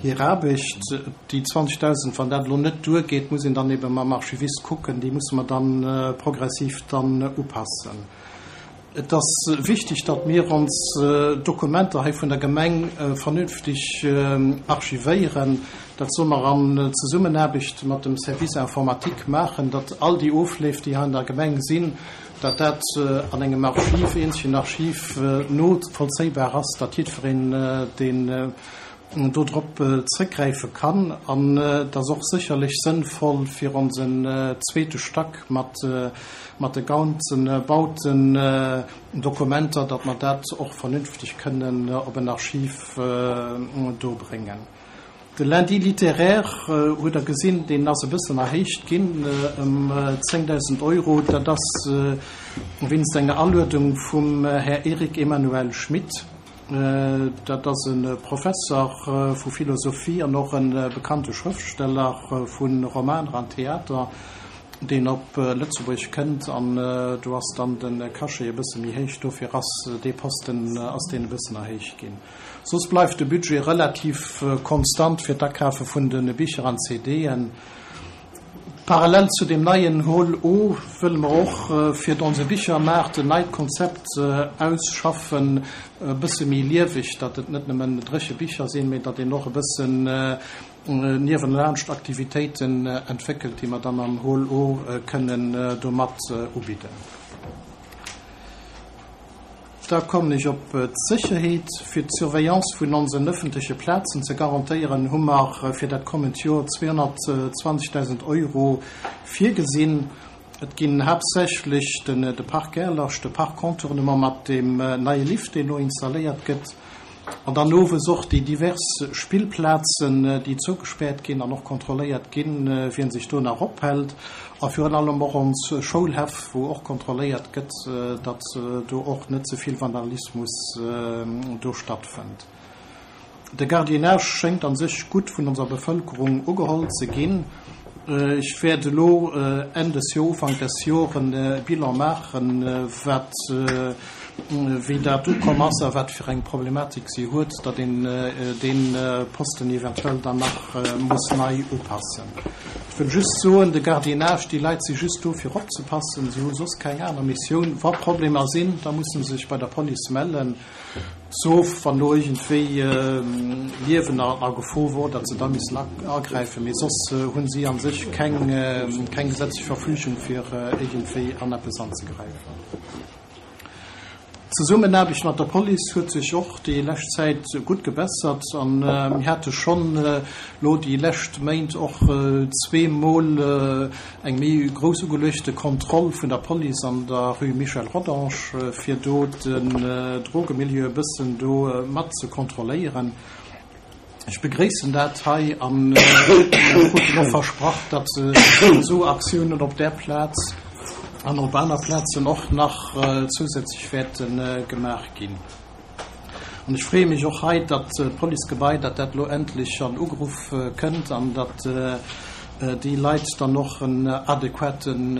hir Aarbecht. Déi 20.000, wann dat elo net duergeet, muss een dann ebe mam Archivist kucken, déi musse mer dann progressiv dann upassen. Et ass wichteg, datt mir ons Dokumenter hei vun der Gemeng vernünftig archivéieren. Dat solle mer an Zesummenaarbecht mat dem Service informatique maachen, datt all déi Ofleef, déi hei an der Gemeng sinn, datt dat an engem Archiv, eenzegen Archiv novollzéibar ass, datt jiddwereen, deen do drop zrëckgräife kann. An et ass och sécherlech sënnvoll fir onsen zweete Stack mat de ganze Bauten, Dokumenter, datt mer dat och vernünfteg kënnen op en Archiv do bréngen. De Lundi littéraire, hutt Der gesinn, deen ass e bëssen erhéicht ginn ëm 10.000 Euro. Dat ass wéinst enger Aluedung vum Här Eric Emmanuel Schmitt. Dat ass e Professer vu Philosophie an och e bekannte Schrëftsteller vu Romaner an Theater, deen op Lëtzebuerg kënnt. An do ass dann de Cachet e bësse méi héich, dofir ass dee Posten ass deen e bëssen erhéicht ginn. Soss bleift de Budget relativ konstant fir d'Akafe vun de Bicher an CDen. Parallel zu deem neien Hall O wëlle mer och fir onse Bichermaart en neit Konzept ausschaffen, e bësse méi lieweg, datt et net nëmmen dréche Bicher sinn, mee datt een och e bëssen niewenlaanscht Aktivitéiten entwéckelt, déi mer dann am Hall O kënnen do mat ubidden. Da kommen ech op d'Sécherheet. Fir d'Surveillance vun onsen ëffentleche Plazen ze garantéieren, hu mer fir dat kommend Joer 220.000 Euro virgesinn. Et ginn haaptsächlech de Parc Gerlach, de Parc Contournement mat deem neie Lift, deen elo installéiert gëtt, An dann owes och déi divers Spillplazen, déi zougespäert ginn an och kontrolléiert ginn, wien sech do nach ophält. A virun allem och ons Schoulhäff, wou och kontrolléiert gëtt, datt do och net ze vill Vandalismus do stattfënnt. De Gardiennage schéngt an sech gutt vun onser Bevëlkerung ugeholl ze ginn. Ech wäert elo Enn des Joer, Ufank des Joer e Bilan maachen, wat. wéi dat ukomm ass a wat fir eng Problematik si huet, datt een dee Posten eventuell dann nach muss nei upassen. Ech wëll just soen, de Gardiennage, déi Leit si just do fir opzepassen, si hu soss keng aner Missioun. Wa Problemer sinn, da musse se sech bei der Police mellen, sauf wann elo iergendwéi Liewen a Gefor wor, datt se da missen agräifen. Mee soss hu si a sech keng gesetzlech Verfügung fir iergendwéi an eppes anzegräifen. D'Zesummenaarbecht mat der Police huet sech och déi lescht Zäit gutt gebessert an mir hate schonn elo déi lescht Méint och zweemol eng méi grouss ugeluechte Kontroll vun der Police an der Rue Michel Rodange, fir do den Drogemilieu e bëssen do mat ze kontrolléieren. Ech begréissen dat hei an mir kruten och versprach, datt esou Aktiounen op där Plaz an op aner Plazen och nach zousätzlech wäerte gemaach ginn. An ech freeë mech och hei, datt d'Policegebai, datt dat elo endlech an Ugruff kënnt an datt déi Leit dann och en adequaten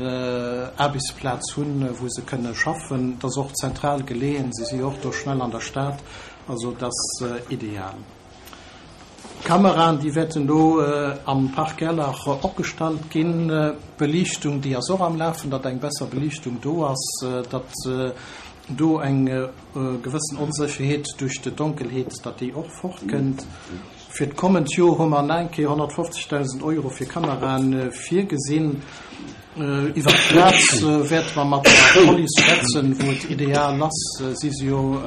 Aarbechtsplaz hunn, wou se kënne schaffen. Et ass och zentral geleeën, se si jo och do schnell an der Stad. Also et ass ideal. D'Kameraen, déi wäerten do am Park Gerlach opgestallt ginn. D'Beliichtung, déi ass och am Lafen, datt eng besser Beliichtung do ass, datt do eng gewëssen Onsécherheet duerch d'Donkelheet, datt déi och fortkënnt. Fir d'kommend Joer hu mer nach eng Kéier 150.000 Euro fir Kameraen virgesinn. Iwwer d'Plaz wäerte mer mat der Police schwätzen, wou et ideal ass. Si si jo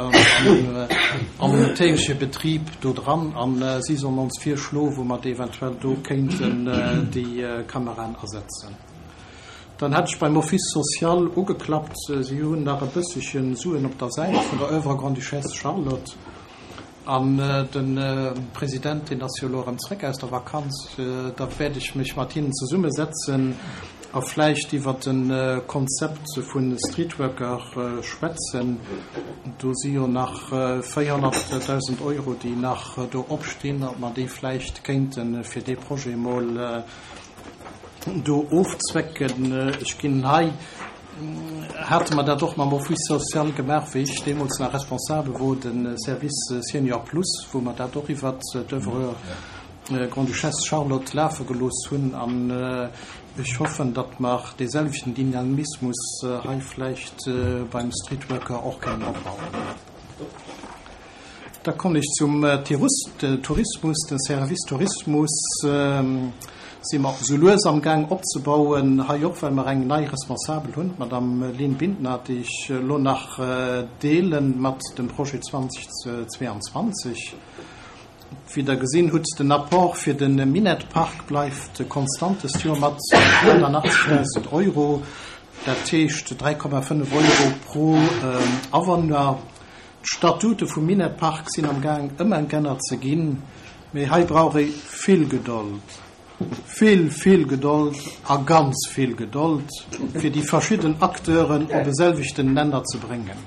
am tägleche Betrib do dran a si sollen ons virschloen, wou mer eventuell do kéinten déi Kameraen asetzen. Dann hat ech beim Office social ugeklappt. Si hunn nach e bësselche Suen op der Säit vun der Oeuvre Grande-Duchesse Charlotte. An de President, deen ass jo elo erëm zréck aus der Vakanz, da wäert ech mech mat hinnen zesummesetzen a vläicht iwwert e Konzept vu Streetworker schwätzen. Do si jo nach 400.000 Euro, déi nach do opstinn, ob mer déi vläicht kéinte fir dee Projet emol do ofzwecken. Ech ginn hei, hate mer dat och mam Office social gemaach, wéi ech deemools nach responsabel wor, de Service Senior Plus, wou mer dat och iwwert d'Oeuvre Grande-Duchesse Charlotte lafe gelooss hunn. An ech hoffen, datt mer dee selwechten Dynamismus hei vläicht beim Streetworker och kënnen opbauen. Da kommen ech zum Tourismus. Den Service Tourismus si mer esou lues am Gaang opzebauen. Hei och, well mer eng nei Responsabel hunn, d'Madame Lynn Bintner, déi ech elo nach deele mat dem Projet 2022. Wéi Der gesinn hutt, den Apport fir de Minett-Park bleift konstant dëst Joer mat 88.000 Euro, dat heescht 3,5 Euro pro Awunner. D'Statute vum Minett-Park sinn am Gaang ëmengännert ze ginn, mee hei brauch ee vill Gedold, vill, vill Gedold a ganz vill Gedold, fir déi verschidden Acteuren op e selwechten Nenner ze bréngen.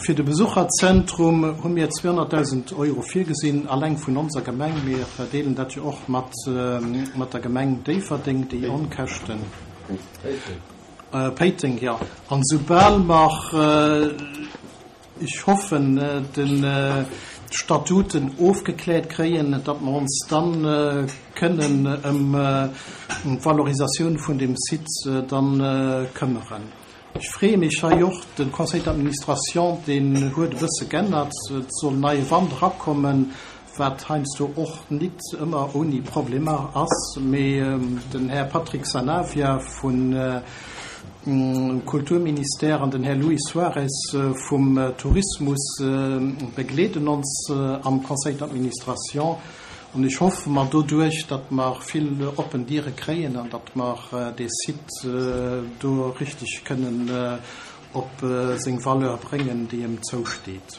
Fir de Besucherzentrum hu mir 200.000 Euro virgesinn, alleng vun onser Gemeng. Mir deelen dat jo och mat der Gemeng Déifferdeng, déi Onkäschten. Péiteng, jo. An esoubal mer, ech hoffen, d'Statuten ofgekläert kréien, datt mer ons dann kënnen ëm d'Valorisatioun vun deem Site dann këmmeren. Ech freeë mech hei och, de Conseil d'administration, deen huet e bësse g'ännert, et soll neie Wand erakommen, wat heiansdo och nit ëmmer ouni Problemer ass, mee den Här Patrick Sanavia vun Kulturministère an den Här Luis Suarez vum Tourismus begleeden ons am Conseil d'administration an ech hoffe mer doduerch, datt mer vill oppen Diere kréien an datt mer dee Site do richteg kënnen op seng Valeur bréngen, déi em zousteet.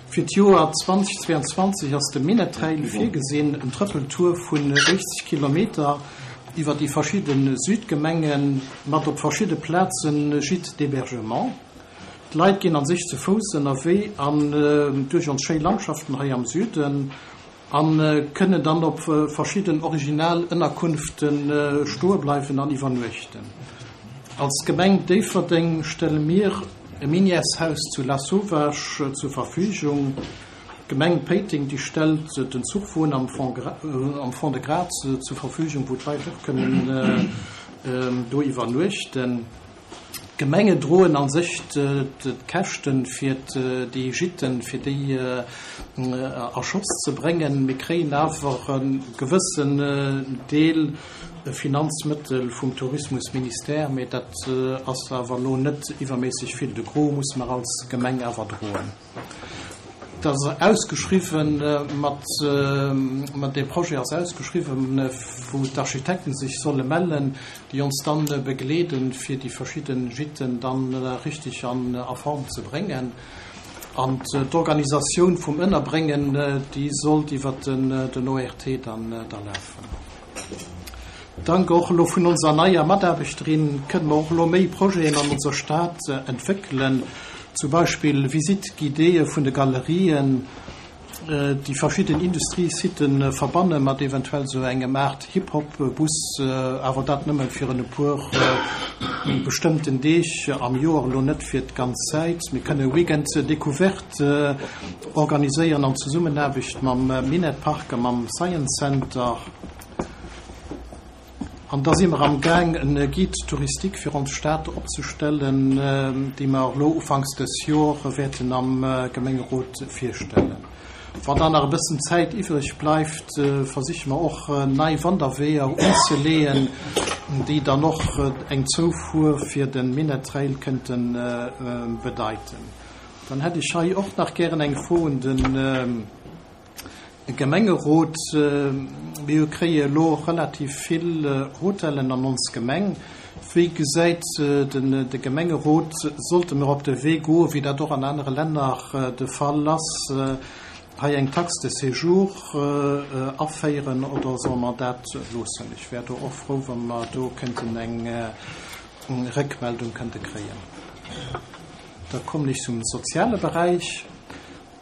Fir d'Joer 2022 ass de Minettrail virgesinn, en Trëppeltour vun 80 Kilometer iwwer déi verschidde Südgemengen, mat op verschidde Plaze Gîtes d'hébergement. D'Leit ginn an sech ze Fouss ënnerwee an duerch ons schéi Landschaften hei am Süden. A kënnen dann op verschidden original Ënnerkunfte stoe bleiwen an iwwernuechten. Als Gemeng Déifferdeng stelle mir e Minièreshaus zu Lasauvage zur Verfügung. D'Gemeng Péiteng, déi stellt den Zuchwon am Fond-de-Gras zur Verfügung, wou d'Leit och kënnen do iwwernuechten. D'Gemenge droen a sech d'Käschte fir déi Gitten, fir déi a Schotz ze bréngen. Mir kréien awer e gewëssen Deel Finanzmëttel vum Tourismusministère, mee dat ass awer elo net iwwerméisseg vill. De Gros musse mer als Gemeng awer droen. Et ass ausgeschriwwen mat, dee Projet ass ausgeschriwwen, wou d'Architekten sech solle mellen, déi ons dann begleeden, fir déi verschidde Gitten dann richtig an a Form ze bréngen. An d'Organisatioun vum Ënnerbréngen, déi sollt iwwert den ORT dann da lafen. Dank och elo vun onser neier Mataarbechterin kënne mer och elo méi Projeten an onser Stad entwéckelen, zum Beispill Visite guidéeë vun de Galerien, déi verschidden Industriesite verbanne mat eventuell sou engem Aart Hip-Hop-Bus, awer dat nëmme fir en e puer bestëmmten Deeg am Joer, elo net fir d'ganz Zäit. Mir kënne Weekend découverte organiséieren an Zesummenaarbecht mam Minett Park a mam Science Center. An da si mer am Gaang en Guide touristique fir ons Stad opzestellen, dee mer elo ufanks des Jor wäerten am Gemengerot virstellen. Wann dann nach e bëssen Zäit iwwreg bleift, versiche mer och nei Wanderweeër unzeleeën, déi dann och eng Zoufuer fir de Minett Trail kënnte bedeiten. Dann hätt ech hei och nach gären eng Fro un de Gemengerot. Mir kréie elo relativ vill Hotellen an ons Gemeng. Wéi gesäit de Gemengerot, sollte mir op de Wee goen, wéi dat och an anere Länner de Fall ass, hei eng Taxe de séjour aféieren oder solle mer dat loossen? Ech wär do och frou, wa mer do kënnten eng Réckmeldung kënnte kréien. Da kommen ech zum soziale Beräich.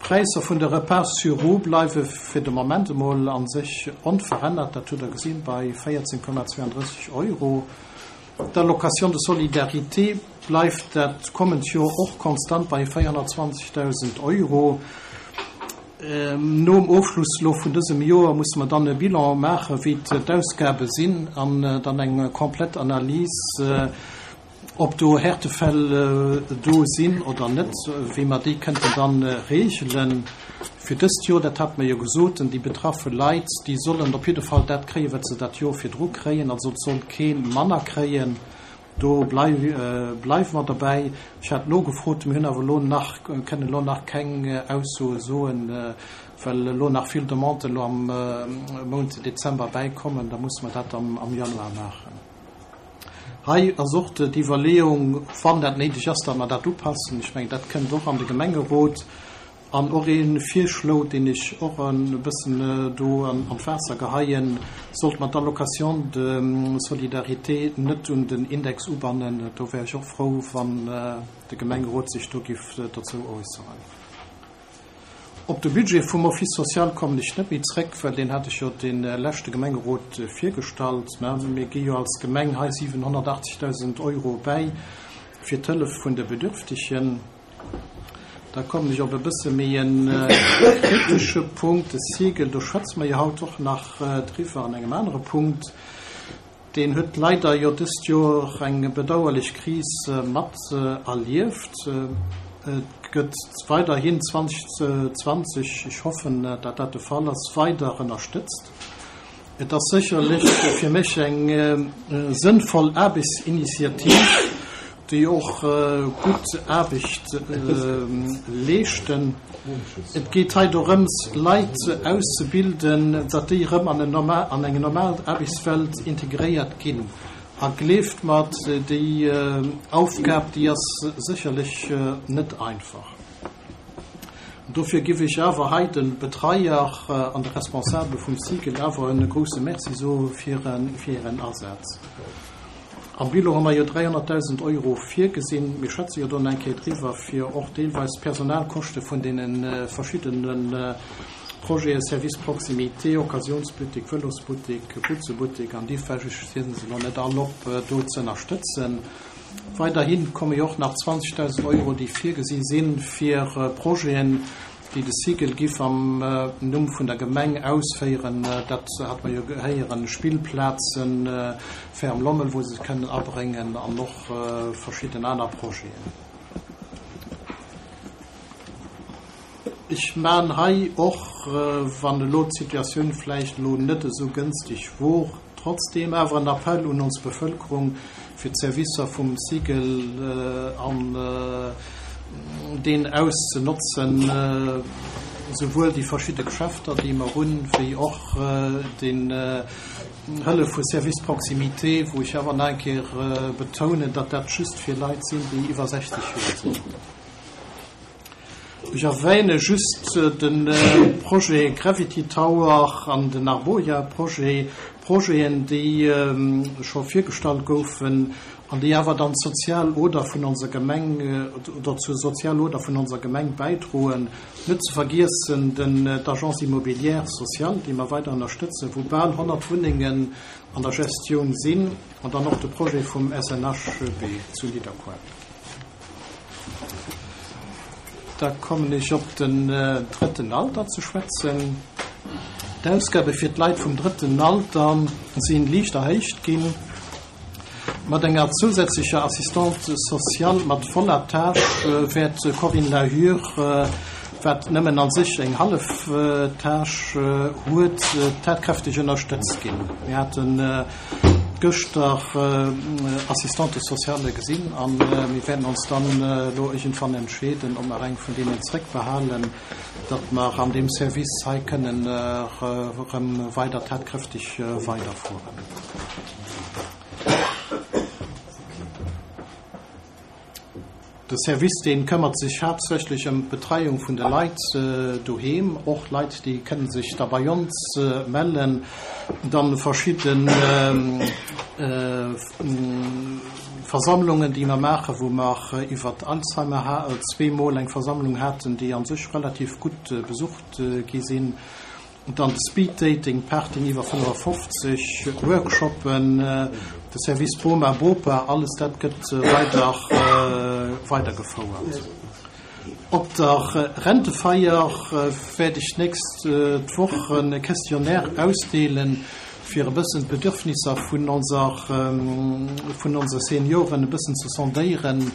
D'Präisser vun de Repas sur roues bleiwe fir de Moment emol a sech onverännert, dat hutt Der gesinn, bei 14,32 Euro. D'Allocation de solidarité bleift dat kommend Joer och konstant bei 420.000 Euro. Nom Ofschluss elo vun dësem Joer musse mer dann e Bilan maachen, wéi d'Ausgabe sinn an dann eng komplett Analys, Ob do Härtefäll do sinn oder net, wéi mer déi kënnten dann regelen fir dëst Joer, dat hate mer jo gesot. Déi betraffe Leit, déi sollen op jidde Fall dat kréien, wat se dat Joer virdru kréien. Also et soll kee manner kréien. Do bleiwe mer derbäi. Ech hat nogefrot, mir hunn awer elo nach, kënnen elo nach keng Aussoe soen, well elo nach vill Demanden elo am Mount Dezember bäikommen. Da musse mer dat am Januar maachen. Hei ass och d'Iwwerleeung, wann dat néideg ass, datt mer dat upassen. Ech mengen, dat kënnt och an de Gemengerot. An och ee Virschlo, deen ech och e bëssen do an d'Waasser geheien, Sollte mer d'Allocation de solidarité net un den Index ubannen? Do wär ech och frou, wann de Gemengerot sech do giff dozou äusseren. Op de Budget vum Office social kommen ech net méi zréck, well deen hat ech jo de leschte Gemengerot virgestallt. Mir gi jo als Gemeng hei 780.000 Euro bäi fir d'Hëllef vun de Bedürftegen. Da kommen ech op e bësse méi e kritesche Punkt, de Sigel. Do schwätze mer jo haut och nach driwwer an engem anere Punkt. Deen huet leider jo dëst Joer eng bedauerlech Kris mat erlieft. Et gëtt weiderhin 2020, ech hoffen, dat dat de Fall ass, weider ënnerstëtzt. Et ass sécherlech fir mech eng sënnvoll Aarbechtsinitiativ, déi och gutt Aarbecht leeschten. Et geet hei dorëms, Leit auszebilden, datt déi erëm an eng normal Aarbechtswelt integréiert ginn. A gleeft mer, déi Aufgab, déi ass sécherlech net einfach. Dofir giff ech awer hei de Betreier an de Responsabele vum Cycle awer e grousse Merci soe fir hiren Asaz. Am Bilan hu mer jo 300.000 Euro virgesinn. Mir schwätze jo do nach eng Kéier driwwer, fir och deelweis d'Personalkoschte vun deene verschiddene Projeten, Service Proximité, Occasionsbuttek, Vëlosbuttek, Butzebuttek an déi, ech zielen se elo net all op, do ze ënnerstëtzen. Weiderhi komme jo och nach 20.000 Euro, déi virgesi sinn, fir Projeten, déi de Cigl giff am Numm vun der Gemeng ausféieren. Dat hat mer jo héieren, Spillplazen, Ferme Lommel, wou se se kënnen abréngen, an och verschidden aner Projeten. Ech man hei och, wann elo d'Situatioun vläicht elo net esou gënstig wor, trotzdeem awer en Appell un ons Bevëlkerung, fir d'Servicer vum Cigl an deen auszenotzen, souwuel déi verschidde Geschäfter, déi mer hunn, wéi och den Hëllef vu Service Proximité, wou ech awer nach eng Kéier betounen, datt dat just fir Leit sinn, déi iwwer 60 Joer sinn. Ech erwähne just de Projet Gravity Tower an den Arboria-Projet, Projeten, déi scho virgestallt goufen an déi awer dann d'sozial Oder vun onser Gemeng oder zur Sozialoder vun onser Gemeng bäidroen. Net ze vergiessen den d'Agence immobilière sociale, déi mer weider ënnerstëtzen, wou bal 100 Wunnengen an der Gestioun sinn, an dann och de Projet vum SNHB zu Nidderkuer. Da kommen ech op den drëtten Alter ze schwätzen. D'Ausgabe fir d'Leit vum drëtten Alter si liicht erhéicht ginn. Mat enger zousätzlecher Assistante sociale mat voller Tâche wäert d'Corinne Lahure, wat nëmmen a sech eng hallef Tâche huet, tatkräfteg ënnerstëtzt ginn. Mir haten gëschter Assistante sociale gesinn a mir wäerten ons dann elo iergendwann entscheeden, ob mer eng vun deenen zréckbehalen, datt mer an deem Service hei kënnen erëm weider tatkräfteg weiderfueren. De Service, dee këmmert sech haaptsächlech ëm d'Betreiung vun de Leit doheem, och Leit, déi kënne sech da bei ons mellen. Dann verschidde Versammlungen, déi mer maachen, wou mer iwwert Alzheimer zweemol eng Versammlung haten, déi a sech relativ gutt besucht gi sinn. Dann de Speed Dating, Parting iwwer 55, Workshoppen, de Service Boma Bopa, alles dat gëtt weider weidergefouert. Op der Rentefeier wäert ech d'nächst d'Woch e Questionnaire ausdeelen, fir e bëssen d'Bedürfnisser vun onser vun onse Senioren e bëssen ze sondéieren,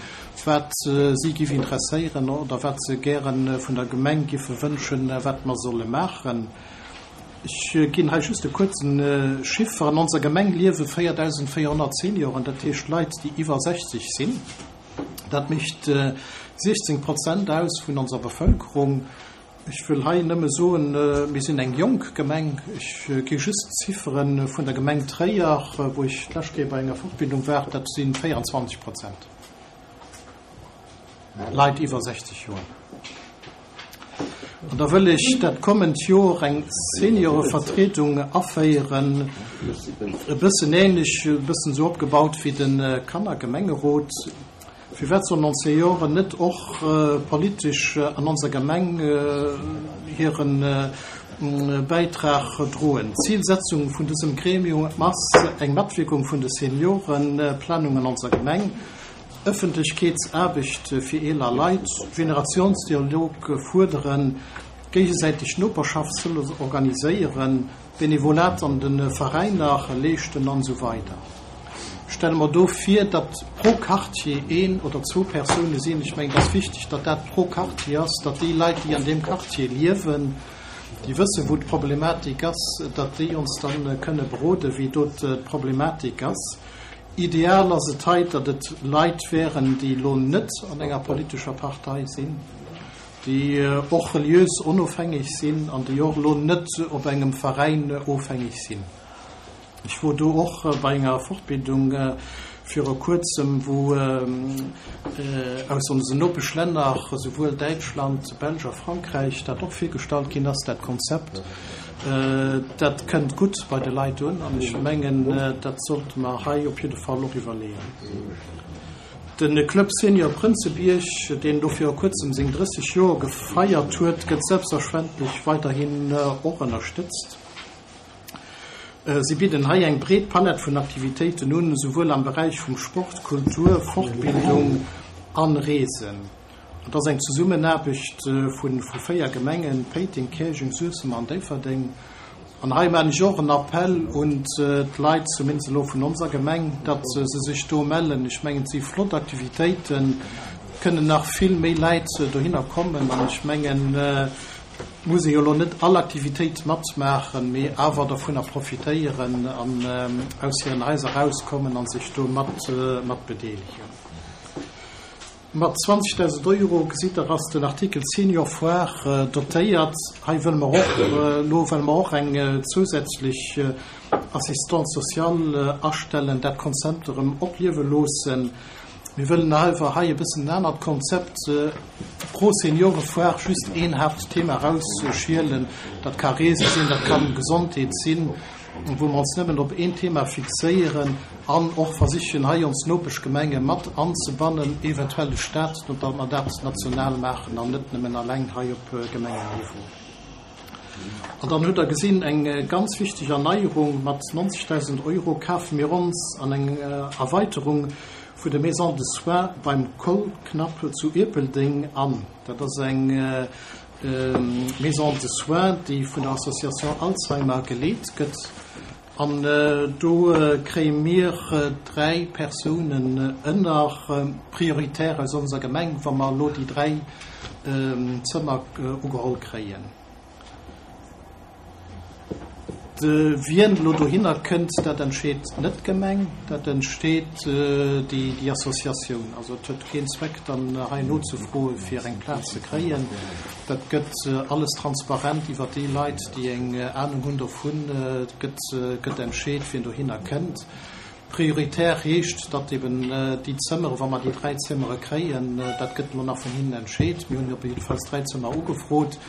wat si giff interesséieren oder wat se gäre vun der Gemeng giffe wënschen, wat mer solle maachen. Ech ginn hei just e kuerze Chiffer. An onser Gemeng liewe 4.400 Senioren, dat heescht Leit, déi iwwer 60 sinn. Dat mécht 16 Prozent aus vun onser Bevëlkerung. Ech wëll hei nëmme soen, mir sinn eng jonk Gemeng. Ech gi just d'Ziffere vun der Gemeng Tréier, wou ech d'lescht Kéier bei enger Fortbildung war, dat si 24 Prozent Leit iwwer 60 Joer. An da wëll ech dat kommend Joer eng Seniorevertriedung aféieren, e bëssen ähnlech, e bëssen esou opgebaut wéi de Kannergemengerot. Firwat sollen ons Senioren net och politesch an onser Gemeng hiren Bäitrag droen? D'Zilsetzung vun dësem Gremium ass eng Matwierkung vun de Seniorenplanung an onser Gemeng, Ëffentlechkeetsaarbecht fir eeler Leit, Generationsdialog fuerderen, géigesäiteg Noperschaftshëllef organiséieren, Benevolat an de Veräiner leeschten an esou weider. Stelle mer do vir, datt pro Quartier een oder zwou Persoune sinn. Ech mengen, et ass wichteg, datt dat pro Quartier ass, datt déi Leit, déi an deem Quartier liewen, déi wëssen, wou d'Problematik ass, datt déi ons da kënne beroden, wéi do d'Problematik ass. Ideal ass et hei, datt et Leit wären, déi elo net an enger politescher Partei sinn, déi och reliös onofhängeg sinn an déi och elo net op engem Veräin ofhängeg sinn. Ech wor do och bei enger Fortbildung viru kuerzem, wou aus onsen Nopeschlänner, esouwuel Däitschland, Belsch a Frankräich, dat och virgestallt ginn ass, dat Konzept. Dat kënnt gutt bei de Leit un an ech mengen, dat sollte mer hei op jidde Fall och iwwerleeën. De Club Senior Prënzebierg, deen elo viru kuerzem seng 30 Joer gefeiert huet, gëtt selbstverständlech weiderhin och ënnerstëtzt. Si bidden hei eng breet Palett vun Aktivitéiten un, souwuel am Beräich vum Sport, Kultur, Fortbildung an Reesen. Et ass eng Zesummenaarbecht vu 4 Gemengen, Péiteng, Käerjeng, Suessem an Déifferdeng. An hei maan ech och en Appell un d'Leit, zumindest elo vun onser Gemeng, datt se sech do mellen. Ech mengen, et si flott Aktivitéiten, et kënnen nach vill méi Läit dohinner kommen. An ech mengen, et muss ee jo elo net all Aktivitéit matmaachen, mee awer dervunner profitéieren an aus hiren Haiser erauskommen a sech do mat bedeelegen. Mat 20.000 Euro, gesitt Der, ass den Artikel Senior Foire dotéiert. Hei wëlle mer och elo wëlle mer och eng zousätzlech Assistante sociale astellen, dat Konzept erëm opliewe loossen. Mir wëllen awer hei e bëssen en anert Konzept pro Seniorefoire, just een Haaptthema erausschielen. Dat ka Reese sinn, dat ka Gesondheet sinn. wou mer ons nëmmen op een Thema fixéieren an och versichen, hei ons Nopeschgemenge mat anzebannen, eventuell de Stat, datt mer dat national maachen an net nëmmen alleng hei op Gemengenniveau. An dann hutt Der gesinn, eng ganz wichteg Erneierung, Mat 90.000 Euro kafe mir ons an eng Erweiterung vun der Maison de soins beim Kollknapp zu Ierpeldeng an. Dat ass eng Maison de soins, déi vun der Association Alzheimer geleet gëtt. An do kréie mir 3 Persounen ënner, prioritär aus onser Gemeng, wa mer elo déi 3 Zëmmer ugeholl kréien. Wien elo dohinner kënnt, dat entscheet net d'Gemeng, dat entscheet déi Associatioun. Also et huet keen Zweck dann hei nozefroe fir eng Plaz ze kréien. Dat gëtt alles transparent iwwer déi Leit, déi eng Anung hunn dovun, gëtt gëtt entscheet, wien dohinner kënnt. Prioritär heescht, datt eben déi Zëmmere, wa mer déi 3 Zëmmere kréien, dat gëtt elo nach vun hinnen entscheet, mir hunn op jiddefalls 3 Zëmmer ugefrot,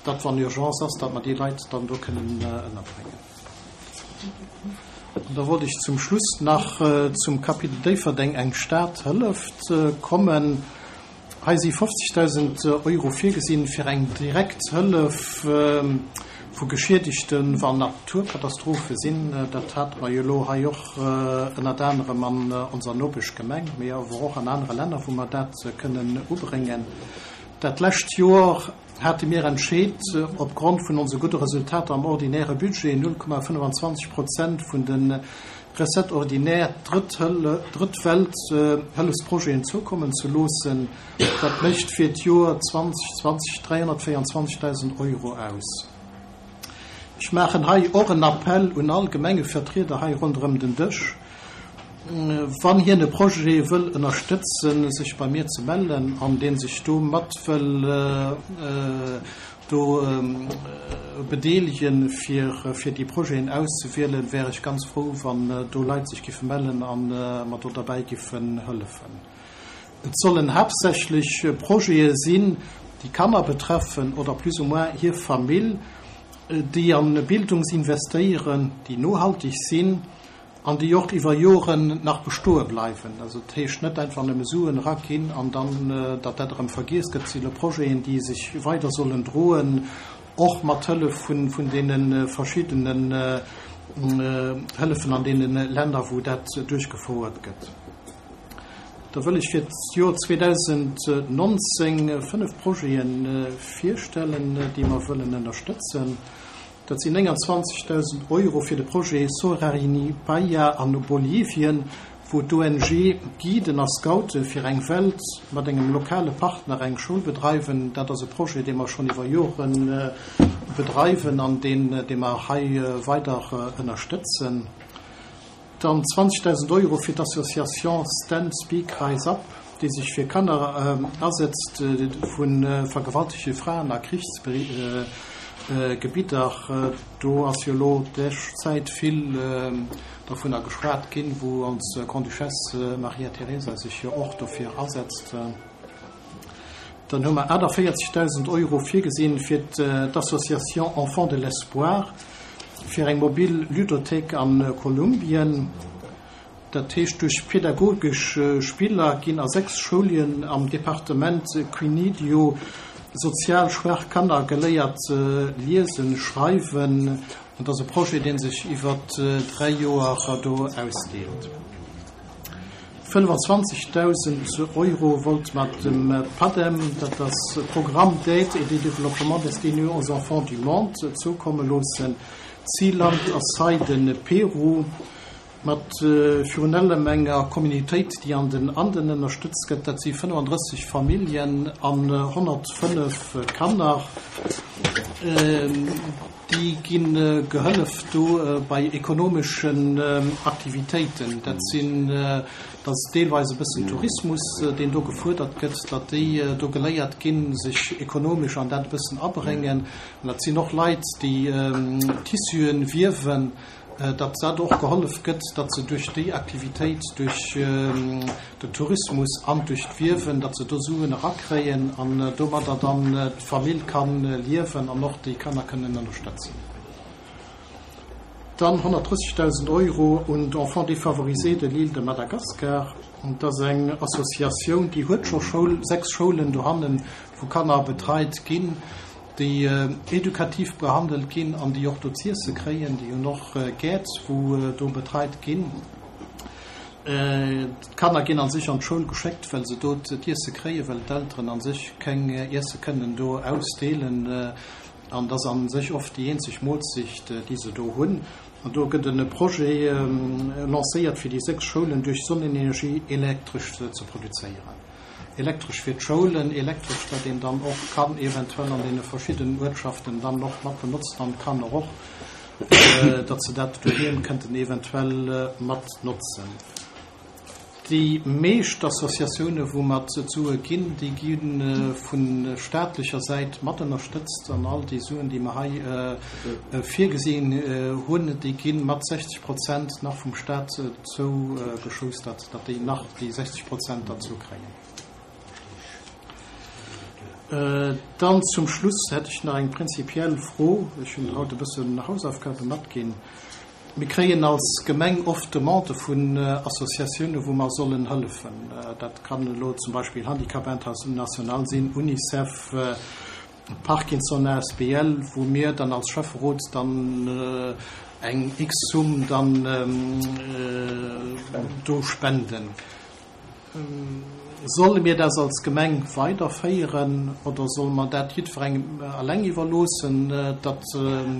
datt wann Urgence ass, datt mer déi Leit dann do kënnen ënnerbréngen. An da wollt ech zum Schluss nach zum Kapitel Déifferdeng, eng Stad hëlleft kommen. Hei si 50.000 Euro virgesinn fir eng direkt Hëllef vu Geschiedegten, wann Naturkatastrophe sinn. Dat hate mer jo elo hei och ënnert anerem an onser Nopeschgemeng, mee awer och an anere Länner, wou mer dat kënnen ubréngen. Dat lescht Joer hate mir entscheet, opgrond vun onse gudde Resultater am ordinäre Budget 0,25 Prozent vun de Recettes ordinaires Drëtt-Welt-Hëllefsprojeten zoukommen ze loossen. Dat mécht fir d'Joer 2020 324.000 Euro aus. Ech maachen hei och en Appell un all Gemengevertrieder hei ronderëm den Dësch, Wann hien e Projet wëll ënnerstëtzen, sech bei mir ze mellen an deen sech do mat wëll do bedeelegen, fir fir déi Projeten auszewielen, wär ech ganz frou, wann do Leit sech giffe mellen a mer do derbäi giffen hëllefen. Et sollen haaptsächlech Projete sinn, déi Kanner betreffen oder plus ou moins hir Famill, déi a Bildungs investéieren, déi nohalteg sinn An déi och iwwer Joren nach bestoe bleiwen. Also dat heescht net einfach nëmme Suen eraginn an dann, datt dat erëm vergiess gëtt. Et si lo Projeten, déi sech weider sollen droen, och mat Hëllef vun deene verschiddenen Hëllefen an deene Länner, wou dat duerchgefouert gëtt. Da wëll ech fir d'Joer 2019 fënnf Projete virstellen, déi mer wëllen ënnerstëtzen. Dat sinn 29.000 Euro fir de Projet Sorarini Paya an Bolivien, wou d'ONG Guiden a Scoute fir eng Welt mat engem lokale Partner eng Schoul bedreiwen. Dat ass e Projet, dee mer schonn iwwer Jore bedreiwen an deen, dee mer hei weider ënnerstëtzen. Dann 20.000 Euro fir d'Association Stand Speak Rise Up, déi sech fir Kanner asetzt vu vergewaltegte Fraen a Krichsgebidder. Do ass jo elo d'lescht Zäit vill dovunner geschwat ginn, wou ons Grande-Duchesse Maria Teresa sech jo och dofir asetzt. Dann hu mer 48.000 Euro virgesinn fir d'Association Enfants de l'Espoir fir eng mobil Ludothéik a Kolumbien. Dat heescht, duerch pedagogesch Spiller ginn a 6 Schoulien am Departement Quinidio. sozial schwaach Kanner geléiert liesen, schreiwen. An dat ass e Projet, dee sech iwwer 3 Joer do ausdeelt. 25.000 Euro wollt mat dem PADEM, dat ass Programme d'aide et de développement destiné aux enfants du monde, zoukomme loossen. Zilland ass hei de Peru, mat virun allem enger Communautéit, déi an den Anden ënnerstëtzt gëtt. Dat si 35 Familljen an 105 Kanner. Déi gi gehëllef do bei ekonomeschen Aktivitéiten. Dat sinn, dat ass deelweis e bëssen Tourismus, deen do gefuerdert gëtt, datt déi do geléiert ginn, sech ekonomesch an dat e bëssen abréngen. An dat sinn och Leit, déi Tissuen wiewen. datt dat och gehollef gëtt, datt se duerch déi Aktivitéit, duerch den Tourismus an duerch d'Wiewen, datt se do Suen erakréien an domadder dann d'Famill ka liewen an och déi Kanner kënnen ënnerstëtzen. Dann 130.000 Euro un d'Enfants défavorisés de l'île de Madagascar. Dat ass eng Associatioun, déi huet scho Schoul, sechs Schoulen dohannen, wou Kanner betreit ginn. déi edukativ behandelt ginn an déi och do z'iesse kréien, déi hunn och Gäert, wou do betreit ginn. D'Kanner ginn a sech an d'Schoul geschéckt, well se do d'iesse kréien, well d'Elteren a sech keng Iesse kënnen do ausdeelen. An dat ass a sech oft déi eenzeg Moolzecht, déi se do hunn. An do gëtt e Projet lancéiert, fir déi 6 Schoulen duerch Sonnenenergie elektresch ze produzéieren. Elektresch fir d'Schoulen, Elektresch, dat een dann och kann eventuell an deene verschiddenen Uertschaften dann och mat benotzen an d'Kanner och, datt se dat doheem kënnten eventuell mat notzen. Déi meescht Associatioune wou mer d'Sue ginn, déi gi vu staatlecher Säit mat ënnerstëtzt an all déi Suen, déi mer hei virgesinn hunn, déi gi mat 60 Prozent nach vum Staat zougeschoustert. datt déi nach déi 60 Prozent derzou kréien. Dann zum Schluss hätt ech nach eng prinzipiell Fro. Ech hunn haut e bëssen Hausaufgabe matginn. Mir kréien als Gemeng oft Demandë vun Associatioune wou mer sollen hëllefen. Dat kann elo zum Beispill Handicap International sinn, Unicef, Parkinson asbl, wou mir dann als Schäfferot dann eng X-Summ dann do spenden. Solle mir dat als Gemeng weiderféieren oder solle mer dat jiddwerengem eleng iwwerloossen, datt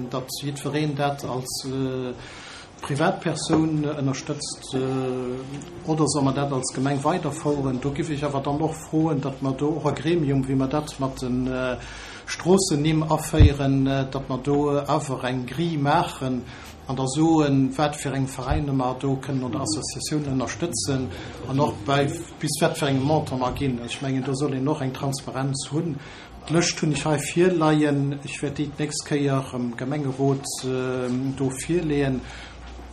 datt jiddwereen dat als Privatpersoun ënnerstëtzt oder solle mer dat als Gemeng weiderfoueren? Do giff ech awer dann och froen, datt mer do och e Gremium, wéi mer dat mat de Stroossennimm aféieren, datt mer do awer eng Grille maachen an da soen, wat fir eng Veräiner mer do kënnen oder Associatiounen ënnerstëtzen an och bei bis wat fir engem Montant mer ginn. Ech mengen, do soll een och eng Transparenz hunn. D'Lëscht hunn ech hei virleien. Ech wäert déi d'nächst Kéier am Gemengerot do virleeën.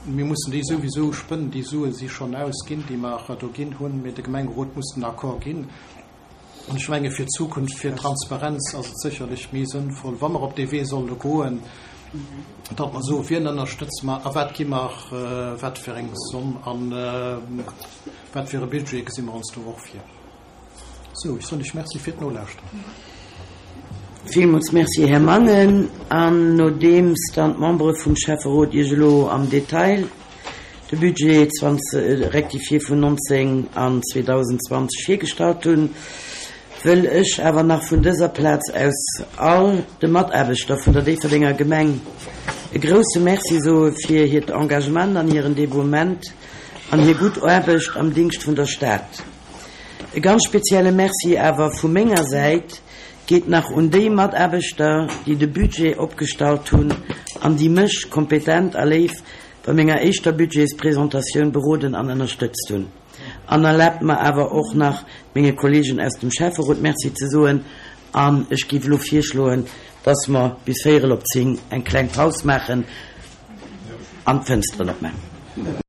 Mir mussen déi souwisou spënnen. Déi Sue si schonn ausginn, déi mer do ginn hunn, mee de Gemengerot muss den Accord ginn. An ech menge fir d'Zukunft, fir d'Transparenz ass et sécherlech méi sënnvoll, wa mer op dee Wee solle goen, datt mer soen, wien ënnerstëtze mer a wat gi mer, wat fir eng Somm a wat fir e Budget gesi mer ons do och vir. Sou, ech soen lech Merci fir d'Nolauschteren. Villmools Merci, Här Mangen. An nodeems dann d'Membere vum Schäfferot Iech elo am Detail de Budget 20 rectifié vun 19 an 2020 virgestallt hunn, wëll ech awer nach vun dëser Plaz aus all de Mataarbechter vun der Déifferdenger Gemeng e grouse Merci soe fir hiert Engagement an hiren Devouement an hir gutt Aarbecht am Dingscht vun der Stad. E ganz spezielle Merci awer vu menger Säit geet nach un déi Mataarbechter, déi de Budget opgestallt hunn an déi mech kompetent a léif bei menger éischter Budgetspresentatioun beroden an ënnerstëtzt hunn. An erlaabt mer awer och nach menge Kollegen aus dem Schäfferot Merci ze soen an ech géif elo virschloen, dass mer bis véierel op 10 eng kleng Paus maachen an d'Fënsteren opmaachen.